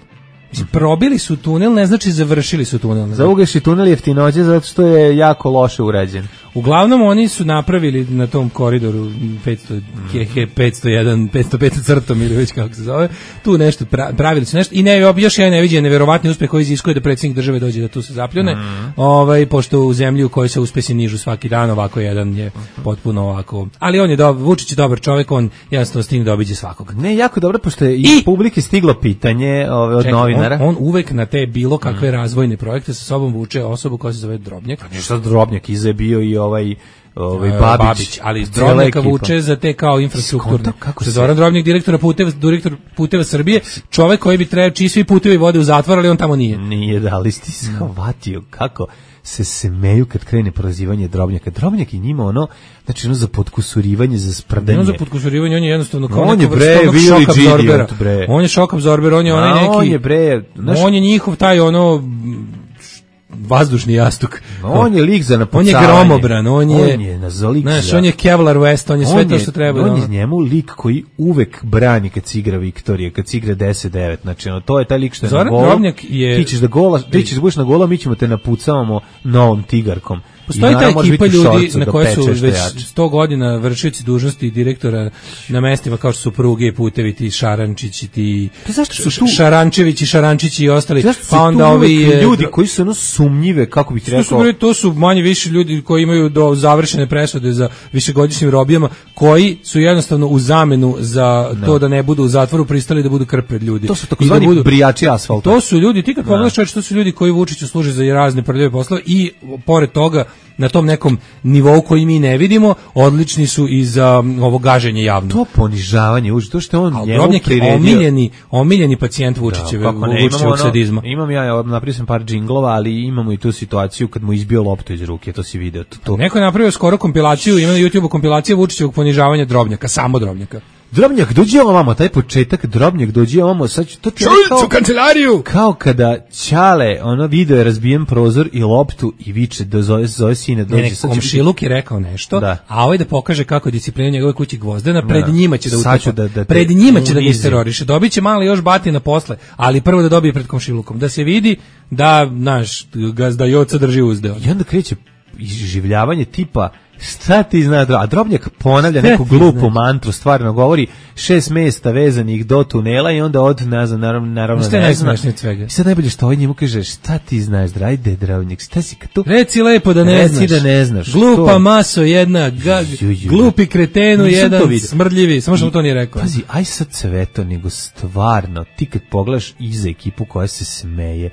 Mislim, probili su tunel, ne znači završili su tunel. Za ugaši tunel jeftinođe zato što je jako loše urađen. Uglavnom oni su napravili na tom koridoru petsto, petsto jedan, petsto pet crtom ili već kako se zove, tu nešto pra, pravili su nešto i ne, još jedan neviđen neverovatni uspeh koji iziskuje da predsjednik države dođe da tu se zapljune, mm. ovaj, pošto u zemlji u kojoj se uspesi nižu svaki dan, ovako jedan je potpuno ovako, ali on je dobar, Vučić je dobar čovjek, on jednostavno stigne da obiđe svakog. Ne, jako dobro, pošto je i, i publike stiglo pitanje ove, od čekaj, novinara. On, on uvek na te bilo kakve mm. razvojne projekte sa sobom vuče osobu koja se zove Drobnjak. Pa nešto Drobnjak iza je bio i ovaj ovaj uh, Babić, Babić, ali Drobnjaka vuče za te kao infrastrukturne. Kako se Zoran Drobnjak, direktor puteva, direktor puteva Srbije, čovjek koji bi trebao čiji svi putevi vode u zatvor, ali on tamo nije. Nije, da, ali ti shvatio kako se semeju kad krene prozivanje Drobnjaka. Drobnjak i njima ono, znači ono za potkusurivanje, za sprdanje. Ono za potkusurivanje, on je jednostavno kao on neko bre, šok abzorbera. On je šok abzorber, on je onaj neki, on je bre, znaš, on je njihov taj ono vazdušni jastuk. On je lik za napucavanje. On je gromobran, on je, on je nazolik. Znaš, on je Kevlar West, on je sve on to što treba. On je njemu lik koji uvek brani kad se igra Viktorija, kad se igra deset devet. Znači, ono, to je taj lik što je Zoran na golu. Drobnjak je... Ti ćeš da gola, ti ćeš da budeš na gola, mi ćemo te napucavamo novom tigarkom. Postoji ta ekipa ljudi na koje su već sto godina vršioci dužnosti direktora na mestima kao što su pruge i putevi, ti Šarančići, ti Šarančevići, Šarančići i ostali. Pa onda ovi ljudi koji su ono sumnjive, kako bih rekao. To, to su manje više ljudi koji imaju do završene presude za višegodišnjim robijama, koji su jednostavno u zamenu za no. to da ne budu u zatvoru pristali da budu krpred ljudi. To su takozvani da budu brijači asfalta. To su ljudi, ti kad pogledaš čovječe, to su ljudi koji Vučiću služe za razne prljave poslove i pored toga na tom nekom nivou koji mi ne vidimo, odlični su i za um, ovo gaženje javno. To ponižavanje, uži, to što je on Al njemu priredio. Omiljeni, omiljeni pacijent Vučićeve, da, Vučićevog sadizma. Imam ja, napravio sam par džinglova, ali imamo i tu situaciju kad mu izbio loptu iz ruke, to si video. To, to. Neko je napravio skoro kompilaciju, ima na YouTubeu kompilacija Vučićevog ponižavanja Drobnjaka, samo Drobnjaka. Drobnjak, dođi ovamo, taj početak, Drobnjak, dođi ovamo, sad ću to ti kao, u kancelariju! Kao kada Ćale, ono video je razbijen prozor i loptu i viče, da zove, zove sine, dođi. Ne, ne, komšiluk je rekao nešto, da. A ovaj da pokaže kako je disciplina njegove kući Gvozdena, pred da. njima će da utapa, da, da pred njima će da ga teroriše, dobit će malo još batina posle, ali prvo da dobije pred komšilukom, da se vidi da, naš, gazda Joca drži uzde. I onda kreće iživljavanje tipa, šta ti zna, a Drobnjak ponavlja neku glupu mantru, stvarno govori šest mesta vezanih do tunela i onda od, ne znam, naravno, naravno ne zna. I sad najbolje što ovaj njemu kaže, šta ti znaš, drajde Drobnjak, šta si tu? Reci lepo da ne Reci znaš. da ne znaš. Glupa to. Maso jedna, ga, glupi kretenu jedan, smrdljivi, samo što to nije rekao. Pazi, aj sad sve to, nego stvarno, ti kad pogledaš iza ekipu koja se smeje,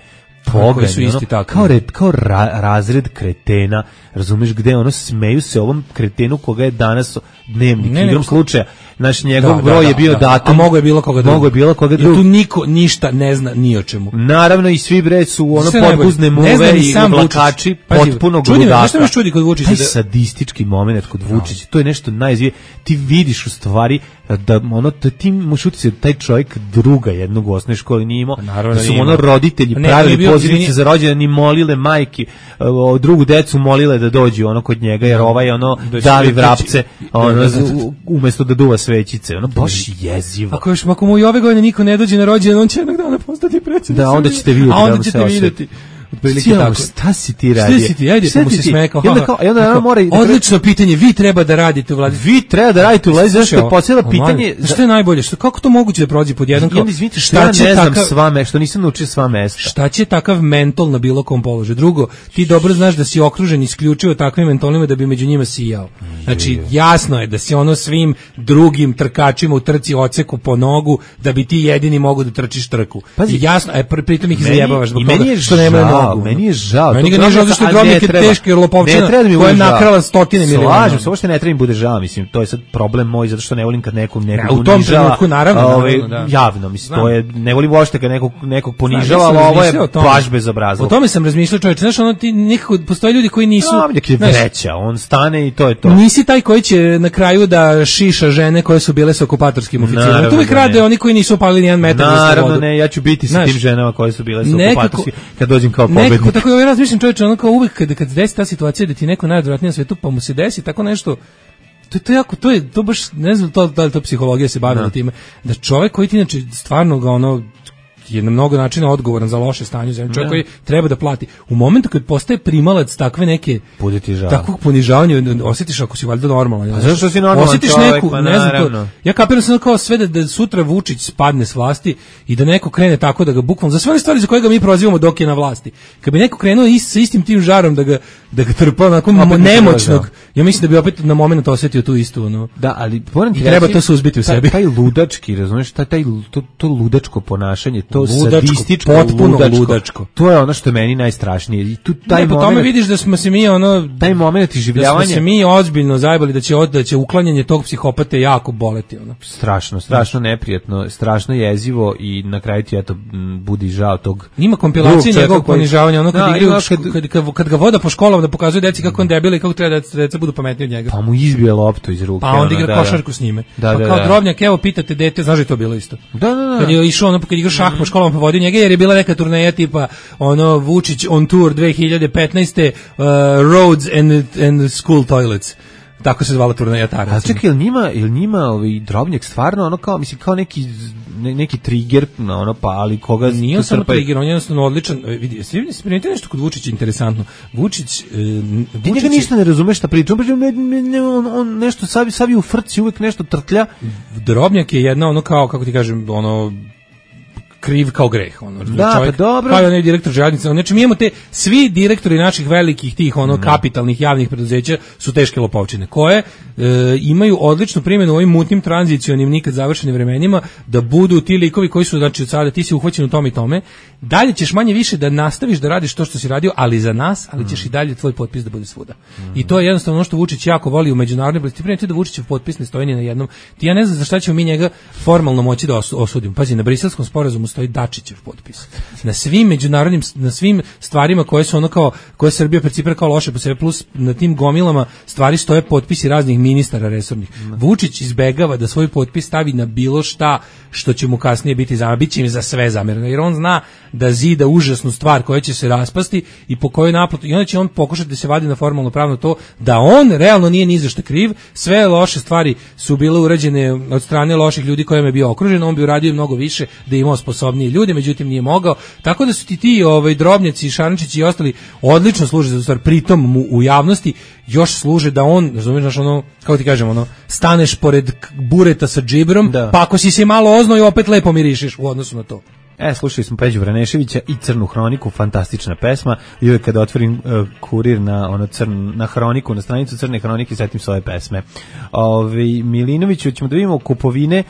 Poganj, su isti ono, kao, red, kao ra, razred kretena, razumeš gde ono smeju se ovom kretenu koga je danas dnevnik, ne, igrom slučaja, naš njegov da, broj da, je bio da, datum, a mogo je bilo koga drugog. Mogo je bilo koga drugog. Tu niko ništa ne zna ni o čemu. Naravno i svi bre su ono podguzne muve i vlakači potpuno gludaka. Nešto me čudi kod Vučića. Taj sadistički moment kod Vučića, to je nešto najzvije. Ti vidiš u stvari da ono da ti možeš uticati taj čovjek druga jednog u osnovnoj školi nije imao. Da su ono roditelji pravili pozivnice za rođendan i molile majki o, drugu decu molile da dođu ono kod njega jer ovaj ono davi vrapce ono umesto da duva svećice ono baš jezivo. Ako još ako mu i ove godine niko ne dođe na rođendan on će jednog dana postati predsjednik. Da, onda ćete vidjeti. A onda ćete vidjeti. Otprilike tako. Šta si ti radio? Šta si ti? Ajde, pa mu se smekao. I onda kao, i onda mora i odlično pitanje, vi treba da radite u vladi. Vi treba da radite u vladi, zašto je posljedno pitanje. Šta je najbolje? Što kako to moguće da prođe pod jedan kao? Izvinite, šta će ne znam sva mesta, što nisam naučio sva mesta. Šta će takav mentol na bilo kom položaju? Drugo, ti dobro znaš da si okružen isključivo takvim mentolima da bi među njima sijao. Znači, jasno je da si ono svim drugim trkačima u trci odseku po nogu da bi ti jedini mogu da trčiš trku. I jasno, a pritom ih zajebavaš zbog toga što nemaju nogu. Meni je žao. Meni ga nije žao zašto je Drobnjak je teški lopovčina koja je nakrala stotine miliona. Slažem se, uopšte ne treba mi bude žao, mislim, to je sad problem moj, zato što ne volim kad nekog nekog u tom trenutku, naravno, ovaj, naravno, da. Javno, mislim, to je, ne volim uopšte kad nekog, nekog ponižava, ali ovo je baš bezobrazno. O tome sam razmišljao, čovječe, znaš, ono ti nekako, postoje ljudi koji nisu... Drobnjak je vreća, on stane i to je to. Nisi taj koji će na kraju da šiša žene koje su bile sa okupatorskim oficirima. Tu ih rade oni koji nisu opalili nijedan metar za slobodu. Naravno ne, ja ću biti sa tim ženama koje su bile sa okupatorskim kad dođem kao pobednik. Nekako tako ja razmišljam, čovječe, ono kao uvek kada kad desi ta situacija da ti neko najodvratnije na svetu pa mu se desi tako nešto, to je to jako, to je to baš ne znam to da li to psihologija se bavila time da čovjek koji ti inače stvarno ga ono je na mnogo načina odgovoran za loše stanje u zemlji, čovjek koji treba da plati. U momentu kad postaje primalac takve neke takvog ponižavanja, osjetiš ako si valjda normalan. A zašto si normalan osjetiš čovjek, neku, pa ne znam to, naravno. ja kapiram sam kao sve da, da sutra Vučić spadne s vlasti i da neko krene tako da ga bukvalno za sve one stvari za koje ga mi prozivamo dok je na vlasti. Kad bi neko krenuo ist, sa istim tim žarom da ga da ga trpa onako nemoćnog, ja mislim da bi opet na momenat osjetio tu istu ono. Da, ali moram ti I treba to suzbiti u taj, sebi. Taj ludački, razumiješ, taj, taj to, to ludačko ponašanje, to ludačko, sadističko, potpuno ludačko, ludačko. to je ono što je meni najstrašnije. I tu taj ne, po moment, tome vidiš da smo se mi ono taj moment iživljavanja, da smo se mi ozbiljno zajebali da će od, da će uklanjanje tog psihopate jako boleti ono. Strašno, strašno neprijatno, strašno jezivo i na kraju ti eto budi žao tog. Ima kompilacije njegovog koji... ponižavanja, ono kad da, igraju kad, kad, kad, kad ga voda po školama da pokazuje deci kako on debil i kako treba da deca budu pametniji od njega. Pa mu izbije loptu iz ruke. Pa onda igra ono, košarku da, s njime. Da, pa da, kao da. drobnjak, evo pitate dete, znaš da je to bilo isto. Da, da, da. Kad je išao ono, kad igra šah po školama pa vodio njega jer je bila neka turneja tipa ono Vučić on tour dve hiljade petnaeste uh, Roads and, and School Toilets. Tako se zvala turneja ta. A čekaj, jel njima, jel njima ovaj drobnjak stvarno ono kao, mislim, kao neki ne, neki trigger, no, ono, pa ali koga... Nije samo trigger, on je jednostavno odličan. Vidi, svi spremite nešto kod Vučića interesantno. Vučić... E, Ti njega ništa ne razumeš šta priča, on, on nešto sabi, sabi u frci, uvek nešto trtlja. Drobnjak je jedna ono kao, kako ti kažem, ono... kriv kao greh, ono. Da, čovjek, pa dobro. kao onaj direktor željeznice. Znači mi imamo te svi direktori naših velikih tih ono kapitalnih javnih preduzeća su teške lopovčine koje e, imaju odličnu primjenu u ovim mutnim tranzicionim nikad završenim vremenima da budu ti likovi koji su znači od sada ti si uhvaćen u tome i tome. Dalje ćeš manje više da nastaviš da radiš to što si radio, ali za nas, ali ćeš mm. i dalje tvoj potpis da bude svuda. Mm. I to je jednostavno ono što Vučić jako voli u međunarodnoj politici. Primite da Vučićev potpis ne stoji ni na jednom. Ti ja ne znam za šta ćemo mi njega formalno moći da osudimo. Pazi, na Briselskom sporazumu stoji Dačićev potpis. Na svim međunarodnim, na svim stvarima koje su ono kao, koje Srbija percipira kao loše po sebi, plus na tim gomilama stvari stoje potpisi raznih ministara resornih. Mm. Vučić izbegava da svoj potpis stavi na bilo šta što će mu kasnije biti zamereno, bit će im za sve zamereno, jer on zna da zida užasnu stvar koja će se raspasti i po kojoj naplatu, i onda će on pokušati da se vadi na formalno pravno to da on realno nije ni za šta kriv, sve loše stvari su bile urađene od strane loših ljudi kojima je bio okružen, on bi uradio mnogo više da je imao sposobnije ljude, međutim nije mogao, tako da su ti ti ovaj, drobnjaci, Šarančići i ostali odlično služe za stvar, pritom mu u javnosti još služe da on, razumiješ, ono, kako ti kažem, ono, staneš pored bureta sa džibrom, da. Pa ako si se malo oznojio, opet lepo mirišiš u odnosu na to. E, slušali smo Peđu Vraneševića i Crnu hroniku, fantastična pesma. I uvijek kada otvorim uh, kurir na ono crn, na hroniku, na stranicu Crne hronike, setim svoje pesme. Ove, Milinoviću, ćemo da vidimo kupovine.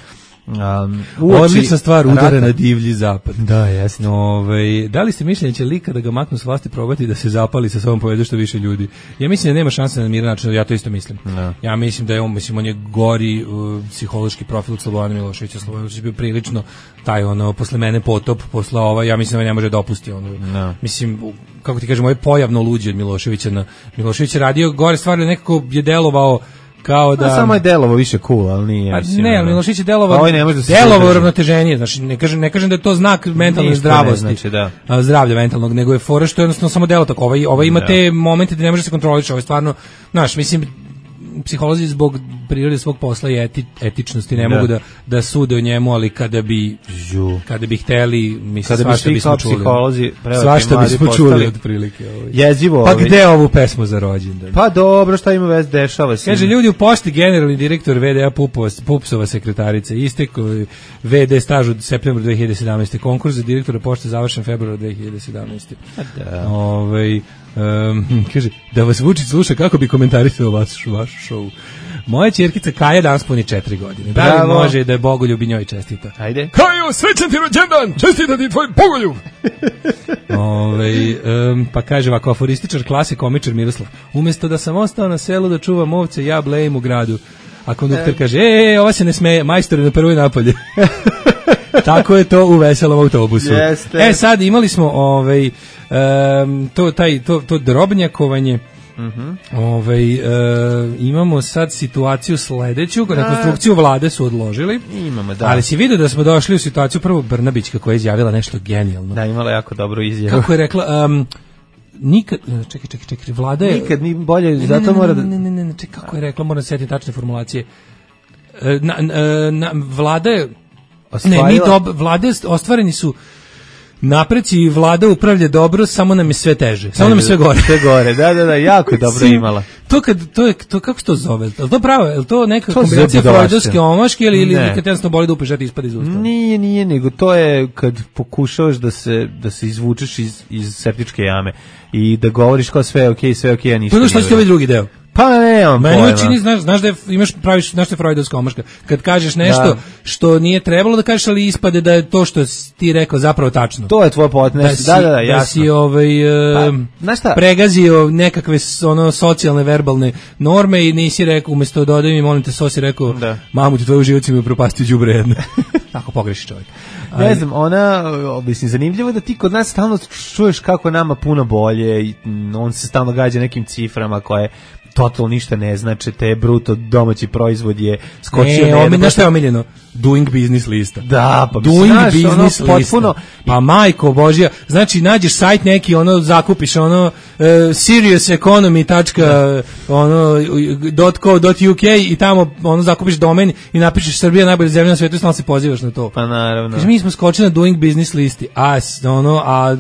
Um, odlična stvar, udara na divlji zapad. Da, jasno. Ove, da li ste mišljenje će lika da ga maknu s vlasti probati da se zapali sa sobom povede što više ljudi? Ja mislim da nema šanse na miran način, ja to isto mislim. No. Ja mislim da je on, mislim, on je gori uh, psihološki profil od Slobodana Miloševića. Slobodan Milošević bio prilično taj ono, posle mene potop, posle ova, ja mislim da ne može da opusti ono. No. Mislim, kako ti kažem, ovo je pojavno luđe od Miloševića. Na, Milošević je radio gore stvari, nekako je delovao kao da... A samo je delovo više cool, ali nije. A mislim, ne, ali Milošević je delovo, da delovo uravnoteženije, znači ne kažem, ne kažem da je to znak mentalne Ništa zdravosti, ne znači, da. zdravlja mentalnog, nego je fora što je jednostavno samo delo tako, ovaj, ovaj ima da. Te momente da ne može se kontroliš, ovaj stvarno, znaš, mislim, psiholozi zbog prirode svog posla i eti, etičnosti ne da. Mogu da, da sude o njemu, ali kada bi Žu. kada bi hteli, mislim, svašta bismo čuli. Psiholozi, svašta bismo čuli otprilike. Ovaj. Jezivo. Pa ovaj. Gde ovu pesmu za rođendan? Pa dobro, šta ima vez, dešava se. Kaže, ljudi u pošti, generalni direktor V D A Pupova, Pupsova sekretarica, istek V D staž od septembra dve hiljade sedamnaeste. Konkurs za direktora pošte završen februara dve hiljade sedamnaeste. Da. Ovaj Um, kaže, da vas Vučić sluša kako bi komentarisao vaš, vaš show. Moja ćerkica Kaja danas puni četiri godine. Da li Bravo. Može da je Bogoljub i njoj čestita? Ajde. Kajo, srećan ti rođendan! Čestita ti tvoj Bogoljub! Ove, um, pa kaže ovako, aforističar klase, komičar Miroslav. Umjesto da sam ostao na selu da čuvam ovce, ja blejim u gradu. A kondukter e. kaže, e, e, ova se ne smeje, majstor je na prvoj napolje. Tako je to u veselom autobusu. Jeste. E, sad imali smo ovaj, um, to, taj, to, to drobnjakovanje. Uh-huh. Ovaj, e, imamo sad situaciju sledeću, rekonstrukciju vlade su odložili. Imamo, da. Ali si vidio da smo došli u situaciju prvo Brnabić kako je izjavila nešto genijalno. Da, imala jako dobru izjavu. Kako je rekla, um, nikad, čekaj, čekaj, čekaj, vlada je... Nikad ni bolje, ne, zato ne, ne, mora da... Ne, ne, ne, ne, čekaj, kako je rekla, moram se sjetiti tačne formulacije. Na, na, na, vlada je... Ostvarila... Ne, ni dob, vlade ostvareni su... napreci i vlada upravlja dobro, samo nam je sve teže. Samo nam je sve gore. Sve gore, da, da, da, jako je dobro imala. To kad, to je, to, kako se to zove? Je to pravo? Je to neka to kombinacija freudovske omaške ili, ili kad jednostavno boli da upešati ispad iz usta? Nije, nije, nego to je kad pokušavaš da se, da se izvučeš iz, iz septičke jame i da govoriš kao sve je okej, sve je okej, a ništa. Pa što će ovaj drugi deo? Pa ne, on meni učini, znaš, znaš da je, imaš, praviš, znaš da je freudovska omaška. Kad kažeš nešto da. Što nije trebalo da kažeš, ali ispade da je to što ti rekao zapravo tačno. To je tvoj potnes, da, da, da, da, jasno. Da si ovaj, pa, pregazio nekakve ono, socijalne, verbalne norme i nisi rekao, umjesto da odem i molim te, so si rekao, da. Mamu ti tvoju život mi upropastio đubre jedno. Tako pogreši čovjek. Ne znam, ona, mislim, zanimljivo da ti kod nas stalno čuješ kako nama puno bolje i on se stalno gađa nekim ciframa koje totalno ništa ne znači, te bruto domaći proizvod je skočio. Ne, omiljeno, šta je omiljeno? Doing business lista. Da, pa Doing znaš, business ono, lista. potpuno. Pa majko Božja, znači nađeš sajt neki, ono zakupiš ono uh, serious economy. ono .co.uk i tamo ono zakupiš domen i napišeš Srbija najbolja zemlja na svijetu i stalno se pozivaš na to. Pa naravno. Kaži, mi smo skočili na doing business listi. A ono a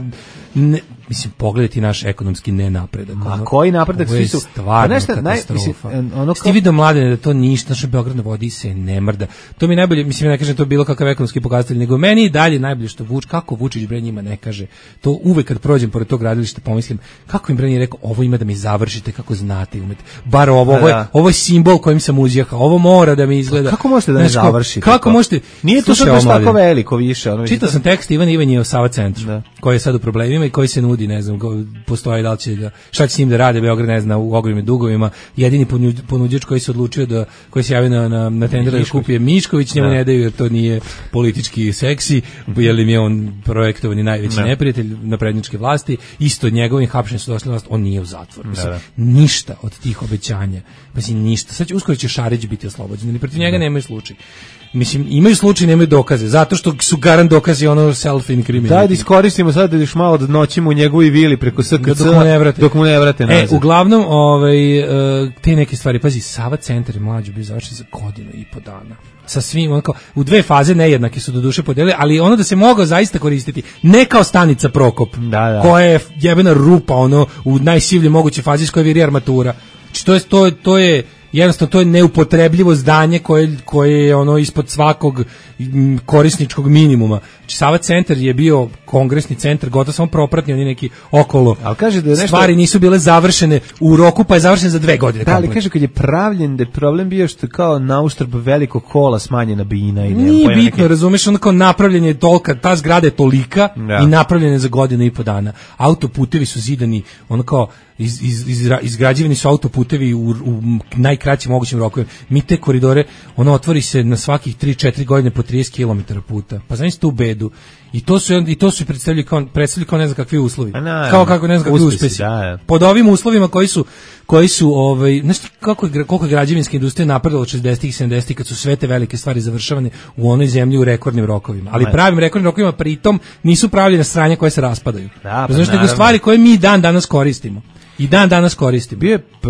ne, mislim, pogledajte naš ekonomski nenapredak. Ma ono, koji napredak, svi su stvarno nešto, katastrofa. Naj, mislim, ono kao... Ti vidio Mladene da to ništa, naš Beograd na vodi se ne mrda. To mi najbolje, mislim, ne kažem to bilo kakav ekonomski pokazatelj, nego meni i dalje najbolje što Vuč, kako Vučić bre njima ne kaže. To uvek kad prođem pored tog gradilišta pomislim, kako im bre nije rekao, ovo ima da mi završite, kako znate, umete. Bar ovo, ovo je, ovo je simbol kojim sam uzjahao, ovo mora da mi izgleda. Kako možete da ne završite? Kako možete? Nije to sad baš tako veliko više. Ono, čitao sam tekst Ivan Ivanjev Sava centru, koji je sad u problemima i koji se nudi, ne znam, postoji da li će ga, šta će s njim da rade, Beograd ne zna, u ogromnim dugovima. Jedini ponuđač koji se odlučio da, koji se javio na, na, na tender da kupi je Mišković, njemu ne daju jer to nije politički seksi, jer im je on projektovani najveći ne. neprijatelj naprednjačke vlasti, isto njegovim hapšenjem su došli na vlast, on nije u zatvoru. Mislim, ništa od tih obećanja, pa si ništa. Sad će, uskoro će Šarić biti oslobođen, ili protiv njega nemaju slučaj. Mislim, imaju slučaj, nemaju dokaze, zato što su garant dokazi ono self-incriminating. Daj da iskoristimo sad da još malo da noćimo u njegovoj vili preko S K C dok mu ne vrate, dok mu ne vrate nazad. E, uglavnom, ovaj, te neke stvari, pazi, Sava centar je mlađo bio završen za godinu i po dana. Sa svim, onako, u dve faze nejednake su do duše podelili, ali ono da se mogao zaista koristiti, ne kao stanica Prokop, da, da. koja je jebena rupa, ono, u najsivljoj moguće fazi iz koje viri armatura. Znači, to je, to, to je jednostavno to je neupotrebljivo zdanje koje, koje je ono ispod svakog korisničkog minimuma. Znači, Sava centar je bio kongresni centar, gotovo samo propratni, oni neki okolo. Ali kaže da je nešto... stvari nisu bile završene u roku, pa je završen za dve godine. Da, ali kaže kad je pravljen da je problem bio što kao na uštrb velikog kola smanjena bina i nema. Nije bitno, neke... razumeš, ono kao napravljen je tolika, ta zgrada je tolika da. I napravljena je za godinu i po dana. Autoputevi su zidani, ono kao iz, iz, iz, izgrađivani su autoputevi u, u najkraćim mogućim rokovima. Mi te koridore, ono otvori se na svakih tri četiri godine po trideset kilometara puta. Pa znači tu bedu. I to su i to su predstavljali kao predstavljali kao ne znam kakvi uslovi. Na, kao kako ne znam kakvi uspesi. Da. Pod ovim uslovima koji su koji su ovaj znači kako je koliko je građevinska industrija napredovala od šezdesetih i sedamdesetih kad su sve te velike stvari završavane u onoj zemlji u rekordnim rokovima. Ali pravim rekordnim rokovima pritom nisu pravljene sranja koje se raspadaju. Da, pa znači nego stvari koje mi dan danas koristimo. I dan danas koristimo. Bio je p,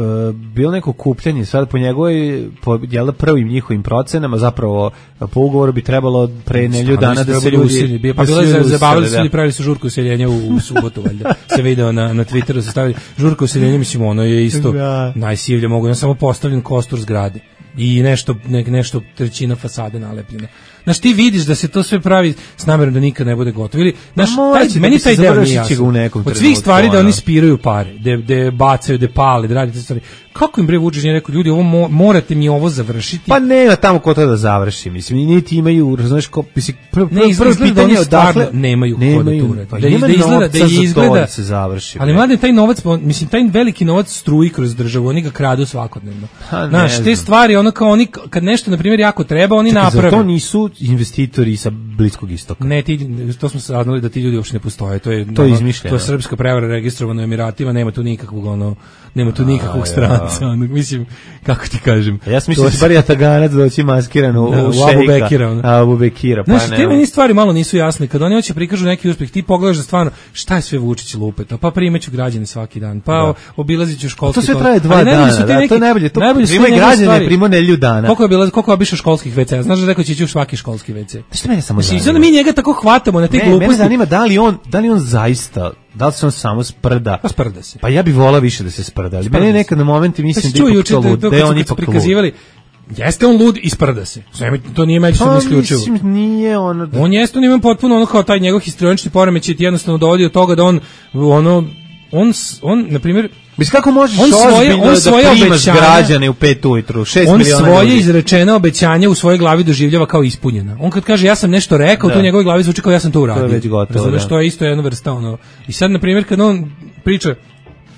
bilo neko kupljanje, sad po njegovoj, po jel, prvim njihovim procenama, zapravo po ugovoru bi trebalo pre nelju dana da se ljudi... Usili, pa bilo je zabavili su ili pravili su žurku useljenja u, u subotu, valjda. Se video na, na Twitteru, se stavili žurku useljenja, mislim, ono je isto da. Najsivlje, mogu, samo postavljen kostur zgrade. I nešto, ne, nešto trećina fasade nalepljena. Znaš, ti vidiš da se to sve pravi s namjerom da nikad ne bude gotovo. Ili, znaš, taj, meni taj deo nije jasan. Od svih stvari da oni spiraju pare, da, da bacaju, da pale, da radite stvari. Kako im bre Vučić nije rekao, ljudi, ovo mo, morate mi ovo završiti? Pa ne, tamo ko to da završi, mislim, niti imaju, znaš, ko, mislim, prvo prvo pitanje je odakle nemaju ko da to uradi. Pa da, da izgleda, da izgleda, da se završi. Ali mladen, taj novac, mislim, taj veliki novac struji kroz državu, oni ga kradu svakodnevno. Znaš, te stvari, ono kao oni, kad nešto, na primjer, jako treba, oni naprave. To nisu investitori sa Bliskog istoka. Ne, ti, to smo saznali da ti ljudi uopšte ne postoje. To je, to je izmišljeno. To je srpska prevara registrovana u Emiratima, nema tu nikakvog ono, nema tu nikakvog stranca, ono, mislim, kako ti kažem. Ja sam mislio da će bar Jataganac doći maskiran u, da, u u šejka. Abu Bekira. Ono. Abu Bekira, pa znači, te meni stvari malo nisu jasne. Kad oni hoće prikažu neki uspeh, ti pogledaš da stvarno šta je sve Vučić lupeta, pa primeću građane svaki dan, pa da. obilazit ću školski. To sve traje dva dana, da, neki, to je najbolje. To primaju građane, primaju nelju dana. Koliko je bilo, koliko je obišao školskih ve ce? Znaš da rekao će ići u svaki školski ve ce? Šta mene samo zanima? Znači, mi njega tako hvatamo na te gluposti. Mene zanima da li on, da li on zaista, da li se on samo sprda? Pa sprda se. Pa ja bih volao više da se sprda. Ali mene nekad na momenti mislim pa da ipak to lud, da je on ipak lud. Jeste on lud i sprda se. To nije međusobno isključivo. Mislim, nije ono... Da... On jeste, on ima potpuno ono kao taj njegov histrionični poremećaj ti jednostavno dovodi do toga da on, ono, on, on, na primjer... Mislim, kako možeš on svoje, ozbiljno on svoje da primaš obećanja, građane u pet ujutru, šest on miliona svoje ljudi. izrečena obećanja u svojoj glavi doživljava kao ispunjena. On kad kaže ja sam nešto rekao, da. To u njegovoj glavi zvuči kao ja sam to uradio. To je već gotovo, da. Što je isto jedna vrsta, ono. I sad, na primjer, kad on priča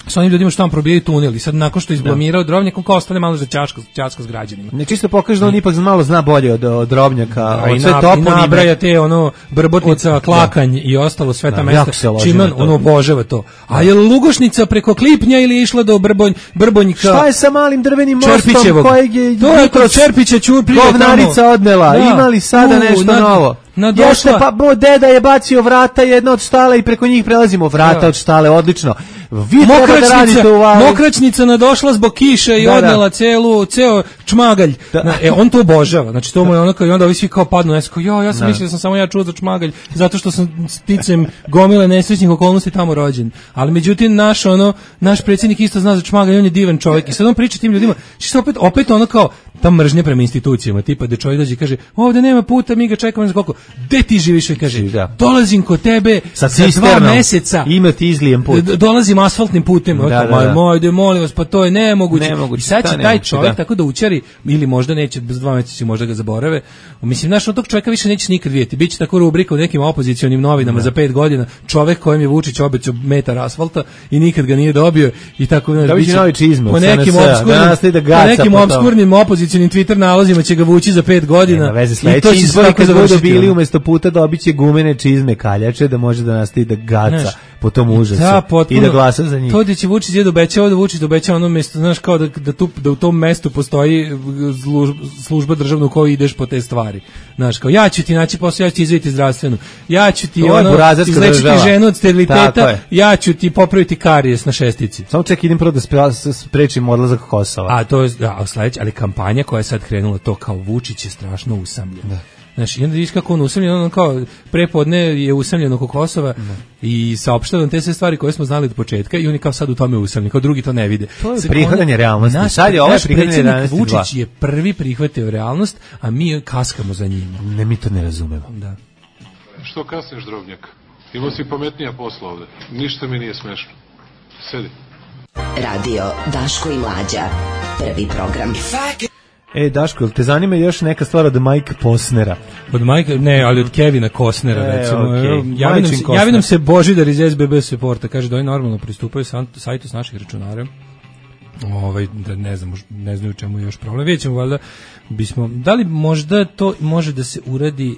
sa onim ljudima što vam probijaju tunel i sad nakon što izblamirao Drobnjak, on kao ostane malo za ćaška, ćaška s građanima. Ne čisto pokaže da on ipak malo zna bolje od, od Drobnjaka, a od sve toponime. I nabraja te ono Brbotnica, od, Klakanj da. I ostalo sve ta da, mesta. Čiman on obožava to. A je Lugošnica preko Klipnja ili je išla do Brbonj, Brbonjka? Šta je sa malim drvenim mostom kojeg je to je kod Čerpića Ćurprije govnarica odnela? Da. Imali sada U, nešto nad, novo? Nadošla... Jeste, pa bo, deda je bacio vrata jedna od štale i preko njih prelazimo vrata da. Od štale, odlično. Vi treba da radite u vali. Mokračnica nadošla zbog kiše i da, odnela da. Celu, ceo čmagalj. Da. E, on to obožava. Znači, to mu je ono kao, i onda ovi svi kao padnu, ja sam, jo, ja sam da. Mislio da sam samo ja čuo za čmagalj, zato što sam sticem gomile nesrećnih okolnosti tamo rođen. Ali međutim, naš, ono, naš predsjednik isto zna za čmagalj, on je divan čovjek. I sad on priča tim ljudima, što opet, opet ono kao, ta mržnja prema institucijama, tipa da čovjek dođe i kaže, ovde nema puta, mi ga čekamo ne znam koliko. Gde ti živiš? I kaže, da. Dolazim kod tebe sa dva meseca. Ima ti izlijem put. Dolazim asfaltnim putem. Da, da, da. Moj, molim vas, pa to je nemoguće. nemoguće I sad će taj nemoguće, čovjek da. Tako da učari, ili možda neće, bez dva meseca možda ga zaborave. Mislim, znaš, od tog čovjeka više neće nikad vidjeti. Biće tako rubrika u nekim opozicionim novinama da. Za pet godina. Čovjek kojem je Vučić obećao metar asfalta i nikad ga nije dobio. I tako, znaš, biće novi čizme. Po nekim obskurnim, po nekim obskurnim opozicionim Twitter nalozima će ga vući za pet godina. Nema, i to će izbori kad budu bili umjesto puta dobit će gumene čizme kaljače da može da nastavi da gaca znaš, po tom užasu da, potpuno, i da glasa za njih. To da će Vučić je dobećao da Vučić dobećao ono mjesto, znaš, kao da, da, tu, da u tom mestu postoji služba državna u kojoj ideš po te stvari. Znaš, kao ja ću ti naći posao, ja ću ti izviti zdravstvenu, ja ću ti ono, izlečiti ženu od steriliteta, ja ću ti popraviti karijes na šestici. Samo ček, idem prvo da sprečim odlazak Kosova. A to je, a, sledeće, ali kampanja koja je sad krenula to kao Vučić je strašno usamljen. Da. Znaš, i onda vidiš kako on usamljen, on kao prepodne je usamljen oko Kosova da. I saopštava te sve stvari koje smo znali od početka i oni kao sad u tome usamljeni, kao drugi to ne vide. To je prihvatanje realnosti. Naš, sad je ovo prihvatanje realnosti. Vučić je prvi prihvatio realnost, a mi kaskamo za njim. Ne, mi to ne razumemo. Da. Što kasniš, Drobnjak? Imao si pametnija posla ovde. Ništa mi nije smešno. Sedi. Radio Daško i Mlađa. Prvi program. E, Daško, te zanima još neka stvar od Mike Posnera? Od Mike, ne, ali od Kevina Costnera, e, recimo. Okay. Javi nam se, javi nam se Božidar iz S B B Supporta, kaže da oni normalno pristupaju sajtu s naših računara. Ovaj, da ne znam, ne znam u čemu je još problem. Vidjet ćemo, valjda, bismo, da li možda to može da se uradi,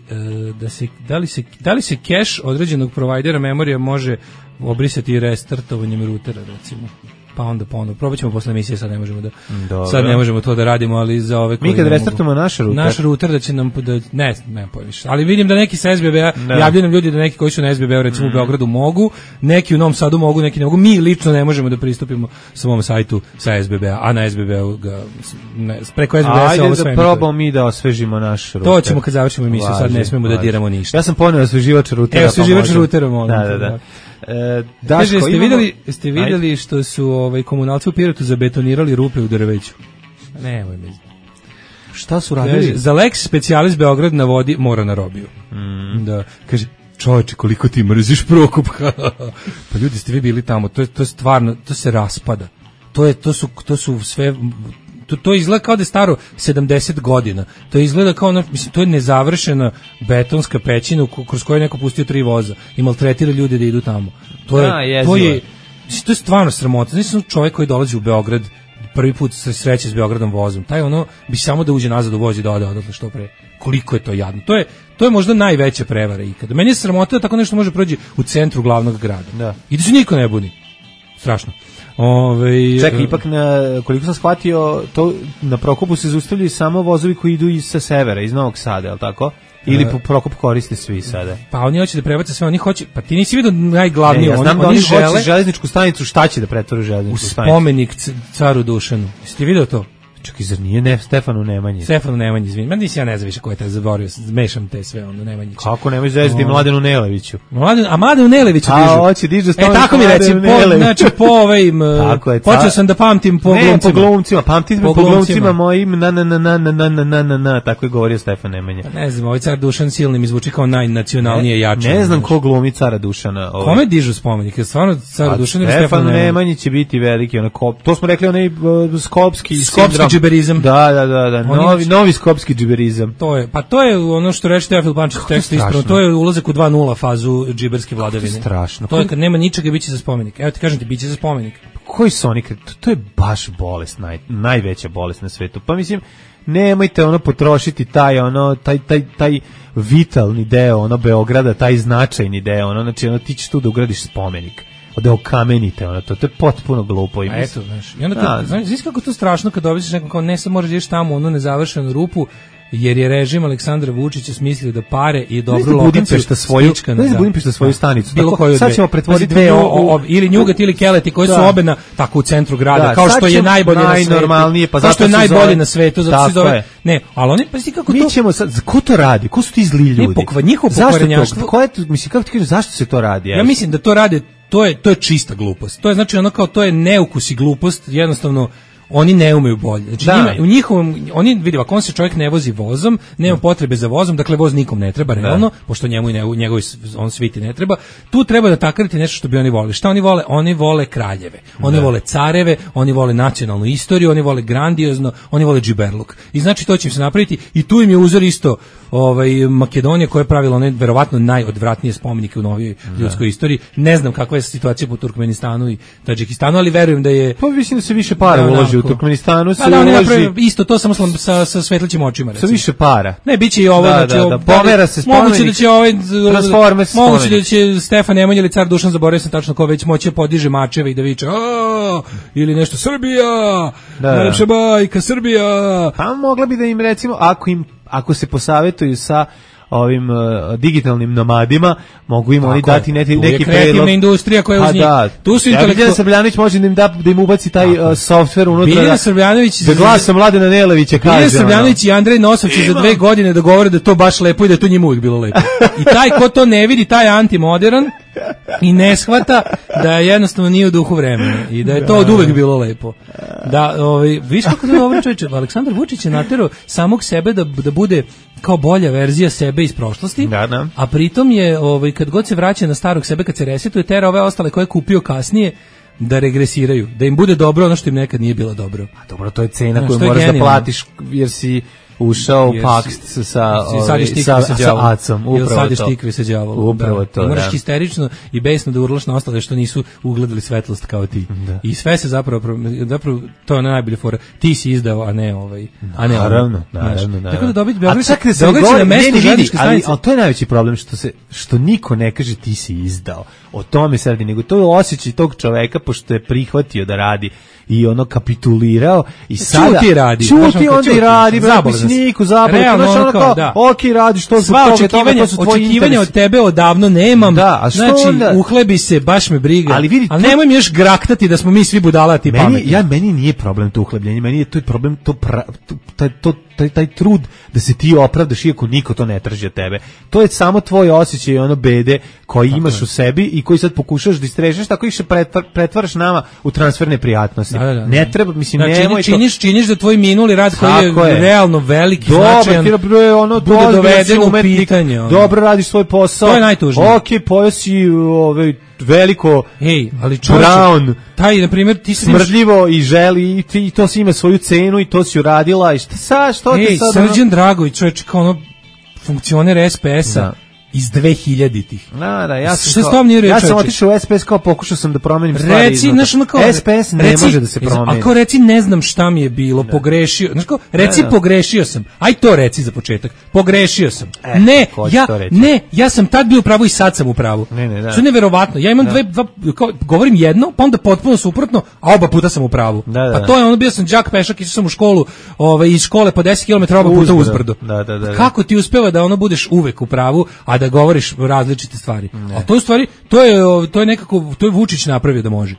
da se, da li se, da li se cache određenog provajdera memorija može obrisati restartovanjem rutera, recimo? Pa onda ponovno. Probat ćemo posle emisije, sad ne možemo da Dobre. sad ne možemo to da radimo, ali za ove koji mi kad restartujemo naš ruter, naš ruter da će nam da ne, ne poviš. Ali vidim da neki sa S B B-a javljaju nam ljudi da neki koji su na S B B-u recimo mm. u Beogradu mogu, neki u Novom Sadu mogu, neki ne mogu. Mi lično ne možemo da pristupimo svom sajtu sa S B B-a, a na S B B-u ga ne, preko S B B-a se ovo sve. Ajde da probamo mi da osvežimo naš ruter. To ćemo kad završimo emisiju, važi, sad ne smemo važi. Da diramo ništa. Ja sam poneo osveživač rutera. E, osveživač rutera, molim. Da, da, da. E, Daško, kaže, jeste imamo... vidjeli, jeste vidjeli što su ovaj, komunalci u Pirotu zabetonirali rupe u drveću? Nemoj mi. Šta su radili? Kaže, za Lex specijalis Beograd na vodi mora na robiju. Mm. Da, kaže, čovječe, koliko ti mrziš Prokop. Pa ljudi, ste vi bili tamo, to je, to je stvarno, to se raspada. To, je, to, su, to su sve... To, to izgleda kao da je staro sedamdeset godina. To izgleda kao ono, mislim, to je nezavršena betonska pećina kroz koju je neko pustio tri voza i maltretira ljude da idu tamo. To je, da, to je, to je stvarno sramota. Znači sam čovjek koji dolazi u Beograd, prvi put se sreće s Beogradom vozom. Taj ono bi samo da uđe nazad u voz i da ode odatle što pre. Koliko je to jadno. To je, to je možda najveća prevara ikada. Meni je sramota da tako nešto može proći u centru glavnog grada. Da. I da se niko ne buni. strašno. Ove, Čekaj, ipak na, koliko sam shvatio, to na Prokopu se zaustavljaju samo vozovi koji idu iz sa severa, iz Novog Sada, je li tako? Ili po Prokop koriste svi sada? Pa oni hoće da prebace sve, oni hoće, pa ti nisi vidio najglavnije, ne, ja znam oni, da oni, oni žele hoće železničku stanicu, šta će da pretvore železničku stanicu? U spomenik caru Dušanu. Jesi ti vidio to? Čekaj, zar nije ne, Stefanu Nemanji? Stefanu Nemanji, izvini. Ma nisi ja ne znam više ko je taj zaboravio, mešam te sve, ono, Nemanjić. Kako nemoj zvezati Mladenu Neleviću? Mladen, a Mladenu Neleviću dižu. A, hoće dižu E, tako mi reci, po, znači, po ovim, počeo sam da pamtim po ne, glumcima. po glumcima, pamtim po, po glumcima mojim, na, na, na, na, na, na, na, na, na, tako je govorio Stefan Nemanja. Pa ne znam, ovaj car Dušan silni mi zvuči kao najnacionalnije jače. Ne znam ko glumi cara Dušana. Ovaj. Kome dižu spomenik? Je stvarno car Dušan ili Stefan Nemanji će biti veliki, onako, to smo rekli, onaj uh, skopski skopski džiberizam. Da, da, da, da. Novi, novi skopski džiberizam. To je, pa to je ono što reče Teofil Pančić u tekstu ispravno, to je ulazak u dva nula fazu džiberske vladavine. To je strašno. To je kad nema ničega, biće za spomenik. Evo ti kažem ti, biće za spomenik. Koji su oni? To, to je baš bolest, naj, najveća bolest na svetu. Pa mislim, nemojte ono potrošiti taj ono taj taj taj vitalni deo ono Beograda, taj značajni deo, ono znači ono ti ćeš tu da ugradiš spomenik. Da okamenite ono to, to je potpuno glupo. A eto, znaš, i onda kad, znaš, znaš kako to strašno kad dobiš nekom kao ne sam možeš ideš tamo ono nezavršenu rupu, jer je režim Aleksandra Vučića smislio da pare i dobru lokaciju svoju, ne znam Budimpešta svoju stanicu. Bilo koju sad ćemo pretvoriti dve, o, o, ili Njugat ili Keleti koji da. su obe na tako u centru grada, da, kao što je najbolje na svetu. Pa zato je najbolje zove, na svetu, zato se zove. Ne, ali oni pa sti kako mi to. Mi ćemo sad, ko to radi? Ko su ti zli ljudi? Ne, pokva, njihovo pokvarenjaštvo. Ko je to, mislim kako ti kažeš zašto se to radi? Ja mislim da to rade, to je to je čista glupost. To je znači ono kao to je neukus i glupost, jednostavno oni ne umeju bolje. Znači njima, u njihovom oni vidi ako on se čovjek ne vozi vozom, nema potrebe za vozom, dakle voz nikom ne treba realno, da. Pošto njemu i ne, njegovi on sviti ne treba. Tu treba da takariti nešto što bi oni voleli. Šta oni vole? Oni vole kraljeve. Oni da. Vole careve, oni vole nacionalnu istoriju, oni vole grandiozno, oni vole džiberluk. I znači to će im se napraviti i tu im je uzor isto ovaj Makedonija koja je pravila one verovatno najodvratnije spomenike u novijoj ljudskoj istoriji. Ne znam kakva je situacija po Turkmenistanu i Tadžikistanu, ali verujem da je pa mislim da se više para uloži u Turkmenistanu, se da, uloži isto to samo sa sa svetlićim očima recimo. Sa više para. Ne, biće i ovo, da, znači da, da, pomera se spomenik. Moguće da će ovaj Transformers moguće da će Stefan Nemanja ili car Dušan, zaboravio sam tačno ko već moće podiže mačeve i da viče a ili nešto Srbija. Da, najlepša bajka Srbija. Pa mogla bi da im recimo ako im ako se posavetuju sa ovim uh, digitalnim nomadima, mogu im tako oni dati neki neki predlog. Kreativna industrija koja uz njih. Da, tu su ja vidim da Srbljanović može da im da da im ubaci taj uh, softver unutra. Biljan Srbljanović da glasom Mladena Nelevića kaže. Biljan Srbljanović i Andrej Nosov će za dve godine da govore da to baš lepo i da to njima uvijek bilo lepo. I taj ko to ne vidi, taj je antimodern i ne shvata da jednostavno nije u duhu vremena i da je to od uvek bilo lepo. Da, ovaj viš kako da dobro čoveče, Aleksandar Vučić je naterao samog sebe da da bude kao bolja verzija sebe iz prošlosti. Da, da. A pritom je ovaj kad god se vraća na starog sebe, kad se resetuje, tera ove ostale koje je kupio kasnije da regresiraju, da im bude dobro ono što im nekad nije bilo dobro. A dobro, to je cena koju moraš da platiš jer si ušao u pakt sa sa sa, sa, sa acom, upravo to. Sadiš sa đavolom. Upravo to. Moraš da. Histerično i besno da urlaš na ostale što nisu ugledali svetlost kao ti. Da. I sve se zapravo zapravo to je najbolje fora. Ti si izdao, a ne ovaj, a ne naravno, naravno, naravno. Tako da dobiti Beograd, Beograd na mesto železničke stanice. Ali to je najveći problem što se što niko ne kaže ti si izdao. O tome se radi, nego to je osjećaj tog čoveka pošto je prihvatio da radi i ono kapitulirao i sada čuti radi. Čuti onda i radi, Niku zabavu, realno ono kao, da. Ok, radiš to sva očekivanja, očekivanja od tebe odavno nemam, da, a što znači onda? Uhlebi se, baš me briga, ali, vidi, ali nemoj mi još graktati da smo mi svi budalati meni, pametni. Ja, meni nije problem to uhlebljenje, meni je to problem to, pra, to, taj, to taj, taj trud da se ti opravdaš iako niko to ne traži od tebe. To je samo tvoj osjećaj ono bede koji tako imaš je. U sebi i koji sad pokušaš da istrežeš, tako ih se pretvar, pretvaraš nama u transferne prijatnosti. Da, da, da. Ne treba, mislim, znači, nemoj činiš, to... činiš da tvoj minuli rad koji je, je realno veliki, dobar, značajan, je ono, bude doveden u pitanje. Ono. Dobro radiš svoj posao. To je najtužnije. Ok, pojeo si ovaj, veliko Ej, ali čovječe, brown, taj, na primjer, ti smrdljivo i želi i, ti, i to si ima svoju cenu i to si uradila i šta sad, što Ej, ti sad... Srđan ono... Dragović, čovječe, kao ono funkcioner es pe esa, iz dvehiljaditih. Da, da, ja sam, Šta s tom nije ja reč, sam čoveče? otišao u S P S kao pokušao sam da promenim stvari. Reci, znaš, ono kao, S P S ne reci, može da se promeni. Ako reci ne znam šta mi je bilo, Da. pogrešio, znaš kao, reci Da, da. pogrešio sam. Aj to reci za početak. Pogrešio sam. E, ne, ko će ja to reći? ne, ja sam tad bio u pravu i sad sam u pravu. Ne, ne, da. Što je neverovatno. Ja imam Da. dve dva, kao, govorim jedno, pa onda potpuno suprotno, a oba puta sam u pravu. Da, da, pa da. to je ono, bio sam đak pešak, išao sam u školu, ovaj iz škole po deset kilometara oba puta uzbrdo. Da, da, da, da. Kako ti uspeva da ono budeš uvek u pravu, a da govoriš različite stvari? A to je u stvari, to je to je nekako, to je Vučić napravio da može.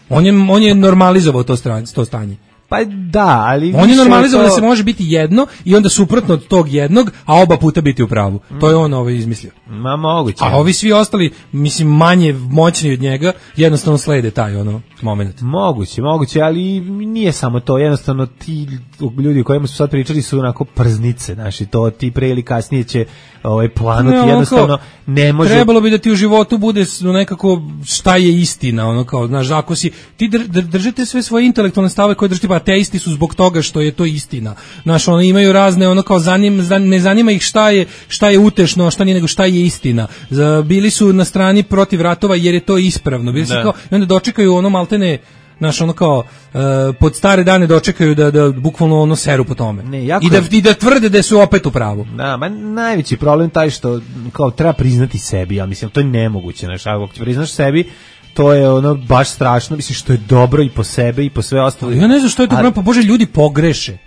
On je on je normalizovao to stanje, to stanje. Pa da, ali... On je više normalizovao to- da se može biti jedno i onda suprotno od tog jednog, a oba puta biti u pravu. To je on ovaj izmislio. Ma moguće. A ovi svi ostali, mislim, manje moćni od njega, jednostavno slede taj ono moment. Moguće, moguće, ali nije samo to, jednostavno ti ljudi o kojima su sad pričali su onako prznice, znači to ti pre ili kasnije će ovaj planuti, Ne, ono jednostavno kao, ne može... Trebalo bi da ti u životu bude s- nekako šta je istina, ono kao, znaš, ako si, ti dr, dr, držite sve svoje intelektualne stave koje držite, pa ateisti su zbog toga što je to istina. Znaš, ono, imaju razne, ono kao, zanim, zan- ne zanima ih šta je, šta je utešno, a šta nije, nego šta je istina. Za, bili su na strani protiv ratova jer je to ispravno. Bili su Da. kao, i onda dočekaju ono maltene, znaš, ono kao, e, pod stare dane dočekaju da, da bukvalno ono seru po tome. Ne, jako I, da, je- I da tvrde da su opet u pravu. Da, ma najveći problem taj što kao treba priznati sebi, ja mislim, to je nemoguće, znači ako ti priznaš sebi, to je ono baš strašno, mislim što je dobro i po sebe i po sve ostalo. Ja ne znam što je to A- problem, pa Bože, ljudi pogreše.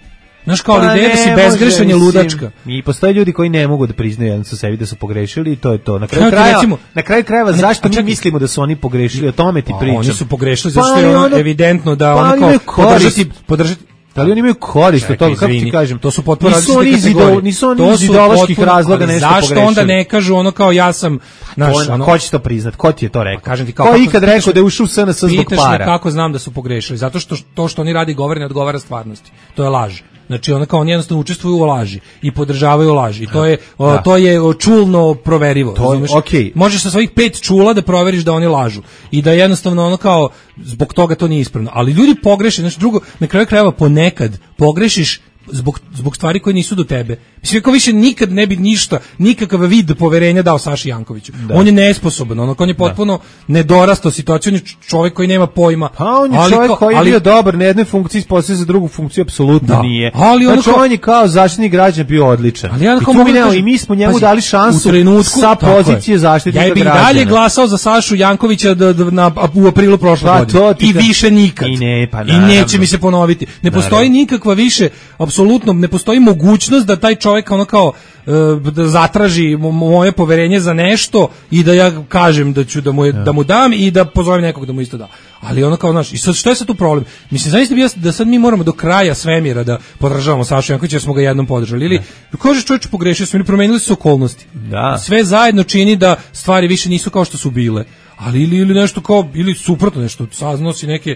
Znaš, kao, ali Pa ideja da si ne bezgrešan je može, ludačka. mislim, I postoje ljudi koji ne mogu da priznaju jedan sa sebi da su pogrešili i to je to. Na kraju Evo ti krajeva, recimo- na kraju krajeva Ne, zašto a mi čekaj. mislimo da su oni pogrešili, o tome ti Pa, pričam. oni su pogrešili Pa, zato što je ali ono ono- evidentno da pa, ono ali kao imaju korist. podržati, podržati. Da li oni imaju korist od Čekaj, toga, kako ti izvini, kažem? to su potpuno nisu različite oni iz kategorije. idol- nisu oni To iz su ideoloških potpuno- razloga ali nešto zašto pogrešili. onda ne kažu ono kao ja sam, znaš, Ko- ono, ko će to priznat? Ko ti je to rekao? kažem ti kao Ko je kako- ikad pitaš rekao me- da je ušao u S N S zbog pitaš me para? kako znam da su pogrešili, zato što to što oni radi govore ne odgovara stvarnosti. To je laž. Znači ono kao oni jednostavno učestvuju u laži i podržavaju laži. I to je o, Da. to je o, čulno proverivo. To je- razumeš? okej. Možeš sa svojih pet čula da proveriš da oni lažu i da jednostavno ono kao zbog toga to nije ispravno. Ali ljudi pogreše, znači drugo, na kraju krajeva ponekad pogrešiš zbog, zbog stvari koje nisu do tebe. Mislim, kako više nikad ne bi ništa, nikakav vid poverenja dao Saši Jankoviću. On je nesposoban, ono, on je potpuno nedorastao situaciju, on je čovjek koji nema pojma. Pa on je Ali čovjek kao- koji je ali- bio dobar na jednoj funkciji, ispostavio za drugu funkciju, apsolutno Da. nije. Ali ono znači kao- on je kao zaštitnik građana bio odličan. Ali ja I kao tu mogu mi da nemamo- kažem, i mi smo njemu pazi, dali šansu u trenutku, sa tako je. pozicije zaštitnika Ja bih i građana. dalje glasao za Sašu Jankovića da, da, na, u aprilu prošle Pa, godine. to ti I ka- više nikad. I ne, pa I naravno. neće mi se ponoviti. Ne postoji Naravno. nikakva više, apsolutno, ne postoji mogućnost da taj čovjek ono kao e, da zatraži mo- moje poverenje za nešto i da ja kažem da ću da mu, je, da mu dam i da pozovem nekog da mu isto da. Ali ono kao, znaš, i sad što je sad tu problem? Mislim, zaista bi ja- da sad mi moramo do kraja svemira da podržavamo Sašu Jankovića jer smo ga jednom podržali. Ili, kažeš čovječe, pogrešio smo ili promenili su se okolnosti. Da. Sve zajedno čini da stvari više nisu kao što su bile. Ali ili, ili nešto kao, ili suprotno nešto, saznao si neke,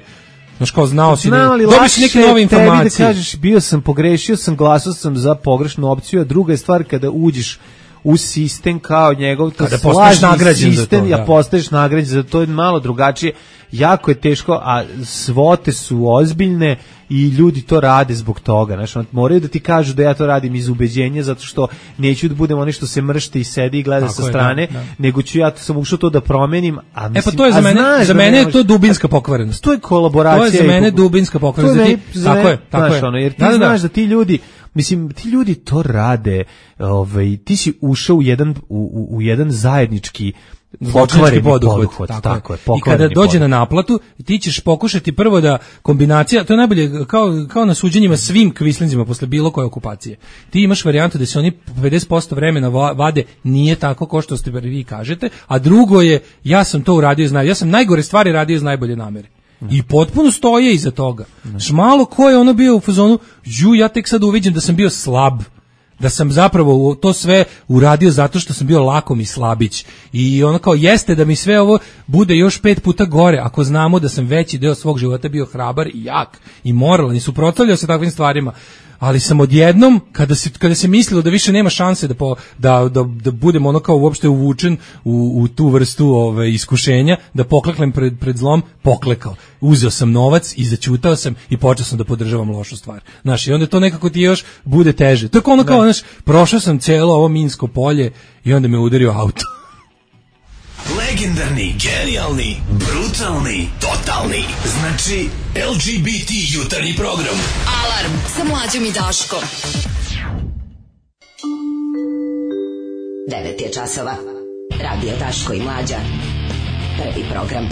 znaš kao znao si, Znam, ali dobiš si lakše neke nove je tebi informacije. da kažeš bio sam pogrešio sam, glasao sam za pogrešnu opciju, a druga je stvar kada uđeš u sistem kao njegov to Kada postaješ nagrađen za sistem, to, ja da. postaješ nagrađen za to, je malo drugačije, jako je teško, a svote su ozbiljne i ljudi to rade zbog toga, znači on moraju da ti kažu da ja to radim iz ubeđenja zato što neću da budem oni što se mršti i sedi i gleda Tako sa je, strane, da, da. nego ću ja to sam ušao to da promenim, a E mislim, pa to je za a mene, znaš za da mene ne je možeš- to dubinska pokvarenost. To je kolaboracija. To je za i mene po- dubinska pokvarenost. To je Da meni- ti- za tako mene- je, tako znaš, je. ono, jer ti Da, da, da. znaš da ti ljudi, mislim, ti ljudi to rade, ovaj, ti si ušao u jedan, u, u, u jedan zajednički Zločinački pokvareni poduhvat, poduhvat, tako, tako je. je, I kada pokvareni dođe na poduhvat. naplatu, ti ćeš pokušati prvo da kombinacija, to je najbolje kao, kao na suđenjima svim kvislinzima posle bilo koje okupacije. Ti imaš varijantu da se oni pedeset posto vremena va- vade nije tako kao što ste vi kažete, a drugo je ja sam to uradio iz naj, ja sam najgore stvari radio iz najbolje namere. I potpuno stoje iza toga. Znaš, malo ko je ono bio u fazonu, ju, ja tek sad uviđem da sam bio slab, da sam zapravo to sve uradio zato što sam bio lakom i slabić. I ono kao jeste da mi sve ovo bude još pet puta gore, ako znamo da sam veći deo svog života bio hrabar i jak i moralan i suprotstavljao se takvim stvarima. ali sam odjednom, kada se, kada se mislilo da više nema šanse da, po, da, da, da budem ono kao uopšte uvučen u, u tu vrstu ove, iskušenja, da pokleknem pred, pred zlom, poklekao. Uzeo sam novac i začutao sam i počeo sam da podržavam lošu stvar. Znaš, i onda to nekako ti još bude teže. To je kao ono kao, znaš, prošao sam cijelo ovo minsko polje i onda me udario auto. Legendarni, genijalni, brutalni, totalni. Znači, L G B T jutarnji program. Alarm sa Mlađom i Daškom. devet je časova. Radio Daško i Mlađa. Prvi program.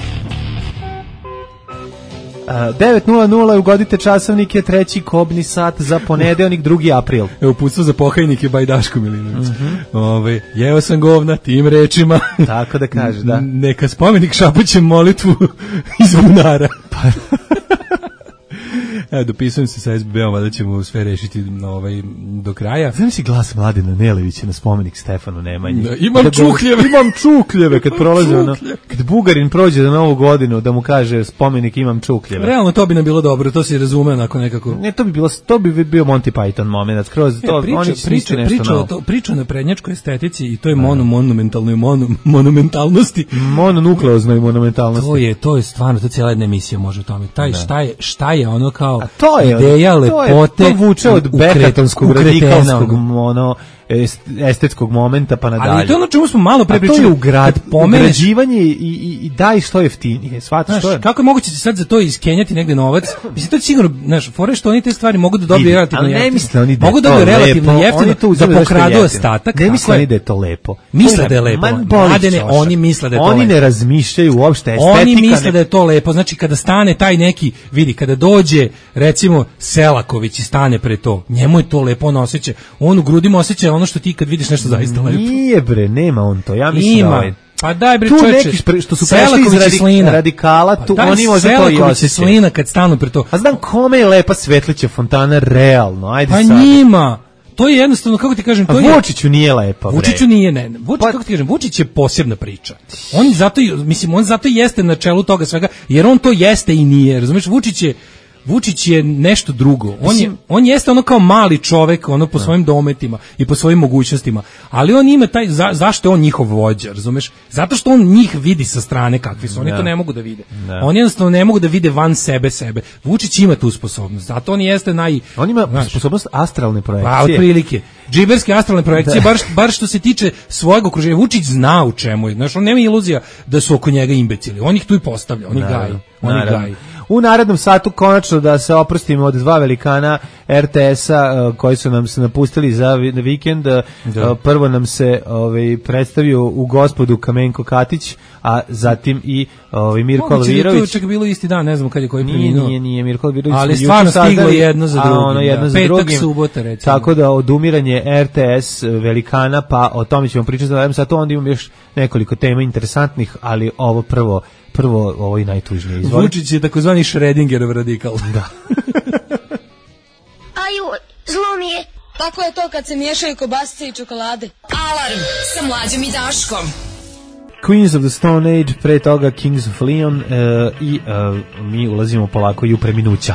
devet nula nula, ugodite časovnike, treći kobni sat za ponedeljnik, drugi april. Evo, uputstvo za pokajnike by Daško Milinović. Mm-hmm. Ove, jeo sam govna tim rečima. Tako da kaže, da. Neka spomenik šapućem molitvu iz bunara. Evo, dopisujem se sa S B B-om, da ćemo sve rešiti na ovaj, do kraja. Znam si glas Mladena Nelevića na spomenik Stefanu Nemanji. Da, imam da, čukljeve. Imam čukljeve, kad prolaze ono, kad Bugarin prođe za Novu godinu, da mu kaže spomenik imam čukljeve. Realno, to bi nam bilo dobro, to se razume onako nekako. Ne, to bi bilo, to bi bio Monty Python moment, skroz to, e, priča, oni priča, nešto priča, novo. to, priča na prednjačkoj estetici i to je mono, monumentalnoj mono, monumentalnosti. Mononukleoznoj monumentalnosti. To je, to je stvarno, to cijela jedna emisija može o tome. Taj, šta je, šta je ono kao to je, ideja lepote, to, je, to vuče od bekatonskog, radikalskog, ono, ono estetskog momenta pa nadalje. Ali to je ono čemu smo malo pre pričali. To je ugrad, ugrađivanje i, i, i daj što jeftinije. Shvataš što je? Kako je moguće sad za to iskenjati negde novac? Mislim, to je sigurno, znaš, fore što oni te stvari mogu da dobiju relativno jeftino. Ne misle oni da mogu da dobiju relativno jeftino, da pokradu ostatak. Ne misle oni da je to lepo. Misle da je lepo. Mladene, oni misle da je to lepo. Oni ne razmišljaju uopšte estetika. Oni misle da je to lepo. Znači, kada stane taj neki, vidi, kada dođe, recimo, Selaković i stane pre to, njemu je to lepo, on osjeća, on u grudima osjeća ono što ti kad vidiš nešto zaista lepo. Nije bre, nema on to. Ja mislim Ima. da ovaj Pa daj bre, tu čoveče, neki špre, što su prešli iz radik, radikala, tu pa oni možda to i osjećaju. Slina kad stanu pre to. A znam kome je lepa Svetlića fontana realno, ajde pa sad. Pa njima, to je jednostavno, kako ti kažem, to a je... Vučiću nije lepa, bre. Vučiću nije, ne, Vučić, pa, kako ti kažem, Vučić je posebna priča. On zato, mislim, on zato jeste na čelu toga svega, jer on to jeste i nije, razumiješ, Vučić je Vučić je nešto drugo. On je, on jeste ono kao mali čovek, ono po svojim dometima i po svojim mogućnostima. Ali on ima taj, za, zašto je on njihov vođa, razumeš? Zato što on njih vidi sa strane kakvi su. Oni da. to ne mogu da vide. Da. Oni jednostavno ne mogu da vide van sebe sebe. Vučić ima tu sposobnost. Zato on jeste naj... On ima znaš, sposobnost astralne projekcije. Pa, otprilike. Džiberske astralne projekcije, bar, bar što se tiče svojeg okruženja. Vučić zna u čemu je. Znaš, on nema iluzija da su oko njega imbecili. On ih tu i postavlja. On ih gaji. On ih gaji. U narednom satu konačno da se oprostimo od dva velikana R T S-a uh, koji su nam se napustili za vikend. Da. Uh, prvo nam se ovaj, predstavio u Gospodu Kamenko Katić, a zatim i ovaj, Mirko Alvirović. To je čak bilo isti dan, ne znam kad je koji preminuo. Nije, nije, nije, Mirko Alvirović. Ali stvarno stiglo jedno za drugim. Ono jedno da. za Petak, drugim. subota, recimo. Tako da odumiranje R T S velikana, pa o tome ćemo pričati za narednom satu, onda imam još nekoliko tema interesantnih, ali ovo prvo prvo ovo i najtužnije. Izvoli. Vučić je takozvani Schrödingerov radikal. Da. Aju, zlo mi je. Tako je to kad se miješaju kobasice i čokolade. Alarm sa Mlađom i Daškom. Queens of the Stone Age, pre toga Kings of Leon uh, i uh, mi ulazimo polako i u preminuća.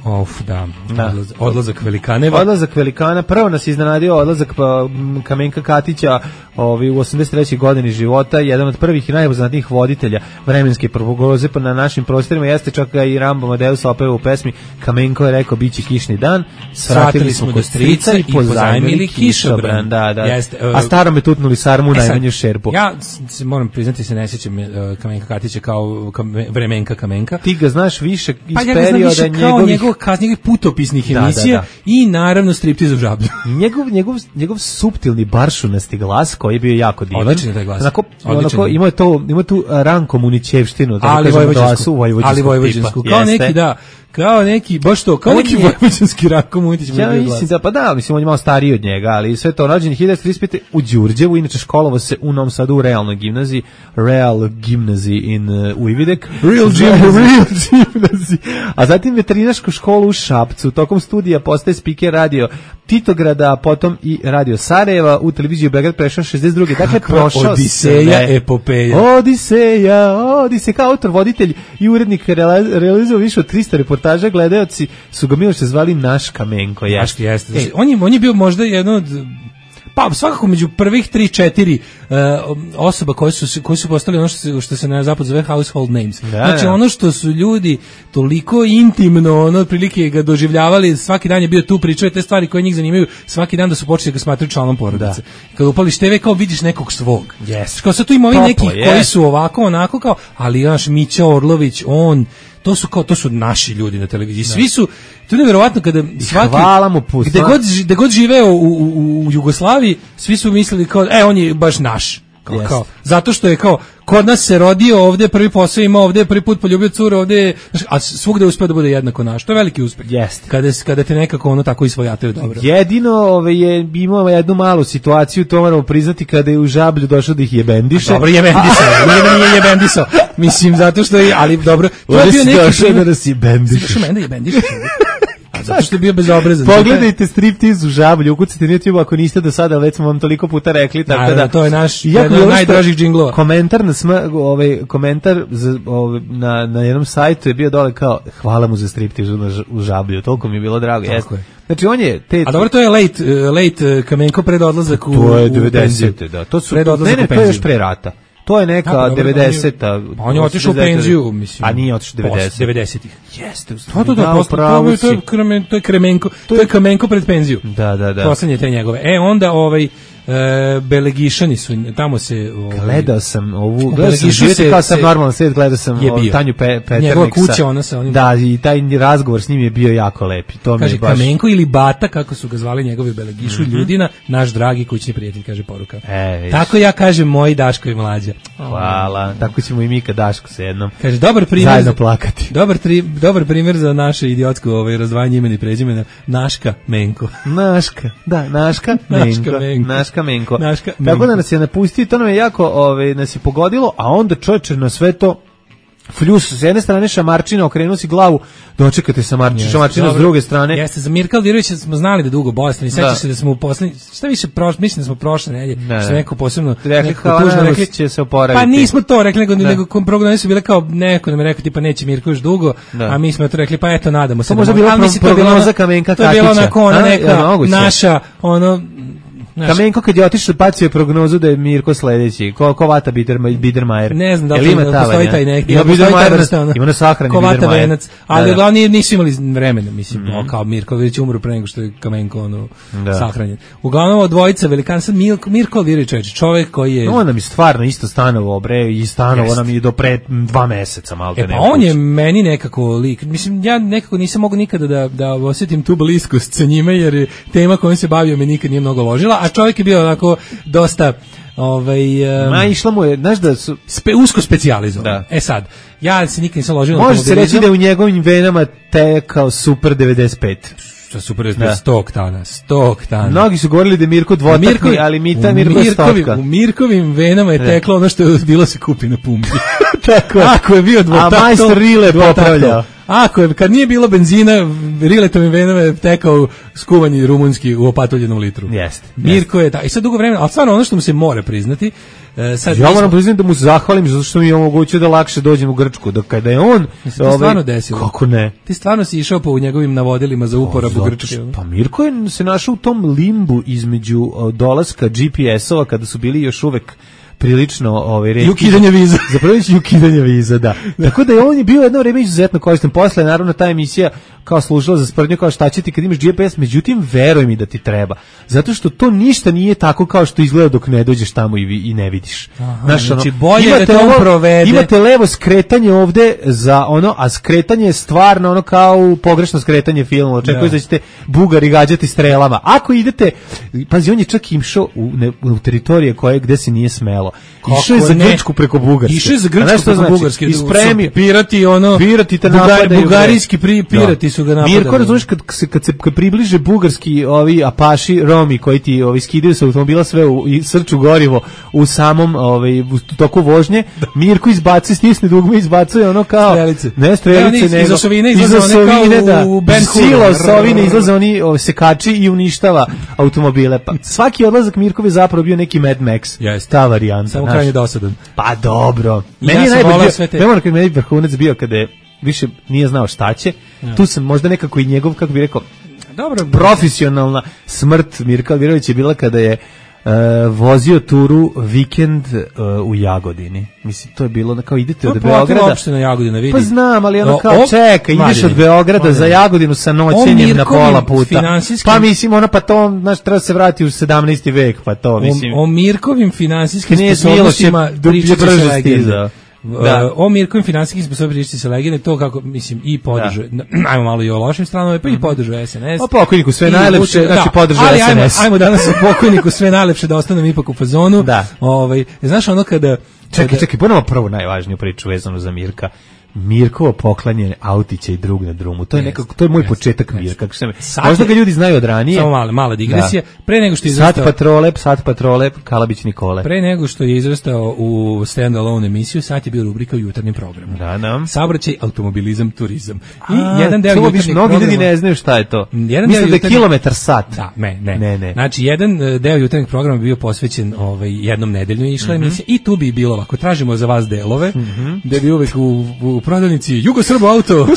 Of, da. Odlaz, odlazak velikaneva. Odlazak velikana. Prvo nas iznenadio odlazak pa, Kamenka Katića ovi, u osamdeset trećoj godini života. Jedan od prvih i najpoznatijih voditelja vremenske prognoze na našim prostorima. Jeste čak i Rambo Amadeus opeva u pesmi Kamenko je rekao biće kišni dan. Svratili smo do strica i pozajmili kišobran. Da, da. Jeste, uh, a starome tutnuli sarmu u e najmanju šerpu. Ja se moram priznati se ne sjećam uh, Kamenka Katića kao kam, vremenka Kamenka. Ti ga znaš više iz pa ja perioda njegovih njegovih putopisnih da, emisija da, da. i naravno striptiz u žablju. njegov, njegov, njegov suptilni baršunasti glas koji je bio jako divan. Odličan je taj glas. Onako, onako, ima je to, ima tu Ranko Munićevštinu. Ali vojvođansku. Ali vojvođansku. Kao jeste. neki, da. Kao neki, baš to, kao on neki vojvođanski Ranko Munić. Ja mislim da, pa da, mislim, on je malo stariji od njega, ali sve to rođen hiljadu devetsto trideset pete u Đurđevu, inače školovao se u Novom Sadu u realnoj gimnaziji, Real Gimnaziji in uh, Ujvidek. Real Gimnaziji. A zatim veterinarsku školu u Šapcu, tokom studija postaje spiker radio Titograda, potom i radio Sarajeva, u televiziju Beograd prešao šezdeset druge Dakle, prošao Odiseja, sve. Epopeja. Odiseja, Odiseja, kao autor, voditelj i urednik realizovao više od trista reportaža reportaža gledaoci su ga Miloše zvali naš Kamenko. Jeste, jeste. E, on, je, on je bio možda jedno od... Pa svakako među prvih tri četiri uh, osoba koje su koji su postali ono što se što se na zapadu zove household names. Da, znači da. Ono što su ljudi toliko intimno, ono otprilike ga doživljavali, svaki dan je bio tu, pričao te stvari koje njih zanimaju, svaki dan da su počeli da ga smatraju članom porodice. Da. Kad upališ te ve kao vidiš nekog svog. Yes. Kao sad tu ima ovi neki yes. koji su ovako onako kao, ali naš Mića Orlović, on to su kao to su naši ljudi na televiziji. Da. Svi su to je neverovatno kada svaki gde god gde god živeo u, u, u Jugoslaviji, svi su mislili kao e on je baš naš. Kao, yes. kao, zato što je kao kod nas se rodio ovde, prvi posao ima ovde, prvi put poljubio curu ovde, a svugde uspeo da bude jednako naš. To je veliki uspeh. Jeste. Kada, kada te nekako ono tako isvojataju dobro. Jedino ove, je imao jednu malu situaciju, to moramo priznati, kada je u Žablju došao da ih jebendiše. A dobro, jebendisao. Nije da nije jebendisao. Mislim, zato što je, ali dobro. To je bio neki... Došao da nas jebendiše. Došao mene jebendiše. Zato što je bio bezobrazan. Pogledajte striptiz u Žablju, ukucite na YouTube ako niste do sada, već smo vam toliko puta rekli, tako da, da to je naš jedan od najdražih džinglova. Komentar na sma, ovaj komentar za, ovaj, na na jednom sajtu je bio dole kao hvala mu za striptiz u Žablju, toliko mi je bilo drago. Jeste. Znači on je te A dobro, to je late late Kamenko pred odlazak u to je devedesete, da. To su ne, ne, to je još pre rata. To je neka devedeseta. Pa on je otišao u penziju, mislim. A nije otišao devedesetih. Jeste. To to da to je to je Kremenko, to je Kamenko pred penziju. Da, da, da. Poslednje te njegove. E onda ovaj E, Belegišani su, tamo se... Ovaj, gledao sam ovu, gledao sam živjeti kao sam normalno svijet, gledao sam ovaj, Tanju Pe, Peterniksa. Njegova kuća, ona sa onim... Da, i taj razgovor s njim je bio jako lep. To kaže, mi baš... Kamenko ili Bata, kako su ga zvali njegovi Belegišu, mm-hmm. Ljudina, naš dragi kućni prijatelj, kaže poruka. E, tako ja kažem moji Daško i mlađa. Hvala, tako ćemo i mi kad Daško se jednom kaže, dobar primjer, zajedno plakati. Dobar, tri, dobar primjer za naše idiotsko ovaj, razdvajanje imena i prezimena. Naška Menko. Naška, da, Naška Menko. Naška Menko. Naška Menko. Naška Tako da nas je napustio, to nam je jako, ove, nas je pogodilo, a onda čovječe na sve to Fljus, s jedne strane Šamarčina, okrenuo si glavu, dočekate Šamarčina, Šamarčina s druge strane. Jeste, za Mirka Aldirovića smo znali da dugo bolestan i sećaš se da smo u poslednji, šta više prošle, mislim da smo prošle nedelje, što neko posebno rekli kao tužno rekli će se oporaviti. Pa nismo to rekli, nego nego prognoze su bile kao neko nam je rekao tipa neće Mirko još dugo, da. A mi smo to rekli pa eto nadamo se. To možda bila prognoza Kamenka Kakića. To je bilo onako ona neka naša ono Kamenko kad je otišao bacio je prognozu da je Mirko sledeći. Ko ko Vata Biedermajer. Ne znam da li ima postoji taj neki. Ima Biedermajer, ima na sahrani Biedermajer. Ali glavni nisu imali vremena, mislim, mm-hmm. kao Mirko već umro pre nego što je Kamenko ono da. Sahranjen. Uglavnom dvojica velikan sad Mirko Mirko Aldirović, čovjek koji je on nam je stvarno isto stanovo bre i stanovo nam je do pre dva meseca malo da ne. E pa on je meni nekako lik. Mislim ja nekako nisam mogao nikada da da osjetim tu bliskost sa njime jer tema kojom se bavio me nikad nije mnogo ložila. A čovjek je bio onako dosta ovaj um, ma išlo mu je, znaš da su spe, usko specijalizovan. E sad, ja se nikad nisam ložio. Može se reći da je u njegovim venama tekao Super devedeset pet. Što Super devedeset pet, sto oktana, sto oktana. Mnogi su govorili da je Mirko dvotakni, Mirko, ali Mita Mirko je stotka. U Mirkovim venama je teklo ono što je bilo se kupi na pumpi. Tako je. Ako je bio dvotakto, a majstor Rile popravljao. Ako je, kad nije bilo benzina, Riletovim venama je tekao skuvani rumunski u opatuljenom litru. Jeste. Mirko je, da, i sad dugo vremena, ali stvarno ono što mu se mora priznati, sad ja moram priznati da mu se zahvalim zato što mi je omogućio da lakše dođem u Grčku, da kada je on ovaj, stvarno desilo. Kako ne? Ti stvarno si išao po njegovim navodilima za uporabu Grčke. Pa Mirko je se našao u tom limbu između dolaska G P S-ova kada su bili još uvek prilično ovaj retki. Ukidanje viza. Zapravo je ukidanje viza, da. Tako da je on je bio jedno vreme izuzetno koristan. Posle naravno ta emisija kao služila za sprdnju, kao šta će ti kad imaš G P S, međutim veruj mi da ti treba. Zato što to ništa nije tako kao što izgleda dok ne dođeš tamo i, i ne vidiš. Aha, Znaš, znači ono, bolje da to on provede. Imate levo skretanje ovde za ono, a skretanje je stvarno ono kao pogrešno skretanje filma. Očekuješ da. da ćete Bugari gađati strelama. Ako idete, pazi, on je čak išao u, ne, u teritorije koje gde se nije smelo. Išao je za Grčku preko Bugarske. Išao je za Grčku preko znači? Bugarske. Ispremio. Pirati ono, pirati te bugar, bugarijski pri, pirati da. Su ga napadali. Mirko, razumiješ, kad se, kad se kad približe bugarski ovi apaši, Romi, koji ti ovi skidaju sa automobila sve u, i srču gorivo u samom ovaj, u toku vožnje, Mirko izbaci, stisne dugme, izbacuje ono kao... Strelice. Ne, strelice, nego... Iza Sovine izlaze one kao u Ben Hur. Silo Sovine izlaze oni o, sekači i uništava automobile. Pa, svaki odlazak Mirkov je zapravo bio neki Mad Max. Yes. Ta varijanta. Samo krajnje dosadan. Pa dobro. Meni ja je najbolje, ne moram kad meni vrhunac bio kada je više nije znao šta će. Ja. Tu sam možda nekako i njegov, kako bi rekao, dobro, profesionalna smrt Mirka Alvirovića je bila kada je Uh, vozio turu vikend uh, u Jagodini. Mislim, to je bilo kao idete od Beograda. Uopšte na Jagodina, vidi. Pa znam, ali ono kao o, čeka, ideš Mladine, od Beograda Mladine. za Jagodinu sa noćenjem na pola puta. Finansijskim... Pa mislim, ono pa to, znaš, treba se vratiti u sedamnaesti vek, pa to, mislim. O, o Mirkovim finansijskim Knez sposobnostima Miloš je brže legende. Da. O Mirkovim finansijskim sposobnostima se legende, to kako, mislim, i podržu, da. Ajmo malo i o lošim stranama, pa i podržu S N S. O pokojniku sve najlepše, znači podržu S N S. Ali ajmo, ajmo danas o pokojniku sve najlepše da ostanem ipak u fazonu. Da. Ovaj, znaš ono kada... Čekaj, kada... čekaj, ponovno prvu najvažniju priču vezanu za Mirka. Mirkovo poklanjanje autića i drug na drumu. To je nekako, to je moj yes, početak yes. Mirka. Kako se možda ga ljudi znaju od ranije. Samo mala, mala digresija. Da. Pre nego što je izrastao... Sat patrole, sat patrole, Kalabić Nikole. Pre nego što je izrastao u stand-alone emisiju, sat je bio rubrika u jutarnjem programu. Da, da. Saobraćaj, automobilizam, turizam. I A, jedan deo jutarnjeg programa... Mnogi ljudi ne znaju šta je to. Jedan Mislim da je jutarnjeg... kilometar sat. Da, ne, ne. ne, ne. Znači, jedan deo jutarnjeg programa bio posvećen ovaj, jednom nedeljno išla mm -hmm. emisija i tu bi bilo ovako. Tražimo za vas delove, mm -hmm. da bi uvek u, u prodavnici Jugo Srbo auto.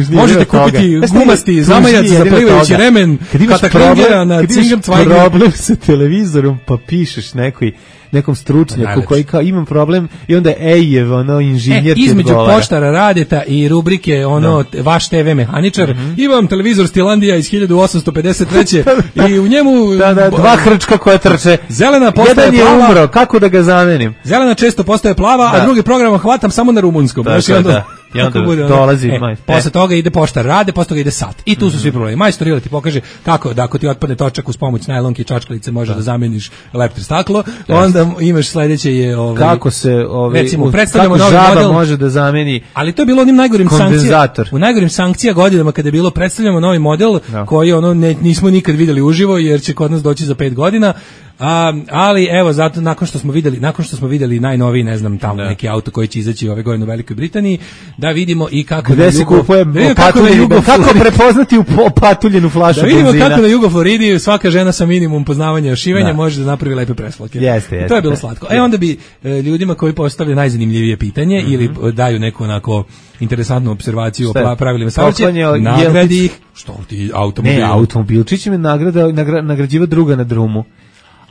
Možete kupiti gumasti zamajac za plivajući remen, Katakringera na Cingam Cvajger. Problem sa televizorom, pa pišeš nekoj nekom stručnjaku koji kao imam problem i onda Ejev, ono, inženjer e, između poštara Radeta i rubrike ono, da. Vaš T V mehaničar, mm -hmm. imam televizor Stilandija iz hiljadu osamsto pedeset treće i u njemu... Da, da, dva hrčka koja trče. Zelena postaje Jedan je plava. umro, kako da ga zamenim? Zelena često postaje plava, da. A drugi program hvatam samo na rumunskom. Da, da, da. I onda bude, dolazi e, maj. Posle toga ide poštar Rade, posle toga ide sat. I tu su svi problemi. Majstor Ila ti pokaže kako da ako ti otpadne točak uz pomoć najlonke i čačkalice može da, da zameniš leptir staklo. Onda imaš sledeće je ovaj kako se ovaj recimo predstavljamo novi model može da zameni. Ali to je bilo onim najgorim sankcija. U najgorim sankcija godinama kada je bilo predstavljamo novi model no. koji ono ne, nismo nikad videli uživo jer će kod nas doći za pet godina. A, ali evo zato nakon što smo videli nakon što smo videli najnoviji ne znam tamo da. neki auto koji će izaći ove godine u Velikoj Britaniji da vidimo i kako gde se kupuje kako, kako prepoznati u opatuljenu flašu da vidimo benzina. Kako na Jugo Floridi svaka žena sa minimum poznavanja ošivanja da. može da napravi lepe preslake. Jeste, jeste. To je bilo slatko. E onda bi e, ljudima koji postavljaju najzanimljivije pitanje mm -hmm. ili daju neku onako interesantnu observaciju o pravilima saobraćaja, nagradi ih što ti automobil. Ne, automobilčić me nagrada nagra, nagrađiva druga na drumu.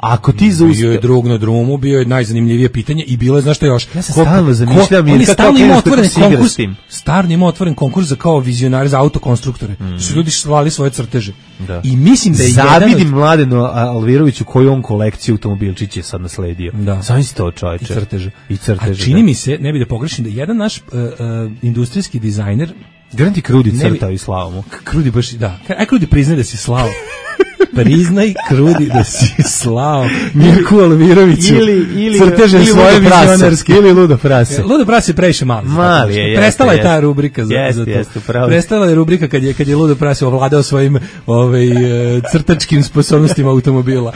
Ako ti zaustaviš... Bio je drug na drumu, bio je najzanimljivije pitanje i bilo je, znaš što još? Ja se stalno zamišljam i kako ima otvoren konkurs, stalno ima otvoren konkurs za kao vizionari, za autokonstruktore. Mm. Su ljudi slali svoje crteže. Da. I mislim da je Zavidim jedan... Mladenu Alviroviću koju on kolekciju automobilčića sad nasledio. Da. Sam si to čovječe. I crteže. I crteže. A čini da. mi se, ne bi da pogrešim, da jedan naš uh, uh, industrijski dizajner... Garanti Krudi crtao i slao mu. Krudi baš, da. Aj Krudi priznaj da si slao. Priznaj Krudi da si slao Mirku Alviroviću ili, ili, crteže ili svoje vizionarske ili Ludo prase. Ludo prase je previše mali. Mali je, prestala jeste, je ta rubrika za, jeste, za to. Jeste, prestala je rubrika kad je, kad je Ludo prase ovladao svojim ovaj, crtačkim sposobnostima automobila.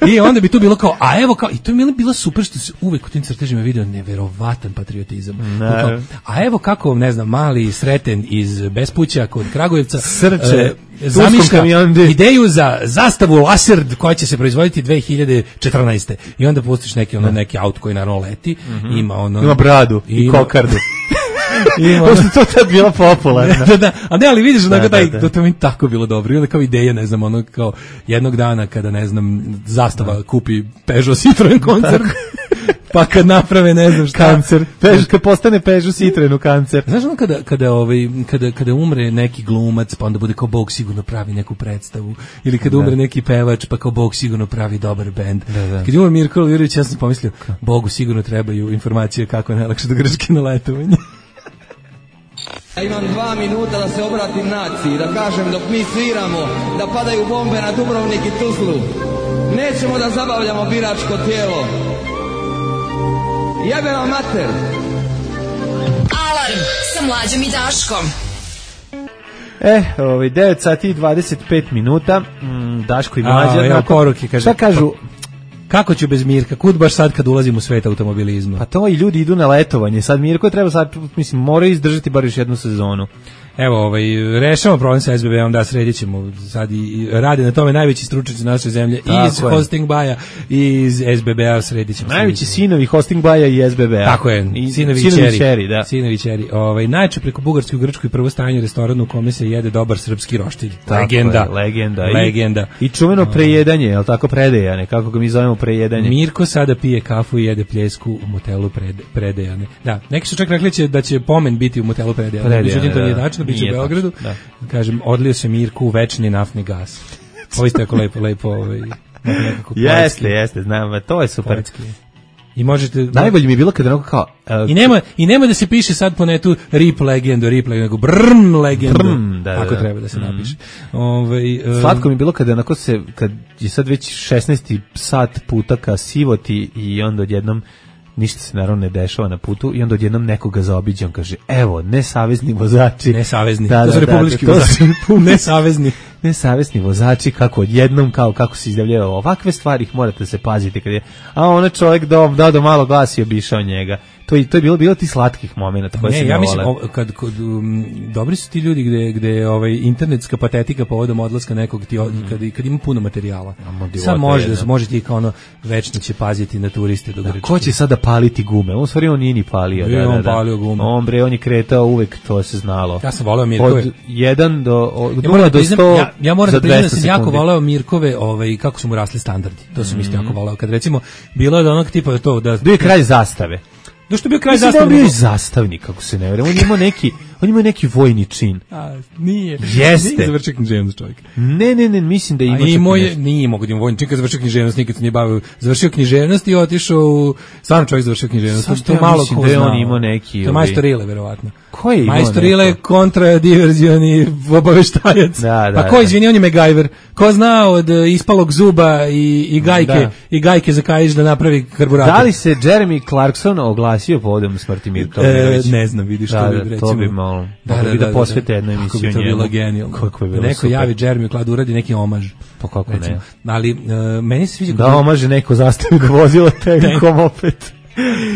I onda bi tu bilo kao, a evo kao, i to je bilo super što se uvek u tim crtežima vidio neverovatan patriotizam. Kao, a evo kako, ne znam, mali Sreten iz Bespuća kod Kragujevca Srče, e, zamišlja ideju za zastavu Laserd koja će se proizvoditi dve hiljade četrnaeste. I onda pustiš neki, ono, neki auto koji naravno leti, mm-hmm. ima ono... Ima bradu i, i kokardu. Ima ono... to tad bila popularna. da, da, a ne, ali vidiš, da, da, taj, da. to mi tako bilo dobro. I onda kao ideja, ne znam, ono kao jednog dana kada, ne znam, zastava da. kupi Peugeot Citroen koncert, pa kad naprave, ne znam šta. Kancer. Pež, kad postane Peugeot Citroen u kancer. Znaš ono kada, kada, ovaj, kada, kada umre neki glumac, pa onda bude kao Bog sigurno pravi neku predstavu. Ili kada da. umre neki pevač, pa kao Bog sigurno pravi dobar bend. Da, da. Kad je umre Mirko Alvirović, ja sam pomislio, Bogu sigurno trebaju informacije kako je najlakše do Grčke na letovanje. Ja imam dva minuta da se obratim naciji, da kažem dok mi sviramo, da padaju bombe na Dubrovnik i Tuzlu. Nećemo da zabavljamo biračko tijelo. Jebe vam mater. Alarm sa Mlađom i Daškom. E, ovaj, devet sati i dvadeset pet minuta, mm, Daško i Mlađa. A, evo poruke, kaže. Šta kažu? Kako ću bez Mirka? Kud baš sad kad ulazim u svet automobilizma? Pa to i ljudi idu na letovanje. Sad Mirko treba sad, mislim, mora izdržati bar još jednu sezonu. Evo, ovaj, rešavamo problem sa S B B-om, da, sredit ćemo sad i, i rade na tome najveći stručnjaci naše zemlje, i iz Hosting Baja i iz S B B-a sredit ćemo. Najveći sinovi Hosting Baja i S B B-a. Tako je, I, sinovi, sinovi čeri, čeri, da. Sinovi čeri. Ovaj, najče preko Bugarske u Grčkoj prvo stanje u restoranu u kome se jede dobar srpski roštilj. Tako legenda. Je, legenda. Legenda. I, i čuveno prejedanje, je li tako predejane, kako ga mi zovemo prejedanje? Mirko sada pije kafu i jede pljesku u motelu prede, predejane. Da, neki su čak rekli će da će pomen biti u motelu predejane. Međutim, to nije tačno, biće u Beogradu. Da. Kažem, odlio se Mirku u večni naftni gas. Ovo ste tako lepo, lepo. Ovaj, jeste, jeste, znam, to je super. Poetski. I možete... Najbolje mi je bilo kada onako kao... Uh, I nema, I nema da se piše sad po netu rip legendo, rip legendo, nego brrm legendo, brrm, da, ako da, treba da se mm. napiše. Ove, um, Slatko mi je bilo kada onako se, kad je sad već šesnaesti sat puta ka sivoti i onda odjednom ništa se naravno ne dešava na putu i onda odjednom nekoga zaobiđe, on kaže, evo, nesavezni vozači. Nesavezni, da, to su da, republički da, to vozači. Nesavezni. Nesavesni vozači, kako odjednom, kao kako se izdavljaju ovakve stvari, ih morate da se paziti kad je, a ona čovjek dao do, do malo glasi i obišao njega. To je to je bilo bilo ti slatkih momenata koje se ja mislim o, kad kod um, dobri su ti ljudi gde gde ovaj internetska patetika povodom odlaska nekog ti mm. kad kad ima puno materijala. Sad može da se može ti kao ono večno će paziti na turiste do Grčke. Ko će sada paliti gume? On stvari on nije ni palio, da, da, on da. palio gume. On bre on je kretao uvek, to se znalo. Ja sam voleo Mirkove. Od jedan do od ja moram do sto. Ja, ja moram da priznam da sam sekundi. jako voleo Mirkove, ovaj kako su mu rasli standardi. To sam mm. isto jako voleo kad recimo bilo je da onog tipa to da bio je kralj zastave. Do što bio kraj zastave. Bio je zastavnik, kako se ne vjerujem. On ima neki, on ima neki vojni čin. A, nije. Jeste. Nije završio književnost čovjek. Ne, ne, ne, mislim da ima. A imao je, nije mogu da ima vojni čin kad završio književnost, nikad se nije bavio. Završio književnost i otišao u, stvarno čovjek završio književnost. Sam to ja malo ko da on imao neki. To je majstor Ile, verovatno. Ko je imao? Majstor Ile kontra diverzioni obaveštajac. Da, da. Pa ko izvini, on je MacGyver. Ko zna od ispalog zuba i, i gajke da. i gajke za kajiš da napravi karburator. Da li se Jeremy Clarkson oglasio povodom smrti Mirka Omerovića? E, ne znam, vidiš da, to bi da, recimo. To bi malo. Da, da, bi da, da posvete jednu emisiju njemu. Kako bi to bilo genijalno. Kako bi bilo neko super. javi Jeremy Klad uradi neki omaž. Pa kako recimo. Ne. Ali uh, meni se sviđa da omaže neko zastavi ga vozilo tenkom opet.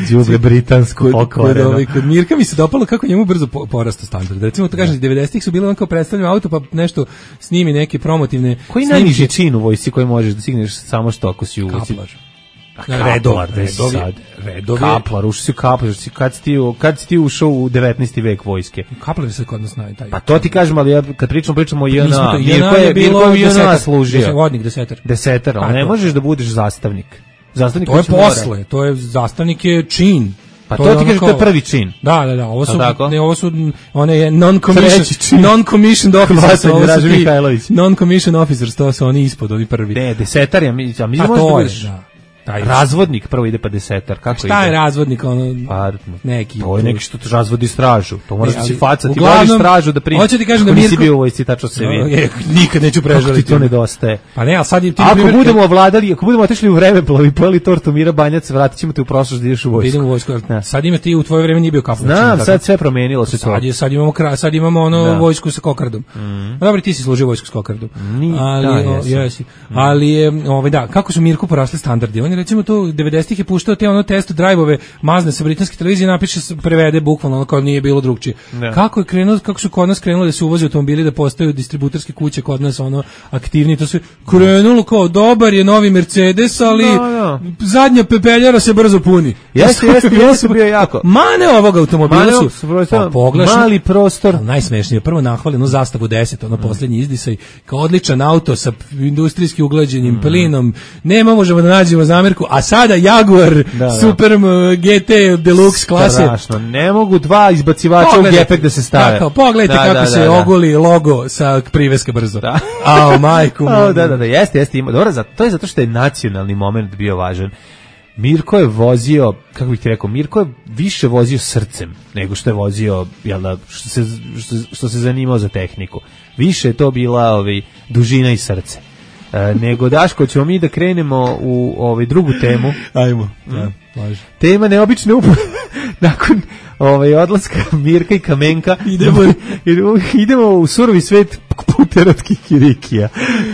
Đubre britansko pokvareno. Kod, kod Mirka mi se dopalo kako njemu brzo po, porasta standard. Recimo to kažem, devedesetih su bile on kao predstavljeno auto pa nešto snimi neke promotivne. Koji najniži čin u vojsci koji možeš da stigneš samo što ako si u vojsci? Kaplar. Redovlar, redovi, redovi. Kaplar, ušao si u Kaplar, kad si ti, kad si ti ušao u devetnaesti vek vojske? Kaplar se kod nas znaju taj. Pa to ti kažem, ali ja kad pričamo, pričamo o I N A, Mirko je bilo I N A služio. Vodnik, desetar. Desetar, ali ne možeš da budeš zastavnik. Zastavnik to je posle, to je zastavnik je čin. Pa to, to ti kažeš, to je prvi čin. Da, da, da, ovo su, ne, ovo su, one je non-commissioned, non-commissioned officers, ovo su ti non-commissioned officers, to su oni ispod, oni prvi. Ne, desetar, ja mi, ja mi a to je, da. Taj razvodnik prvo ide pa desetar, kako ide? Šta je razvodnik, ono, pa, neki? To je neki što razvodi stražu, to moraš da si faca, ti voliš stražu da primi. Hoće ti kažem da Mirko... nisi bio u vojsci, tačno se vidi. Nikad neću prežaliti. Kako ti to nedostaje? Pa ne, ali sad ti... Ako primjer, budemo ovladali, ako budemo otišli u vreme, plovi, pojeli tortu Mira Banjac, vratit ćemo te u prošlost da ideš u vojsku. Idemo u vojsku, sad ima ti u tvoje vreme nije bio kaplan. Znam, sad sve promenilo se to. Sad, je, sad imamo, sad imamo ono vojsku sa kokardom. Dobro, ti si služio vojsku sa kokardom. Ali je, da, kako su Mirku porasli standardi? Oni recimo to devedesetih je puštao te ono test drive-ove mazne sa britanske televizije, napiše, prevede bukvalno ono kao nije bilo drugčije. Ne. Kako je krenulo, kako su kod nas krenuli da se uvoze automobili, da postaju distributerske kuće kod nas ono aktivni, to sve krenulo kao dobar je novi Mercedes, ali no, no. zadnja pepeljara se brzo puni. Jeste, jeste, jeste bio jako. Mane ovog automobila Mane su pa, poglašno, mali prostor. Najsmešnije, prvo nahvaleno zastavu deset, ono mm. posljednji izdisaj, kao odličan auto sa industrijski uglađenim mm. plinom, nema možemo da nađemo zamerku, a sada Jaguar da, da. Super G T Deluxe klase. Strašno, ne mogu dva izbacivača u gepek da se stave. Tako, pogledajte da, kako da, se da, ogoli logo sa priveske brzo. Da. Ao, majku. O, da, da, da, jeste, jeste. Ima. Dobro, to je zato što je nacionalni moment bio važan. Mirko je vozio, kako bih ti rekao, Mirko je više vozio srcem nego što je vozio, jel da, što se, što, što se zanimao za tehniku. Više je to bila ovaj, dužina i srce. E, nego Daško, ćemo mi da krenemo u ovaj drugu temu. Ajmo, da, važno. Tema neobične upo... nakon ovaj, odlaska Mirka i Kamenka idemo, idemo u surovi svet puterotskih kirikija.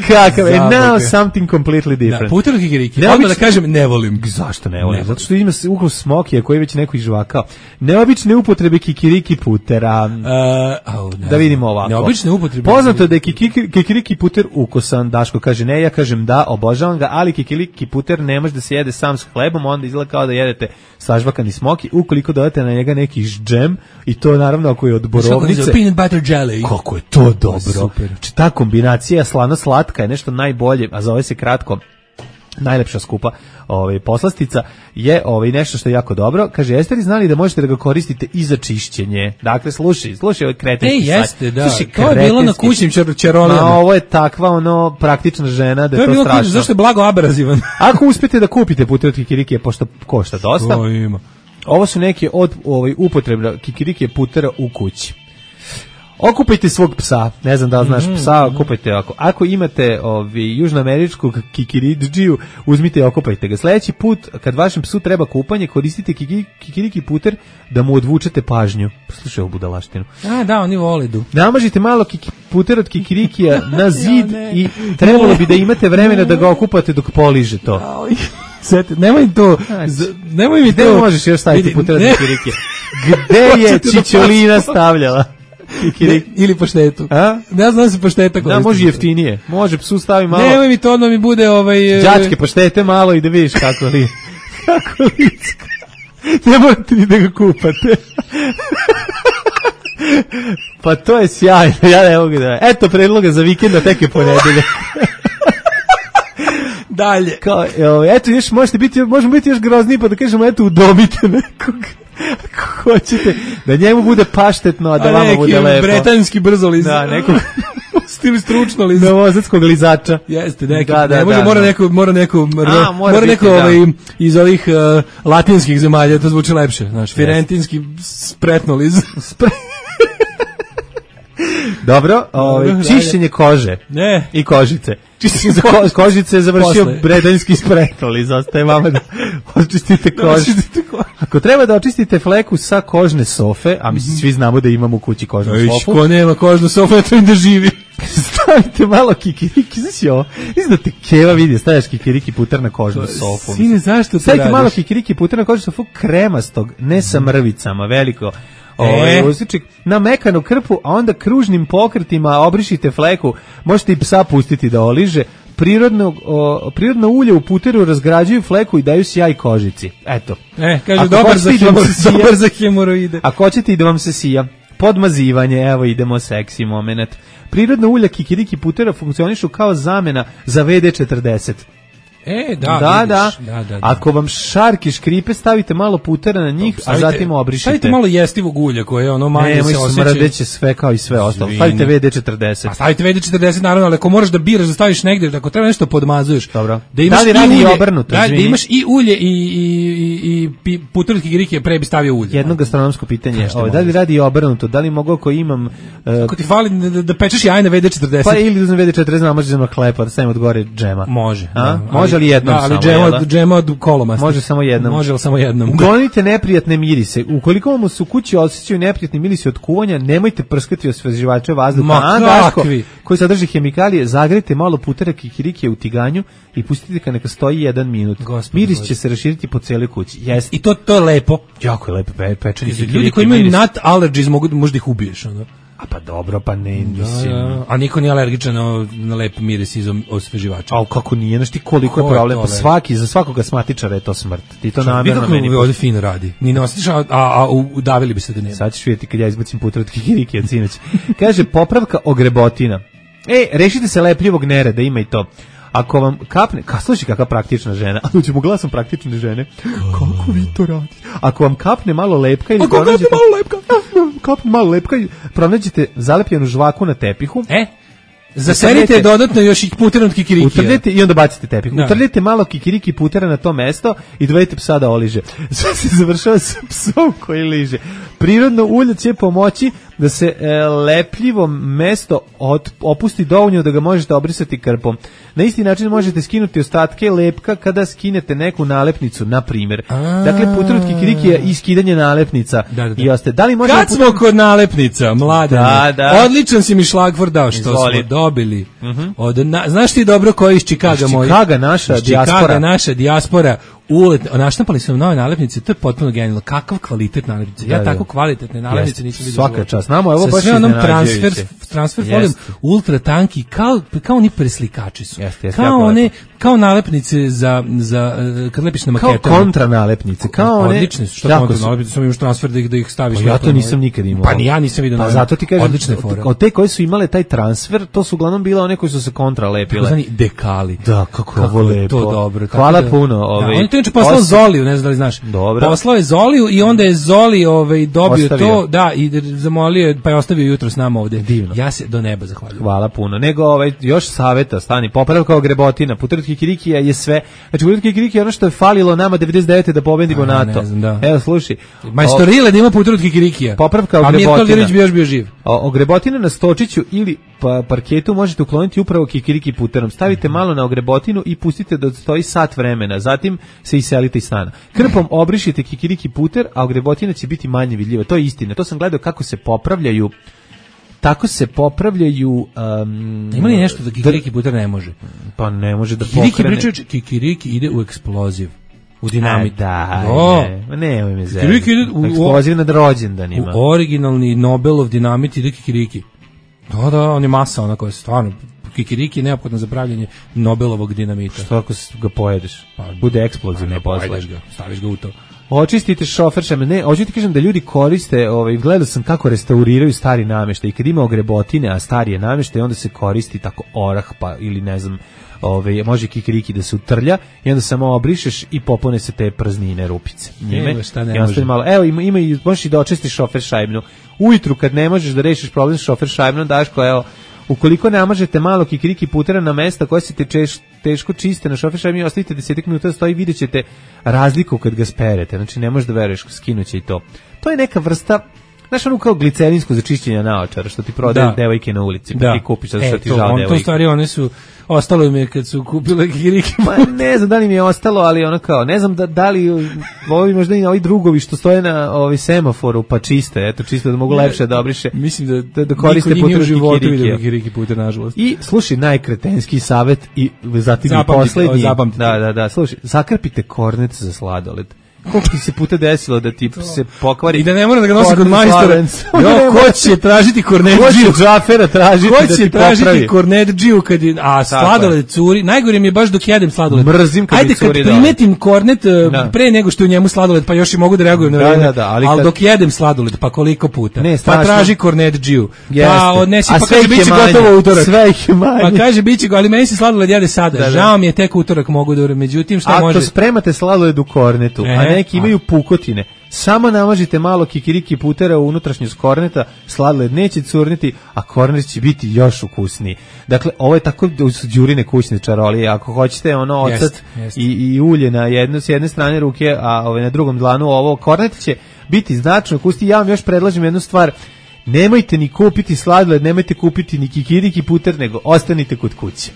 kakav, and now something completely different. Da, puter od kikiriki. Neobično, odmah da kažem, ne volim. Zašto ne volim? Zato što ima ukus smokija koji je već neko izžvakao. Neobične upotrebe kikiriki putera. Uh, oh, da vidimo ovako. Neobične upotrebe. Poznato je da je kikiriki, kikiriki puter ukusan. Daško kaže ne, ja kažem da, obožavam ga, ali kikiriki puter ne može da se jede sam s hlebom, onda izgleda kao da jedete sažvakani smoki, ukoliko dodate na njega neki džem, i to naravno ako je od borovnice. Peanut butter jelly. Kako je to dobro. Super. Znači, ta kombinacija slano-slatka je nešto najbolje, a zove se kratko najlepša skupa ovaj poslastica je ovaj nešto što je jako dobro. Kaže, jeste li znali da možete da ga koristite i za čišćenje? Dakle, slušaj, slušaj ovaj kretenski sajt. E, jeste, da. Slušaj, to je bilo na kućnim čarolijama. Ma, ovo je takva ono praktična žena da to je to, to strašno. Kućni, zašto je blago abrazivan? Ako uspete da kupite puter od kikirikije, pošto košta dosta. To ima. Ovo su neke od ovaj upotrebna kikirikije putera u kući. Okupajte svog psa, ne znam da li znaš psa, okupajte ako. Ako imate ovi južnoameričkog kikiridžiju, uzmite i okupajte ga. Sledeći put, kad vašem psu treba kupanje, koristite kikiriki puter da mu odvučete pažnju. Slušaj ovu budalaštinu. A, da, oni vole du. Namažite malo kiki, puter od kikirikija na zid ja, i trebalo bi da imate vremena da ga okupate dok poliže to. Sete, nemoj to, nemoj mi to. Gde možeš još staviti puter od kikirikija? Gde je Čičolina stavljala? Ne, ili paštetu. A? Ne znam se pašteta koristiti. Da, može jeftinije. Može psu stavi malo. Nemoj mi to, onda mi bude ovaj... đačke paštete malo i da vidiš kako li... kako licka. Ne morate ni da ga kupate. Pa to je sjajno. Ja ne mogu da... Eto predloga za vikenda, tek je ponedeljak. Dalje. Kao, eto, još možete biti, možemo biti još grozniji, pa da kažemo, eto, udomite nekog. Ako hoćete, da njemu bude paštetno, a da a vama bude lepo. Bretanski brzoliz. Da, nekog stil stručno liz. Novosadskog lizača. Jeste, neki. Da, da, ne može, da, mora da. neko, mora neko, a, mora, mora neko biti, ovaj, da. iz ovih uh, latinskih zemalja, to zvuči lepše. Znaš, firentinski spretno liz. Dobro, ovaj, čišćenje kože. Ne. I kožice. Čišćenje ko, kožice je završio bredanjski spretnoliz, ostaje vama da očistite kožu. Ako treba da očistite fleku sa kožne sofe, a mislim svi znamo da imamo u kući kožnu sofu. Ko nema kožnu sofu, ne treba da živi. Stavite malo kikiriki, znači ovo, mislim da te Keva vidi, stavljaš kikiriki puter na kožnu sofu. Sine, zašto to stavite radiš? malo kikiriki puter na kožnu sofu kremastog, ne sa mrvicama, veliko. Ovaj usičik na mekanu krpu, a onda kružnim pokretima obrišite fleku. Možete i psa pustiti da oliže. Prirodno, o, prirodno ulje u puteru razgrađuju fleku i daju sjaj kožici. Eto. E, kaže dobar za, hemor, dobar za hemoroide. Ako hoćete i da vam se sija. Podmazivanje, evo idemo seksi moment. Prirodno ulja kikiriki putera funkcionišu kao zamena za V D četrdeset. E, da, da, vidiš, da. da, da, da. Ako vam šarki škripe, stavite malo putera na njih, stavite, a zatim obrišite. Stavite malo jestivog ulja koje ono manje ne, se osjeća. Ne, smrdeće sve kao i sve ostalo. Stavite V D četrdeset. A stavite V D četrdeset naravno, ali ako moraš da biraš da staviš negde, ako treba nešto podmazuješ. Dobro. Da imaš da li radi i obrnuto, da, da imaš i ulje i i i i puter od kikiriki pre bi stavio ulje. Jedno gastronomsko pitanje, ovaj da li radi i obrnuto, da li mogu ako imam uh, ako ti fali da, da pečeš jaje na V D četrdeset. Pa ili uzmem V D četrdeset, a može na hleb, da stavim od gore džema. Može. A? Može li jednom samo? Džema od, džema od kolomasta. Može samo jednom. Može li samo jednom. Uklonite neprijatne mirise. Ukoliko vam se u kući osjećaju neprijatni mirisi od kuvanja, nemojte prskati osveživače vazduha. Ma kakvi? Koji sadrži hemikalije, zagrejte malo putera kikirikije u tiganju i pustite ga neka stoji jedan minut. Gospod, miris će se raširiti po cijeloj kući. Yes. I to to je lepo. Jako je lepo pe, pečeni kikiriki. Ljudi koji imaju nut allergies mogu možda ih ubiješ, ono. A pa dobro, pa ne, mislim. Da, da. A niko nije alergičan na, na lep miris iz osveživača. A kako nije, znaš ti koliko Ko je problem, pa svaki, za svakog asmatičara je to smrt. Ti to namjerno meni. Kako ovdje fino radi. Ni ne osjetiš, a, a udavili bi se da nema. Sad ćeš vidjeti kad ja izbacim puter od kikiriki od sinoć. Kaže, popravka ogrebotina. E, rešite se lepljivog nereda, ima i to. Ako vam kapne, ka slušaj kakva praktična žena, a ćemo glasom praktične žene. Kako vi to radite? Ako vam kapne malo lepka ili pronađete... Ako kapne malo lepka? Kapne malo lepka i pronađete zalepljenu žvaku na tepihu. E? Zaserite dodatno još i puter od kikirikija. Utrljete i onda bacite tepih. Da. Utrljete malo kikiriki putera na to mesto i dovedite psa da oliže. Sve se završava sa psom koji liže. Prirodno ulje će pomoći da se e, lepljivo mesto od, opusti dovoljno da ga možete obrisati krpom. Na isti način možete skinuti ostatke lepka kada skinete neku nalepnicu, na primjer. Dakle, puter od kikirikija i skidanje nalepnica. Da, da, da. I ostaje. Da li možemo Kad smo kod nalepnica, mladene, da, da. odličan si mi šlagvor dao, što Izvoli. smo dobili. Uh-huh. Od, na, znaš ti dobro koji iz Čikaga moj? Iz Čikaga, naša iz dijaspora. Čikaga, naša dijaspora. Ulet, naštampali su nove nalepnice, to je potpuno genijalno. Kakav kvalitet nalepnice. Ja da, tako kvalitetne nalepnice nisam vidio. Svaka čast. Znamo, evo baš sve onom transfer, transfer folijom, ultra tanki, kao, kao oni preslikači su. Jest, jest, kao one, kao nalepnice za, za kad lepiš na maketama. Kao kontra nalepnice. Kao one, odlične su. Što kontra nalepnice, samo imaš transfer da ih, da ih staviš. Pa ja to nisam nikad imao. Pa ni ja nisam vidio. Pa zato ti kažem, odlične fore. Od te koje su imale taj transfer, to su uglavnom bile one koji su se kontra lepile. Znani dekali. Da, kako ovo lepo. To dobro. Hvala puno. On je to inače poslao Zoliju, ne znam da li znaš. Dobro. Poslao je Zoliju i onda je Zoli ovaj, dobio ostavio. to, da, i zamolio je, pa je ostavio jutro s nama ovde. Divno. Ja se do neba zahvaljujem. Hvala puno. Nego ovaj, još saveta, stani, popravka ogrebotina, puter od kikirikija je sve. Znači, puter od kikirikija je ono što je falilo nama devedeset devete da pobedimo A, NATO. Ne znam, da. Evo, slušaj. Majstorile da ima puter od kikirikija. Popravka ogrebotina. A Mirko Aldirović bi još bio živ. O, ogrebotina na stočiću ili pa, parketu možete ukloniti upravo kikiriki puterom. Stavite malo na ogrebotinu i pustite da stoji sat vremena. Zatim se iselite iz stana. Krpom obrišite kikiriki puter, a ogrebotina će biti manje vidljiva. To je istina. To sam gledao kako se popravljaju. Tako se popravljaju. Um, Ima li nešto da kikiriki puter ne može? Pa ne može da kikiriki pokrene. Priča, kikiriki ide u eksploziv. U dinamit. A, da, o, ne, nemoj me zeli. Eksploziv nad rođendanima. U originalni Nobelov dinamit ide kikiriki. Da, da, on je masa ona koja je stvarno. Kikiriki je neophodno za pravljanje Nobelovog dinamita. Što ako ga pojedeš? Pa, bude eksplozivno posle. Ga, staviš ga u to. Očistite šofer šame. Ne, hoću ti kažem da ljudi koriste, ovaj, gledao sam kako restauriraju stari namještaj. I kad ima ogrebotine, a stari je namještaj, onda se koristi tako orah, pa ili ne znam, ovaj, može kikiriki da se utrlja i onda samo obrišeš i popune se te praznine, rupice. Njime. Evo šta ne I može. Malo. Evo, ima, ima i, možeš i da očistiš šofer šajbnu. Ujutru kad ne možeš da rešiš problem s šofer šajbnom, Daško, evo, ukoliko namažete malo kikiriki putera na mesta koje se te češ, teško čiste na šofer šajbni, ostavite deset minuta da stoji, vidjet ćete razliku kad ga sperete. Znači, ne možeš da veruješ, skinuće i to. To je neka vrsta, znaš, ono kao glicerinsko za čišćenje naočara, što ti prodaje devojke na ulici, pa da. ti kupiš, zato što e, ti to, žao on, devojke. To stvari, one su, ostalo im je kad su kupile kikiriki. Ma ne znam da li mi je ostalo, ali ono kao, ne znam da, da li ovi možda i ovi drugovi što stoje na ovi semaforu pa čiste, eto čisto da mogu lepše da obriše. Mislim da, da, da koriste puter kikiriki. kikiriki puter, nažalost. I slušaj, najkretenski savjet i zatim zapamtite, i poslednji. Zapamtite. Da, da, da, slušaj, zakrpite kornet za sladoled. Koliko ti se puta desilo da ti se pokvari? I da ne mora da ga nosi kod majstora. Jo, ko će tražiti kornet džiju? Ko će džafera tražiti da ti popravi? Ko će tražiti kornet džiju kad je, a sladoled curi? Najgore mi je baš dok jedem sladoled. Mrzim kad Ajde, mi curi. Ajde, kad primetim kornet da. pre nego što je u njemu sladoled, pa još i mogu da reagujem na vreme. Da, da, da, ali, ali kad... dok jedem sladoled, pa koliko puta? Ne, pa traži kornet džiju. Pa odnesi, a pa kaže biće gotovo utorak. Sve ih je manje. Pa kaže biće go, ali meni se sladoled jede sada. Da, da. Žao mi je, tek utorak mogu da, međutim šta može? Ako spremate sladoled u kornetu, a neki imaju pukotine, samo namažite malo kikiriki putera u unutrašnjost korneta, sladoled neće curniti, a kornet će biti još ukusniji. Dakle, ovo je tako đurine kućne čarolije. Ako hoćete ono ocat i, i ulje na jednu, s jedne strane ruke, a ove na drugom dlanu ovo, kornet će biti značno ukusniji. Ja vam još predlažem jednu stvar, nemojte ni kupiti sladoled, nemojte kupiti ni kikiriki puter, nego ostanite kod kuće.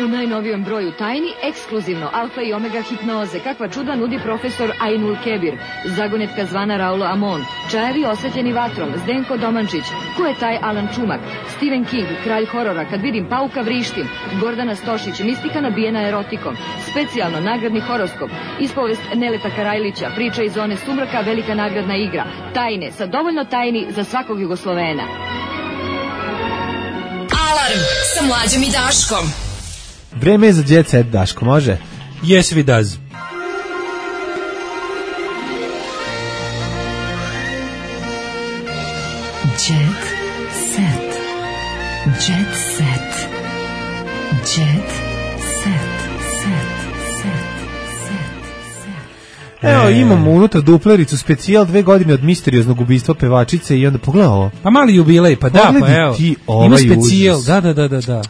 U najnovijem broju tajni, ekskluzivno alfa i omega hipnoze, kakva čuda nudi profesor Ainul Kebir, zagonetka zvana Raulo Amon, čajevi osvetljeni vatrom, Zdenko Domančić, ko je taj Alan Čumak, Stephen King, kralj horora, kad vidim pauka vrištim, Gordana Stošić, mistika nabijena erotikom, specijalno nagradni horoskop, ispovest Neleta Karajlića, priča iz zone sumraka, velika nagradna igra, tajne, sa dovoljno tajni za svakog Jugoslovena. Alarm sa Mlađom i Daškom. Vreme je za Jet Set, Daško, može? Yes, we does. Jet Set. Jet Set. Jet Set. Set. Set. Set. Evo, imamo unutra duplericu specijal dve godine od misterioznog ubistva pevačice i onda pogledaj ovo. Pa mali jubilej, pa da, pa evo. Ti ovaj ima specijal, da, da, da, da, da.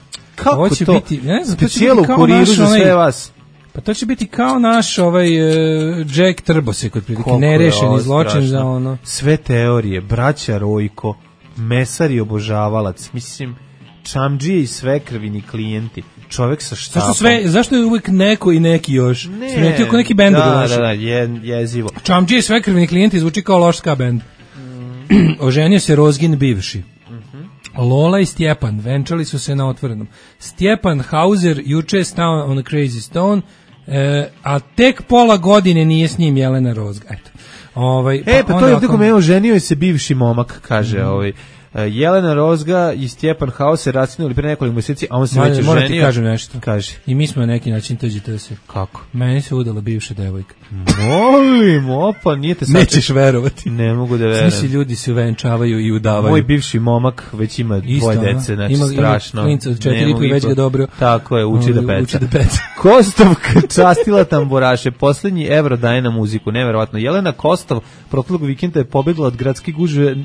Kako Hoće to? biti, ne znam, specijal u kuriru za sve vas. Pa to će biti kao naš ovaj uh, Jack Trbose kod prilike, nerešeni zločin za ono. Sve teorije, braća Rojko, mesar i obožavalac, mislim, čamdžije i sve krvini klijenti, čovek sa štapom. Zašto sve, zašto je uvek neko i neki još? Ne, Smetio kao neki bend da, da, da, je, jezivo. Čamdžije i sve krvini klijenti zvuči kao loš ska bend. Mm. Oženio se Rozgin bivši. Mm-hmm. Lola i Stjepan venčali su se na otvorenom. Stjepan Hauser juče je stao on a Crazy Stone, e, a tek pola godine nije s njim Jelena Rozga. Eto. Ovaj, pa e, pa to je tako me oženio je se bivši momak, kaže mm-hmm. ovaj. Jelena Rozga i Stjepan Hauser racinuli pre nekoliko mjeseci, a on se već ženio. Moram ti kažem nešto. Kaži. I mi smo na neki način tuđi se. Kako? Meni se udala bivša devojka. Molim, opa, nije te sad... Nećeš verovati. Ne mogu da verujem. Svi ljudi se uvenčavaju i udavaju. Moj bivši momak već ima dvoje dece, znači ima, strašno. Ima klinca od četiri i već ga dobro. Tako je, uči da peca. Uči da peca. Kostovka častila tamburaše, poslednji evro daje na muziku, neverovatno. Jelena Kostov proklog vikenda je pobegla od gradske gužve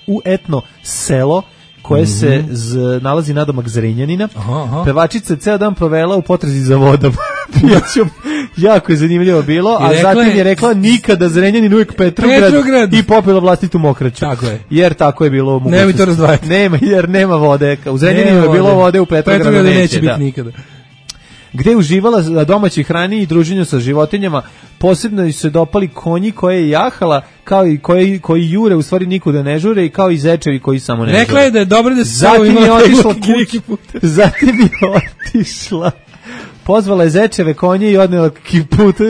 u etno selo koje mm-hmm. se z, nalazi nadomak Zrenjanina. Aha, aha. Pevačica je ceo dan provela u potrazi za vodom. Pijaćom, jako je zanimljivo bilo, a zatim je rekla nikada Zrenjanin, uvijek Petrograd, Petrograd. I popila vlastitu mokraću. Tako je. Jer tako je bilo. Nemoj to razdvajati. Nema, jer nema vode. U Zrenjaninu je bilo vode, u Petrogradu Petrograd neće, neće biti da. nikada. Gde je uživala na domaćoj hrani i druženju sa životinjama, posebno su se dopali konji koje je jahala, kao i koji, koji jure, u stvari nikuda ne žure, i kao i zečevi koji samo ne žure. Rekla je da je dobro da se zatim je otišla zatim je otišla pozvala je zečeve, konje i odnela kiputu,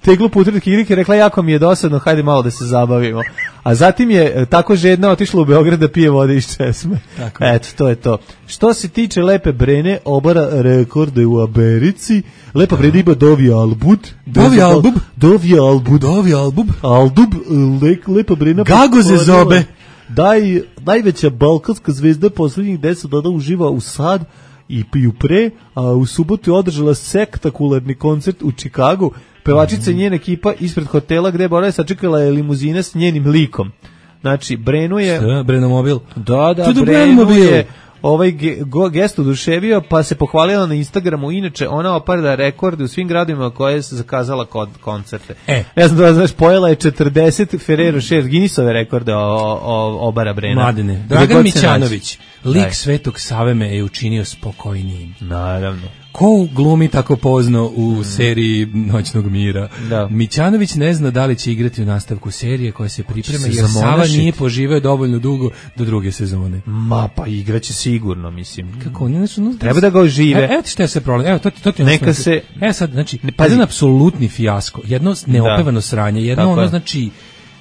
teglu putu kirike, rekla jako mi je dosadno, hajde malo da se zabavimo. A zatim je tako žedna otišla u Beograd da pije vode iz česme. Tako. Eto, to je to. Što se tiče Lepe Brene, obara rekorde u Americi. Lepa Brena ima Dovi Albud. Dovi Albub? Dovi Albud. Dovi Albub? Aldub, le, Lepa Brena. Gago ze zobe. Daj, najveća balkanska zvezda poslednjih deset dana uživa u sad i piju pre, a u subotu je održala spektakularni koncert u Čikagu. Pevačica i njena ekipa ispred hotela gde je Bora sačekala je limuzina s njenim likom. Znači, Brenu je... Šta? Brenomobil? Da, da, Brenu Brenomobil. Je ovaj ge, go, gest oduševio, pa se pohvalila na Instagramu. Inače, ona opada rekorde u svim gradovima koje je zakazala kod koncerte. E. Ja znam da znaš, pojela je četrdeset Ferrero šest Guinnessove rekorde o, o, obara Brena. Mladine. Dragan Mićanović, lik Daj. Svetog Save me je učinio spokojnijim. Naravno. Ko glumi tako pozno u mm. seriji Noćnog mira? Da. Mićanović ne zna da li će igrati u nastavku serije koja se priprema, jer Sava nije poživeo dovoljno dugo do druge sezone. Ma pa igraće sigurno, mislim. Kako oni ne su... No, treba da ga ožive. Evo ti šta je sve problem. Evo, to, to ti Neka se... Evo sad, znači, jedan apsolutni fijasko, jedno neopevano da. Sranje, jedno tako ono, je. Znači...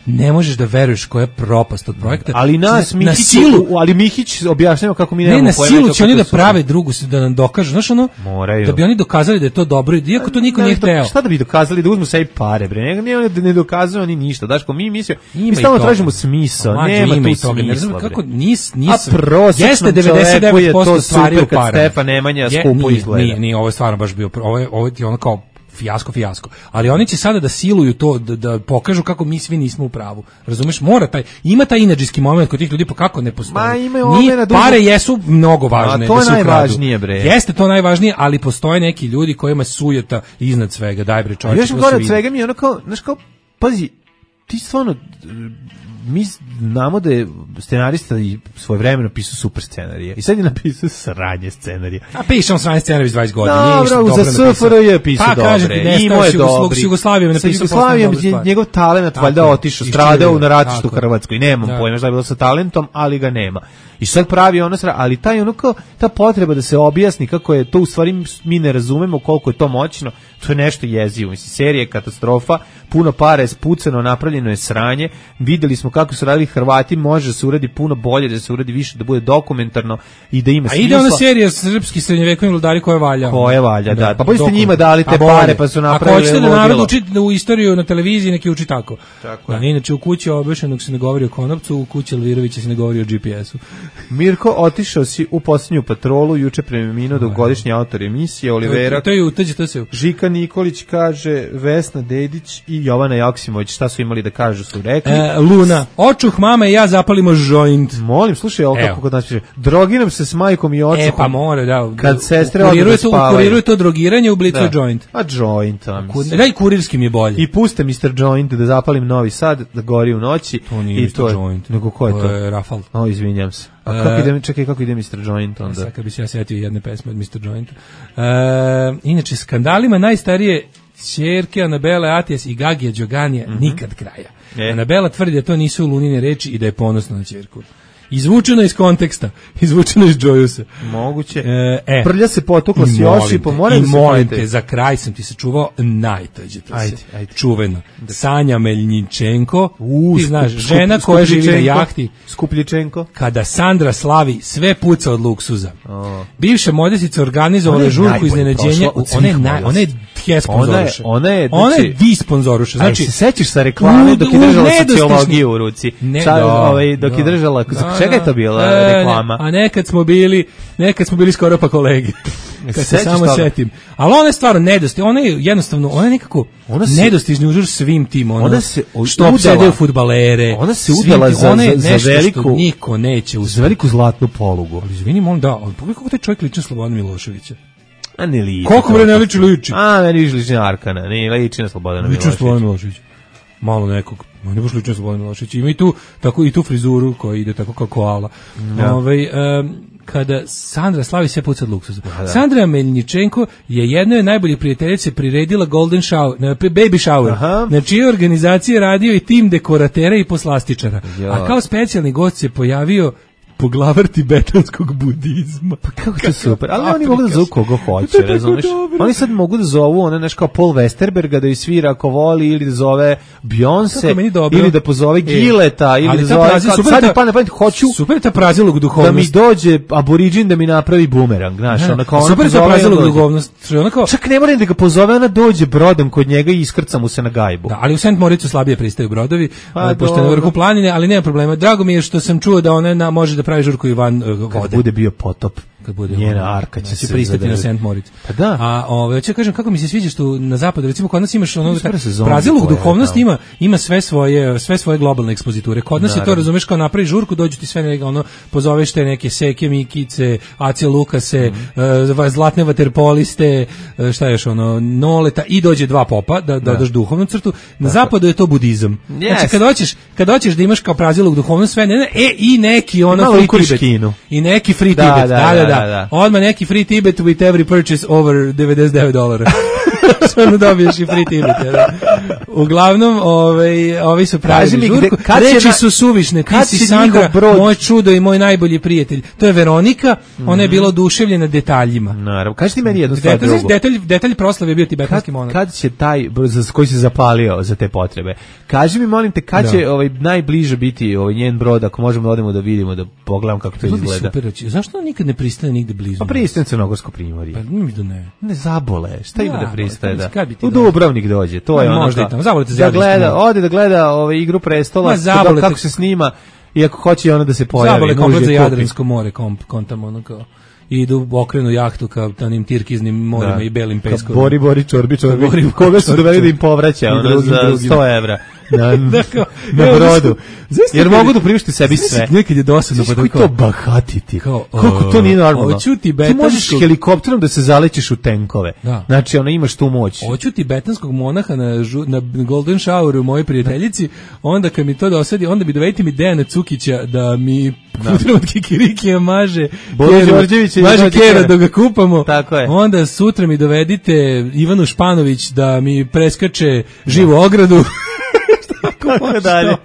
Ne možeš da veruješ koja je propast od projekta. Ali nas na, Mihić, na silu, ali Mihić objašnjava kako mi nemamo ne, na pojma. silu će oni da prave drugu, da nam dokažu, znaš ono, moraju. Da bi oni dokazali da je to dobro, iako to niko ne, nije hteo. Šta da bi dokazali, da uzmu sebi pare, bre, ne, ne, ne dokazuju oni ništa, daško, mi mislimo, mi stalno tražimo smisao, nema tu smisla, kako nis, nis, a prosječnom čoveku je to super kad Stefan Nemanja skupo izgleda. Nije, nije, ovo je stvarno baš bio, ovo je, ovo je ono kao fijasko, fijasko. Ali oni će sada da siluju to, da, da pokažu kako mi svi nismo u pravu. Razumeš? Mora taj, ima taj inadžijski moment kod tih ljudi, pa kako ne postoji? Ma, ima Ni, pare jesu mnogo važne. A to je da najvažnije, bre. Jeste to najvažnije, ali postoje neki ljudi kojima sujeta iznad svega. Daj bre, čovječe. Još gore od svega mi je ono kao, znaš kao, pazi, ti stvarno, mi znamo da je scenarista i svojevremeno pisao super scenarije. I sad je napisao sranje scenarije. A pišem sranje scenarije iz dvadeset godina. Dobro, za S F R J je pisao pa, dobre. Imao je dobri. S Jugoslavijom je napisao Jugoslavijom je njegov talent valjda otišao, stradao na ratištu u Hrvatskoj. Nemam da. Pojma šta je bilo sa talentom, ali ga nema. I sad pravi ono sra, ali taj ono kao, ta potreba da se objasni kako je to u stvari mi ne razumemo koliko je to moćno, to je nešto jezivo. Mislim, serija je katastrofa, puno para je spucano, napravljeno je sranje, videli smo kako su radili Hrvati, može da se uradi puno bolje, da se uradi više, da bude dokumentarno i da ima smisla. A ide ona serija srpski srednjevekovni vladari koja valja. Koja valja, da. da. Pa bolje ste njima dali te pare, pa su napravili. Ako hoćete da narod uči u istoriju na televiziji, neki uči tako. Tako da, inače u kući obešenog se ne govori o konopcu, u kući Elvirovića se ne govori o G P S-u. Mirko, otišao si u posljednju patrolu, juče preminuo dugogodišnji autor emisije, Olivera. To je uteđe, to se. Žika Nikolić kaže, Vesna Dedić i Jovana Joksimović, šta su imali da kažu, su rekli. E, Luna. Mama, očuh mama i ja zapalimo joint. Molim, slušaj, ovo kako kod nas piše. Drogiram se s majkom i očuhom. E, pa more, da. Kad sestre odu da spavaju. Kuriruje to drogiranje, u Blicu je joint. A joint, a mislim. Da, i kurirskim je bolje. I puste mister Joint da zapalim Novi Sad, da gori u noći. To nije mister Joint. Nego ko je to? To je Rafal. O, izvinjam se. A kako ide, čekaj, kako ide mister Joint onda? Sad kad bi se ja setio jedne pesme od mister Jointa. Uh, inače, skandalima najstarije ćerke Anabele Atijas i Gagija Đoganija mm-hmm. nikad kraja. E. Anabela tvrdi da to nisu lunine reči i da je ponosna na ćerku. Izvučeno iz konteksta, izvučeno iz Jojusa. Moguće. E, e. Prlja se potukla s Josipom, moram da se molim te, za kraj sam ti se čuvao najtađe to se. Čuveno. Da. Sanja Meljničenko, U, ti znaš, skup, žena skup, koja živi na jahti. Skupljičenko. Kada Sandra slavi, sve puca od luksuza. Oh. Bivša modesica organizovala žurku iznenađenja, ona je naj, ona je tje sponzoruša. Ona je, ona je di sponzoruša. Znači, se sećaš sa reklame dok je držala sociologiju u ruci. Ne, Ča, da, ovaj, dok da, je držala, da, čega je to bila e, reklama? A nekad smo bili, nekad smo bili skoro pa kolegi. Kad se samo toga? Setim. Ali ona je stvarno nedostižna, ona je jednostavno, ona je nekako nedostižni uzor svim tim, ono, ona se što opsedaju fudbalere. Ona se udala za, ona je za, za veliku, niko neće za veliku zlatnu polugu. Ali izvini, molim, da, ali pogledaj kako taj čovjek liči na Slobodana Miloševića. A ne liči. Koliko bre ne liči, liči? A, meni više liči na Arkana, ne liči na Slobodana Miloševića. Liči na Slobodana Miloševića. Malo nekog, ne baš liči na Slobodana Miloševića. Ima i tu, tako, i tu frizuru koja ide tako kao koala. Ja. Ove, um, kada Sandra slavi sve puca od luksuza. Da. Sandra Meljničenko je jednoj od najboljih prijateljice priredila Golden Shower, baby shower, Aha. na čijoj organizaciji radio i tim dekoratera i poslastičara. Jo. A kao specijalni gost se pojavio poglavar tibetanskog budizma. Pa kako to super. Ali oni mogu da zovu koga hoće, razumeš? Oni sad mogu da zovu one nešto kao Paul Westerberga da ju svira ako voli, ili da zove Beyoncé, ili da pozove Gileta, ili da zove... Sad je pa ne pamet, hoću... Super je ta prazilog duhovnost. Da mi dođe aboriđin da mi napravi bumerang, znaš. Super je ta prazilog duhovnost. Čak ne moram da ga pozove, ona dođe brodom kod njega i iskrca mu se na gajbu. Da, ali u Saint Moricu slabije pristaju brodovi, pošto je na vrhu planine, ali nema problema. Drago mi je što sam čuo da ona može da pravi žurku Ivan uh, vode. Kad bude bio potop, kad bude njena arka će se pristati na Saint Moritz. Pa da. A ovaj hoće kažem kako mi se sviđa što na zapadu recimo kod nas imaš ono Brazilog duhovnost ima ima sve svoje sve svoje globalne ekspoziture. Kod nas je to razumeš kao napravi žurku dođu ti sve neka ono pozoveš te neke Seke Mikice, Ace Lukase, mm. uh, zlatne vaterpoliste, uh, šta je još ono Noleta i dođe dva popa da da dodaš duhovnu crtu. Na Tako. zapadu je to budizam. Yes. Znači kad hoćeš kad hoćeš da imaš kao Brazilog duhovnost sve ne, ne e i neki ono free Tibet. I neki free da, Tibet. Da, da, da, da. Da, da. Odmah neki free Tibet with every purchase over devedeset devet dolara. Stvarno dobiješ i free Tibet. Ja. Uglavnom, ovaj, ovi su pravili žurku. Reči su suvišne. Ti si Sandra, moj čudo i moj najbolji prijatelj. To je Veronika. Mm-hmm. Ona je bila oduševljena detaljima. Naravno. Kaži ti meni jednu stvar drugu. Detalj, detalj proslave je bio tibetanski monah. Kad će taj, koji se zapalio za te potrebe, kaži mi, molim te, kad će ovaj, najbliže biti ovaj, njen brod, ako možemo da odemo da vidimo, da pogledam kako to izgleda. Super, zašto on nikad ne pristane nigde blizu? Pa pristane Crnogorsko primorje. Pa mi da ne. Ne zabole, šta ima da pristaje da? U Dubrovnik dođe, to je ono kao. Zavolite da gleda, ode da gleda ovaj Igru prestola, kako se snima i ako hoće ona da se pojavi. Zabole komplet za Jadransko more, kontam ono kao. I idu u okrenu jahtu ka onim tirkiznim morima da. I belim peskovima. Bori, bori, čorbi, čorbi. Bori, koga su doveli da im povraća ono, drugim, za drugim. sto evra na, dakle, na brodu. Zavisno, jer mogu da priušti sebi sve. Nekad je dosadno. Znaš koji to bahatiti? Kao, kako to nije normalno? Ti možeš helikopterom da se zalećeš u tenkove. Da. Znači, ona imaš tu moć. Hoću tibetanskog monaha na, na Golden Showeru mojoj prijateljici, onda kad mi to dosadi, onda bi dovedite mi Dejana Cukića da mi putem od Kikirikija maže maže kera dok ga kupamo. Tako je. Onda sutra mi dovedite Ivanu Španović da mi preskače živu ogradu. Kako dalje.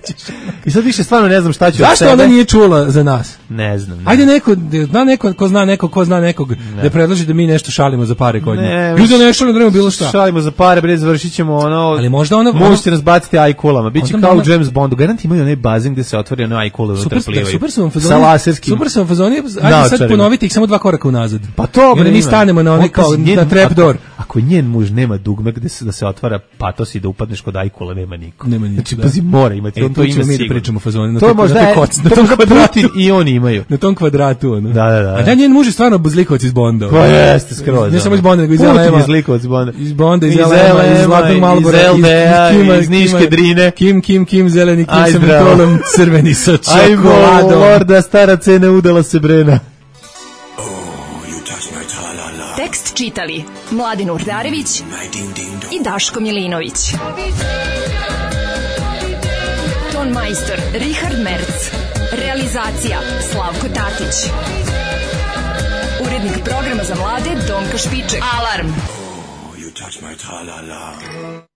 I sad više stvarno ne znam šta ću. Zašto ona nije čula za nas? Ne znam. Ne. Ajde neko, zna neko, ko zna nekog, ko zna nekog, ne. Da predloži da mi nešto šalimo za pare kod nje. Mi da ne šalimo, da bilo šta. Šalimo za pare, bre, završit ćemo ono. Ali možda ona... Možete nas baciti ajkulama. Biće kao u James Bondu. Garant imaju onaj bazen gde se otvori ono ajkule unutra plivaju. Super su vam fazoni. Sa laserskim. Super su vam fazoni. Ajde sad ponovite ih samo dva koraka unazad. Pa to, bre, mi stanemo na onaj kao na trapdoor. ako njen muž nema dugme gde se da se otvara patos i da upadneš kod ajkula, nema niko. Nema niko. Znači, pazi, mora imati. E, on to ima mi da pričamo fazoni. To možda je, to možda Putin i oni imaju. Na tom kvadratu, ono. Da, da, da. A da, njen muž je stvarno zlikovac iz Bonda. Pa jeste, skroz. Ne samo iz Bonda, nego iz L M-a. Putin je zlikovac iz Bonda. Iz Bonda, iz L M-a, iz Zlatnog Malbora, iz L D A, iz Niške Drine. Kim, Kim, Kim, zeleni, Kim sa mentolom, crveni sa čokoladom. Ajmo, lorda, stara cena, udala se Brena. Tekst čitali Mladin Urdarević i Daško Milinović. Ton majstor Richard Merc. Realizacija Slavko Tatić. Urednik programa za mlade Donka Špiček. Alarm! Oh, you touch my tra-la-la.